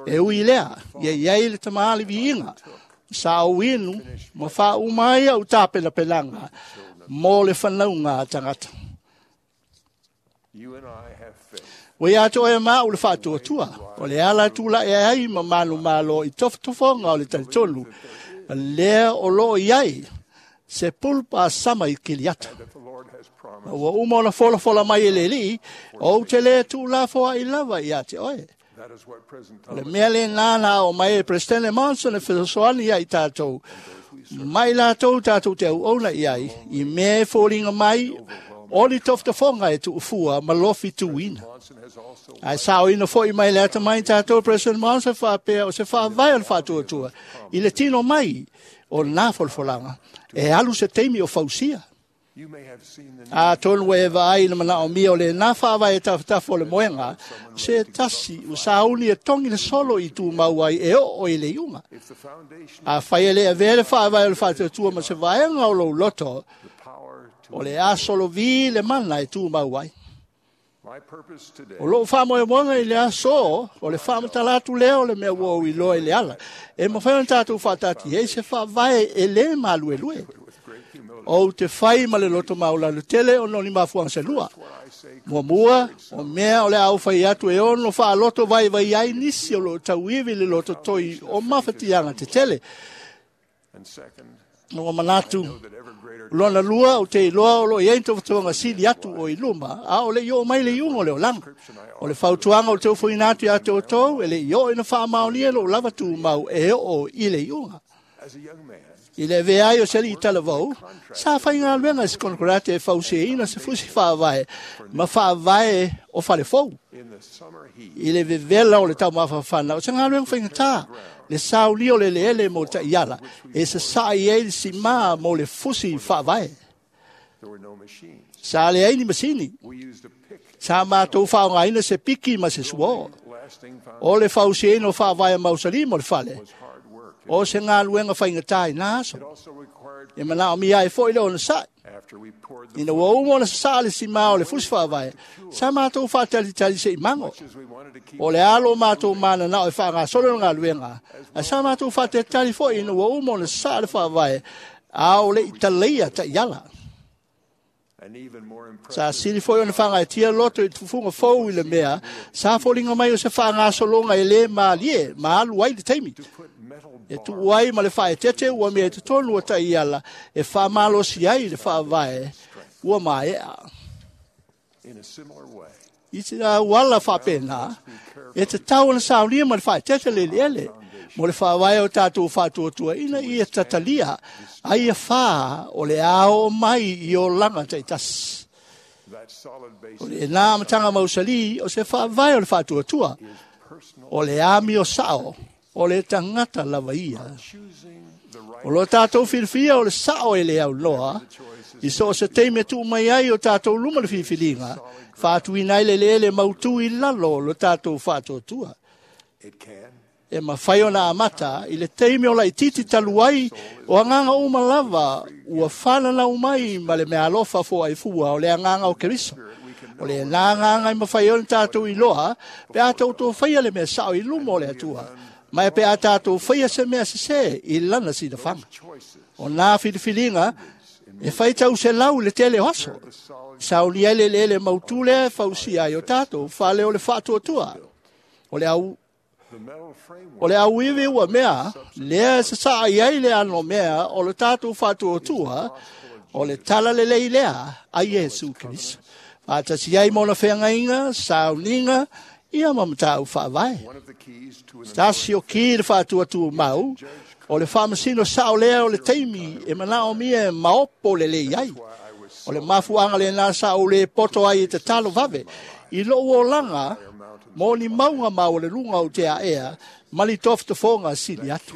E ui lea, ia i ai le tama viiga, sa ou inu, ma faauma ai au tapenapelaga, mo le fanauga a tagata. Ua ia te oe ma au le faatuatua, o le ala tula'i ai ma manumalo i tofotofoga o le talitonu, lea o loo i ai se pulpa sama i Kiliata. Ma ua uma ona folafola mai e le alii, ou te le tuulafoai lava ia te oe. O le mea lenā na ao mai e Presidente Monson e fesoasoani ia i tātou, mai latou tātou te auauna i ai, i mea e foliga mai o ni tofotofoga e tuufua ma lofi tuuina. Ae saoina foi mai le atamai tātou President Monson faapea o se faavae o le faatuatua i le tino mai o nā folafolaga e alu se taimi o fausia. Atonu e vaai i le manaomia o lenā faavae e tafatafa o le moega, se tasi ua sauni e togi le solo i tumau ai e oo i le iuga. Afai e le avea le faavae o le faatuatua ma se vaega o lou loto, o le a solovi le mana e tumau ai. O lou faamoemoega i le aso, o le faamatala atu lea o le mea ua ou iloa i le ala. E mafai ona tātou faatati ai se faavae e lē maluelue. Ou te fai ma le loto maulalo tele ona o ni mafuaga se lua. Muamua, o mea o le a ou fai atu e ono faaloto vaivai ai nisi o loo tauivi le loto toi o mafatiaga tetele. Ua manatu, lona lua, o te iloa o loo i ai ni tofatoga sili atu o i luma, a o le i oo mai le iuga o le olaga. O le fautuaga o le teufoina atu ia te outou, e le i oo ina faamaonia lou lava tumau e oo i le iuga. I le avea ai o se alii talavou, sa faigaluega i se konokarate e fausiaina se fusi faavae ma faavae o falefou. I le vevela o le taumafafana, o se galuega faigata, le saulia o le eleele mo taiala, e sasa'i ai le simā mo le fusi faavae. Sa leai ni masini. Sa matou faaaogaina se piki ma se suō. O le fausiaina o faavae mausali mo le fale, o se galuega faigata i nā aso. E manaomia ai foi le onosai. Ina ua uma ona sasaa le simā o le fusi faavae, sa matou faatalitali se i mago. O le alo o matou mananao e faagasolo le galuega, ae sa matou faatalitali foi ina ua uma ona sasaa le faavae, a o le i talaia taiala. Sa sili foi ona faagaetia loto i tufuga fou i le mea, sa foliga mai o se faagasologa e lē malie ma alu ai le taimi. E tuu ai ma le faaetete ua mea i totonu o taiala e faamalosi ai le faavae ua maea. I te auala faapena, e tatau ona saunia ma le faaetete le eleele mo le faavae o tātou faatuatua ina ia tatalia ai ia fā o le a oo mai i olaga taitasi. O lenā amataga mausali o se faavae o le faatuatua, o le amio sao o le tagata lava ia. O lo tātou filifia o le sao e le aunoa, i so o se taimi e tuu mai ai o tātou luma le filifiliga, faatuina ai le eleele mautū i lalo o lo tātou faatuatua. E mafai ona amata i le taimi o laititi talu ai o agaga uma lava ua fananau mai ma le meaalofa foaifua o le agaga o Keriso. O le nā ngā ngai mawhai o tātou i loa, pe a tautou whaia le mea sao i lumo o le atua. Mai pe a tātou whaia se mea se se i lana si whanga. O nā whiliwhilinga, e whai tau se lau le tele oaso. Sauni ai le lele mautule fausia ai o tātou, whale o le whaatuatua. O le au iwi ua mea, lea se saa i ai le ano mea o le tātou whaatuatua, o le tala le lei lea a Iesu Kristo. Whātasi ai mona whengainga, sauninga, ia mamatau whaavae. Tasi o ki le whaatuatua mau, o le whamasino sao lea o le teimi e manao mia e maopo le lei ai. O le mafuanga le nā sao le poto ai e te talo vave. I lo o langa, mō ni maunga mau o le lunga o te aea, mali toftofonga sili atu.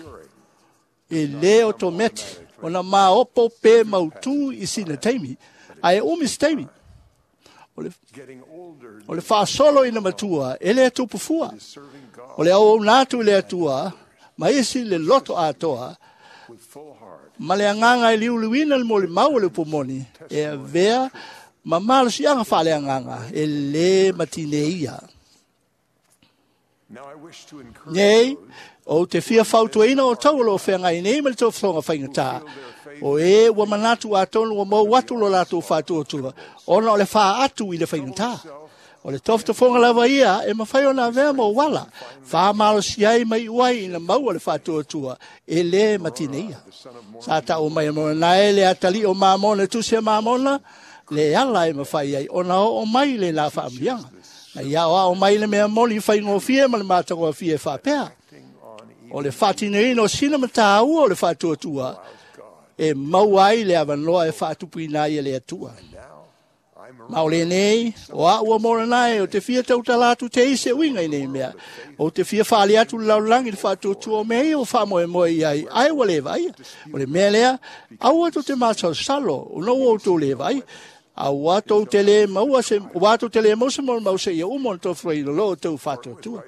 E le o tō meti, o na maopo pe mautu i sina teimi, ae umis teimi. O le whaasolo ina matua, e le tupufua. O le au nātu i le atua, ma isi le loto atoa, ma le anganga e liuluina le moli mau o le pumoni, e avea ma malosianga whaale anganga, e le matine ia. Nei, o te fia fautuaina o tau o whengai nei ma le tōwhonga whaingatā. O e ua manatu a tonu o mau atu lo lātou whātuatua, ona o le wha atu i le whaingatā. O le toftofonga lava ia, e mawhai ona avea mo wala, wha malosi ai mai uai ina mau o le whātuatua, e le matine ia. Sa tau mai mona nae le atali o mamona tuse mamona, le ala e mawhai ai, ona o mai le la whaamlianga. Na ia o ao mai le mea moli whaingofie ma le mātangofie whapea. O le whātineina o sina matāua o le whātuatua, e mau ai le awanoa e whaatupuina ai e le atua. Ma o le nei, o a ua mora nai, o te fia tautala atu te ise uinga i nei mea. O te fia whaali atu le laulangi le whaatuatua o mea o whamoe moe i ai, ai ua le vai. O le mea lea, au atu te mātau salo, o no o tō le vai. Au atu te le maua se, o atu te le mause mo mause ia umo tō whai lo tō whaatuatua.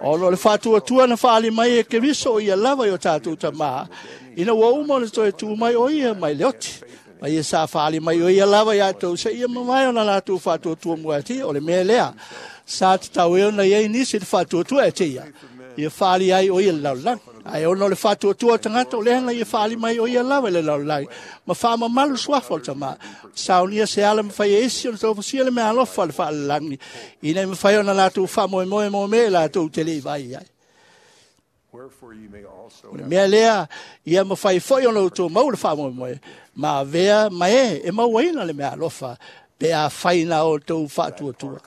O lo le whaatuatua na whaali mai e Keriso o ia lava i o tātou tamā, ina ua umo na toe tū mai o ia mai leoti. Mai e sa whaali mai o ia lava ia tau se ia mamai o na lātou whaatuatua mua te, o le mea lea. Sa te tau eo na iei nisi le whaatuatua e te ia. Ia whaali ai o ia le laulangi. Ai ono le whaatuatua tangata o lehana ia whaali mai o ia lava le laulangi. Ma whaamamalu suafa o le tamā. Saunia se ala mwhai e isi o na taufasia le mea alofa le whaalalangi. Ina i mwhai o na lātou whamoemoe mō me lātou te lei vai ai. O le mea lea, ia mwhai foi o na utou mau le whamoemoe. Ma vea mae e mauaina le mea alofa pe a whaina o tau whaatuatua.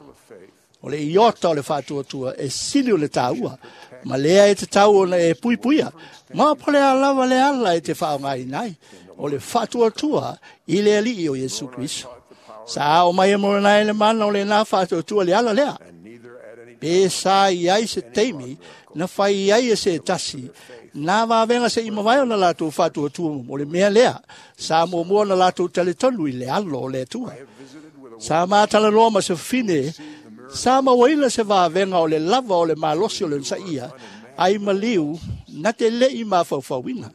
O le iota o le whaatuatua e sili o le tāua. Ma lea e te tau ona e puipuia. Ma pole a lava le ala e te whaongai nai. O le whaatuatua i le alii o Iesu Kristo. Sa o mai e moranai le mana o le nā whaatuatua le ala lea. Pe sa i ai se teimi, na whai ai e se tasi, nā wāwenga se imawai o na lātou whaatuatua o le mea lea. Sa mua na lātou taletonu i le alo o le atua. Sa mātala loa ma se whine, sa mawaina se wāwenga o le lava o le malosi o le nsaia, ai maliu, na te lei mawhauwhauina.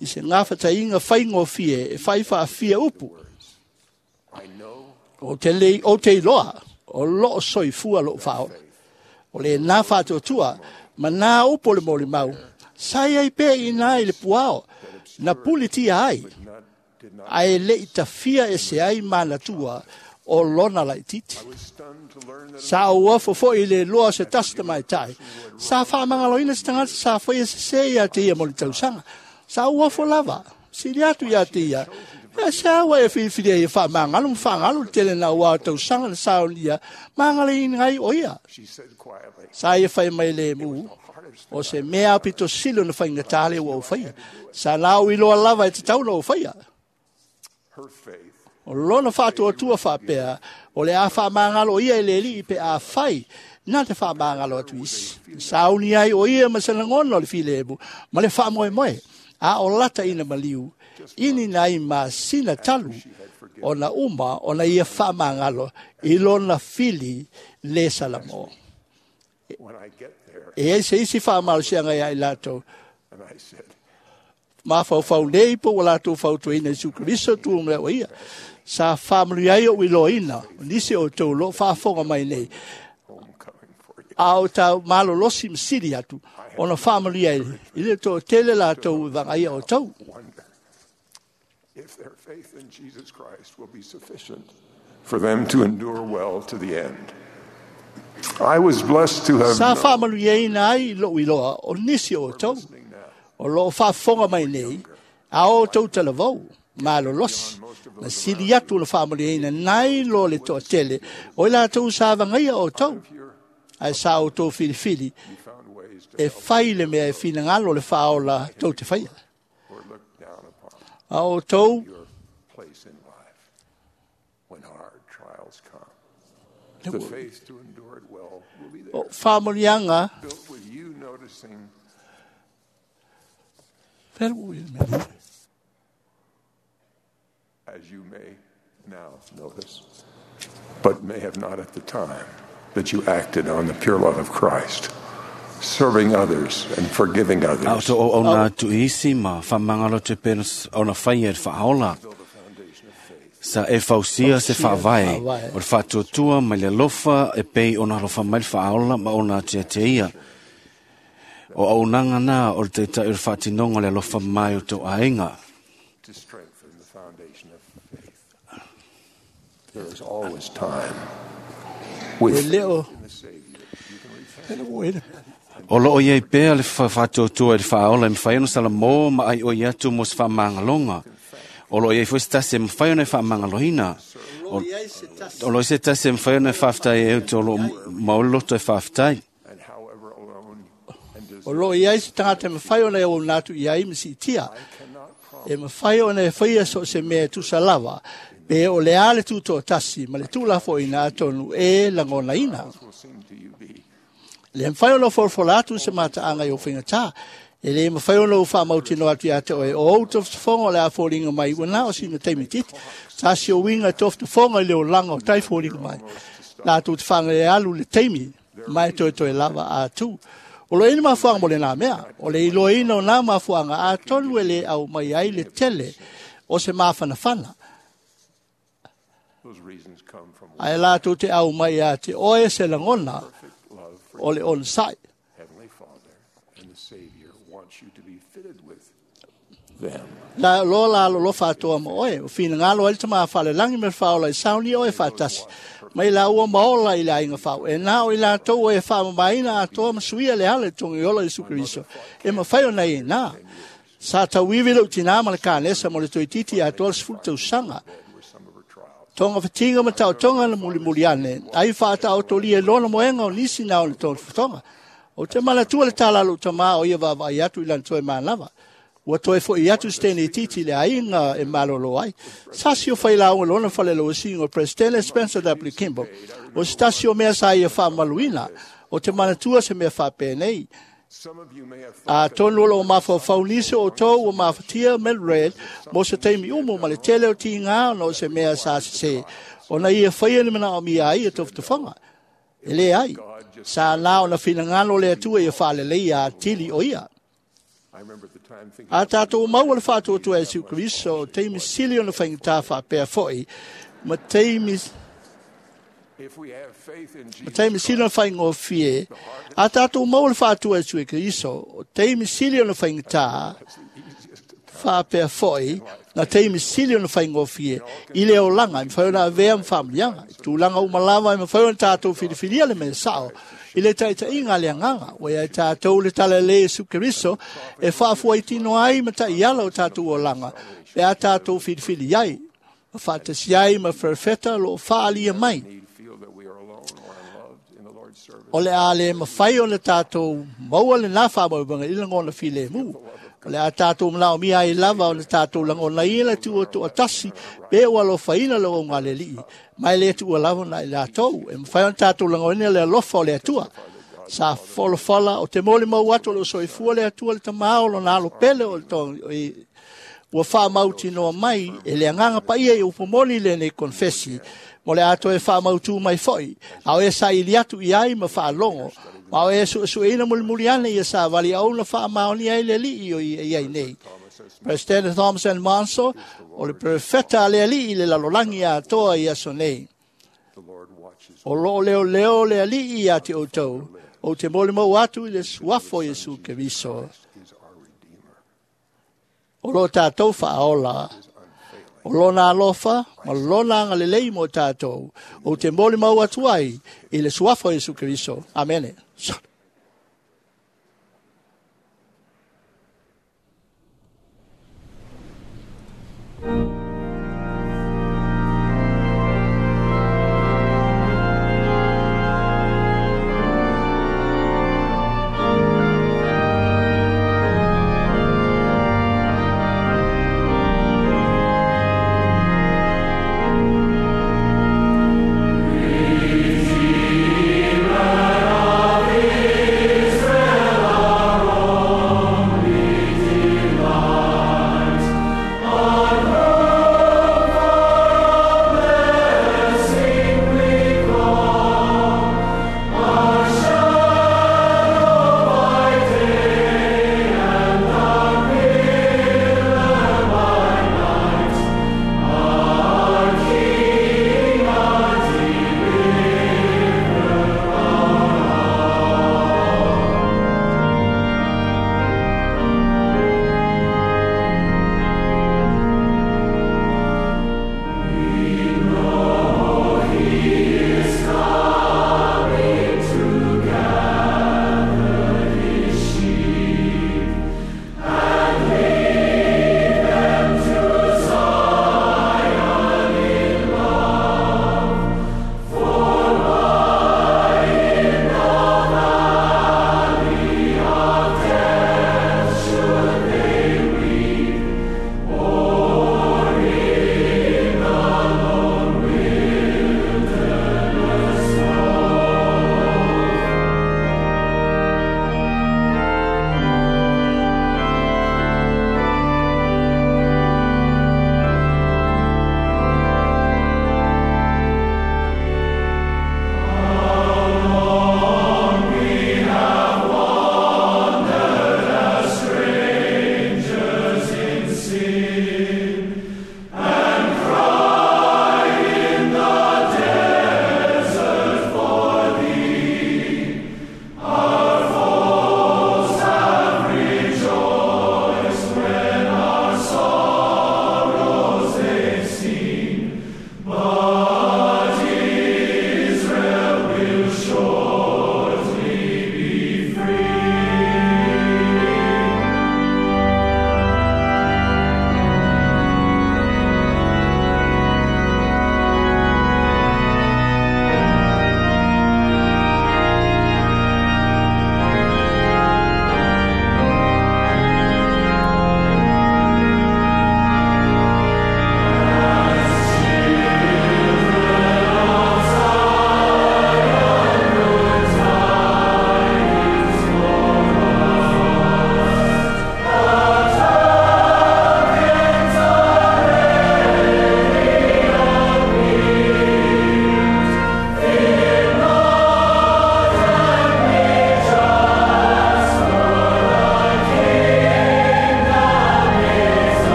I se ngā whatainga whaingofie, e whaiwhaafia upu. O te lei, o te iloa, o loo soifua loo whaola. O le nā whaatuatua, ma nā upo le moli mau, sai ai pe i nā i le puao, na puli tia ai, ai le i tawhia e se ai manatua o lona lai titi. Sa o afo fo i le loa se tasta mai tai. Sa whaamangaloina se tangata sa whai e se se ia te ia moli tausanga. Sa o afo lava, sili atu ia te ia. E se awa e whiwhiria i whaamangalo, mwhangalo le tele na ua tausanga le sao nia, mangale i ngai o ia. Sa ia whai mai le mu, o se mea apito silo na whaingatale ua o whaia. Sa lau i loa lava e te taula o whaia. O lona whaatuatua whapea, o le a whaamangalo ia e le li pe a whai, nā te whaamangalo atu isi. Sauni ai o ia ma se langona o le filemu, ma le whaamoemoe, a o lata ina maliu, ini nai ma sina talu, o na uma o na ia whaamangalo, i lona fili le salamo. E ese isi whaamalo sianga ia i lātou. Ma whau nei po o lātou whautuina Isu Kristo tu mea o ia. Sa whaamalu ai o iloina, o nisi o tau lo whaafonga mai nei. A o tau malolosi masiri atu, ona whaamalu ai, i le tō tele la tau vangaia o tau. If their faith in Jesus Christ will be sufficient for them to endure well to the end. I was blessed to have Sa whaamalu ai nai lo iloa o nisi o tau. O lo whaafonga mai nei, a o tau talavau, malolosi. Na sili atu le whaamalu ai nai lo le toa tele, o ila tau sa vangaia o tau. Ai sa o tau filifili, e whai le mea e whina le whaola tau te whaia. A o tau place in life when hard trials come. The faith to endure it well will be there. O whaamurianga Built with you noticing as you may now notice, but may have not at the time that you acted on the pure love of Christ, serving others and forgiving others. Au to o na tuisi ma whamangalo te pena o na whai e whaola. Sa e fausia se whaavae, o le whaatuatua mai le lofa e pei o na lofa mai le whaola ma o na tea te ia. O au nanga nā o le teitai o le whaatinonga le lofa mai o tō aenga. To strengthen the foundation of faith. There is always time. With E leo. faith in the Savior, you can repent. O loo iei pea le whaatuatua e le whaola e mwhai ono sala mō ma ai o i atu mo se whaamangaloga. O loo iei fo se tasi e mwhai ono e whaamangaloina. O loo se tasi e mwhai ono e whaaftai e uto o loo maoloto e whaaftai. And however alone and O lo iai se tangata e mawhai ona e o nātu iai masi tia. E mawhai ona e whaia so se mea tusa lava. Pe o le ale tū tasi, ma le tūlafo ina atonu e langona ina. will seem to you be Le mwhai ona whorwhora atu se mataanga i o whainga. E le mwhai ona o whaamautino atu ia te oe. O au toftofonga le a fōringa mai. Ua nā o sina teimi titi. Sa si o winga toftofonga i le o langa o tai fōringa mai. Nā tū te whanga e alu le teimi. Mai toe toe lava a tū. O lo ina mafuanga mo le nā mea. O le iloa ina o nā mafuanga a tonu e le au mai ai le tele o se mawhanawhana. those reasons come from Ai la tū te au mai a te oe se langona love for o le onsai. Heavenly Father and the Savior wants you to be fitted with them. La lo la lo lo whātoa mo oe. O whina ngalo ai tama whale langi me whaola i sauni oe whātasi. Mai la ua maola i la inga whau. E nā o i la tau e whaamamaina a toa masuia le hale tongi ola i sukuriso. E mawhai o nei e nā. Sa tauiwi lau tina ma le kānesa mo le toi titi a toa le sefulu tausaga. Tonga whatinga ma tau tonga na muli muli ane. Ai whaata o toli e lona moenga o nisi nā o le tōna whatonga. O te malatua le tālalo tama o ia vava i atu i lan toe mānawa. Ua toe fo i atu stene titi le ainga e malolo ai. Sasi o whai launga lona whale lo singo President Spencer W. Kimball. O stasi o mea sa ia wha maluina. O te manatua se mea wha pēnei. Some of you may have A tonu o mawha whaunise o tō o mawhatia Mildred mo se teimi umu ma le tele o ti ngā no se mea sa se. O na ia whaia ni mana o mia ai e tofutawhanga. E le ai. Sa nā o na whina le atua ia whale lei a tili o ia. I remember at the time thinking A tātou maua le whātua e siu Kristo, o teimi sili o na whainga tā whapea foi, ma teimi if we have faith in ma Jesus teimi sili o na whainga o fie, a tātou maua le whātua e siu Kristo, o teimi sili o na whainga tā whapea foi, na teimi sili o na whainga o fie, i le o langa, i mwhai ona avea mwhamlianga, i tūlanga umalawa, i mwhai ona tātou whiriwhiria le me sao, i le taita inga le anganga, o ia tātou le tala le Yesu Kristo, e whaafua i tino ai ma tai ala o tātou o langa, e a tātou whiriwhiri ai, ma whaatasi ai ma wherewheta lo whaalia mai. feel that we are alone or unloved in the Lord's service. O le a le mawhai o le tātou maua le nā whamau i langona while mū. O le a tātou mlao mia i lava o le tātou langona i le tu o tu atasi, pe o alo whaina le o ngā le lii. Mai le tu o lava na i lātou. E mwhai o tātou langona le alofa o le atua. Sa folofola o te moli mau atu o le soifua le atua le tamao lo nā alo pele o le tō ua whaamautinoa mai e le anganga paia i upomoni le nei konfesi mo le ato e whaamautu mai foi. Au e sa ili atu i ai ma whaalongo. Ma au e suesueina mulimuli ane ia sa wali au na whaamaoni ai le lii o i ai nei. President Thomas N. Monso, O le perefeta a le alii le lalolagi atoa i aso nei. O loo leo leo le alii ia te outou, o te mole mau atu i le suafo Iesu Keriso. O lo tātou whaaola, o lona alofa, ma lona angalelei mo tātou, o te mole mau atu ai i le suafo Iesu Keriso. Amene.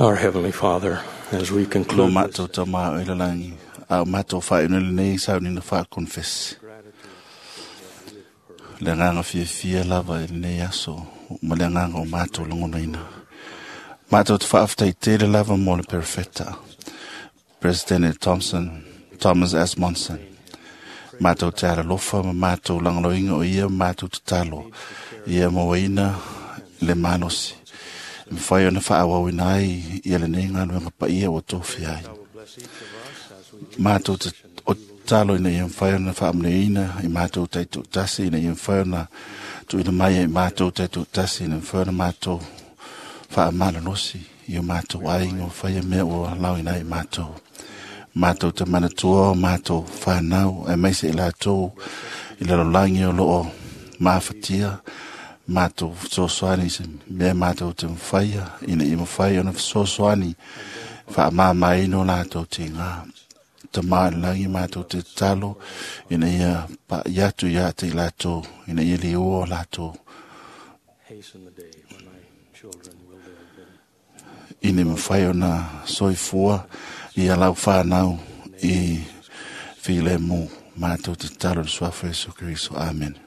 Our Heavenly Father, as we Lo conclude mātou tā mā o ila a o mātou whainu le nei sau ni na wha confess. Le nganga fia fia lava i nei aso, ma le nganga o mātou langona ina. Mātou te whaafta i tele lava mō le perfecta. President Thompson, Thomas S. Monson. Mātou te ara lofa ma mātou langaloinga o ia mātou te talo. Ia mō ina le manosi. Mwhai ona whaawau ina ai ia le nei ngā nuanga pa ia o tōwhi ai. Mātou te o talo ina ia mwhai ona whaamneina i mātou taitoatasi, ina ia mwhai ona tuina mai i mātou taitoatasi, ina mwhai ona mātou whaamalalosi i o mātou ainga o whaia mea ua lau ina i mātou. Mātou te manatua o mātou whānau, e meise i lātou i lalolangi o loo māwhatia, mātou fesoasoani se mea mātou te mwhaia, ina i mwhai ona fesoasoani whaamāmaina o lātou te ngā. Te malangi mātou te talo, ina ia pa iatu ia te lātou, ina ia liua o lātou. Ina mwhai ona soifua i a lau whānau i while mō mātou te talo le suafa Yesu Kristo. Amen.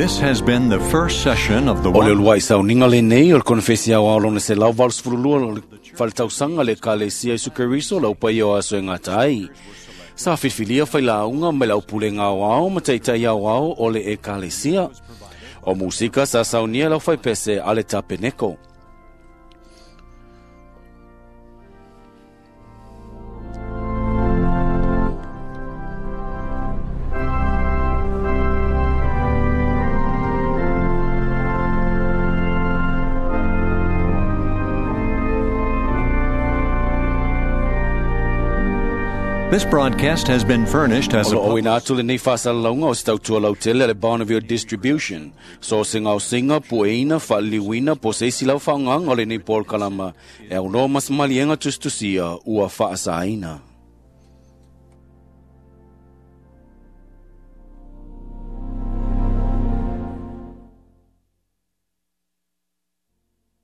This has been the first session of the O le uluai sauniga lenei o le konefesi aoao lona 182 o le faletausaga le Ekalesia Iesu Keriso lau paia o aso e gata ai. Sa filifilia failauga mai le aupulega aoao ma taitai aoao o le Ekalesia. O musika sa saunia lau faipese a le Tapeneko. This broadcast has been furnished as a O lo ina atu lenei faasalalauga o se tautua lautele a le Bonneville Distribution. So se gaosiga pueina faaliliuina po o se isi lau faaaogaga o lenei polokalama e aunoa ma se maliega tusitusia ua faasaina.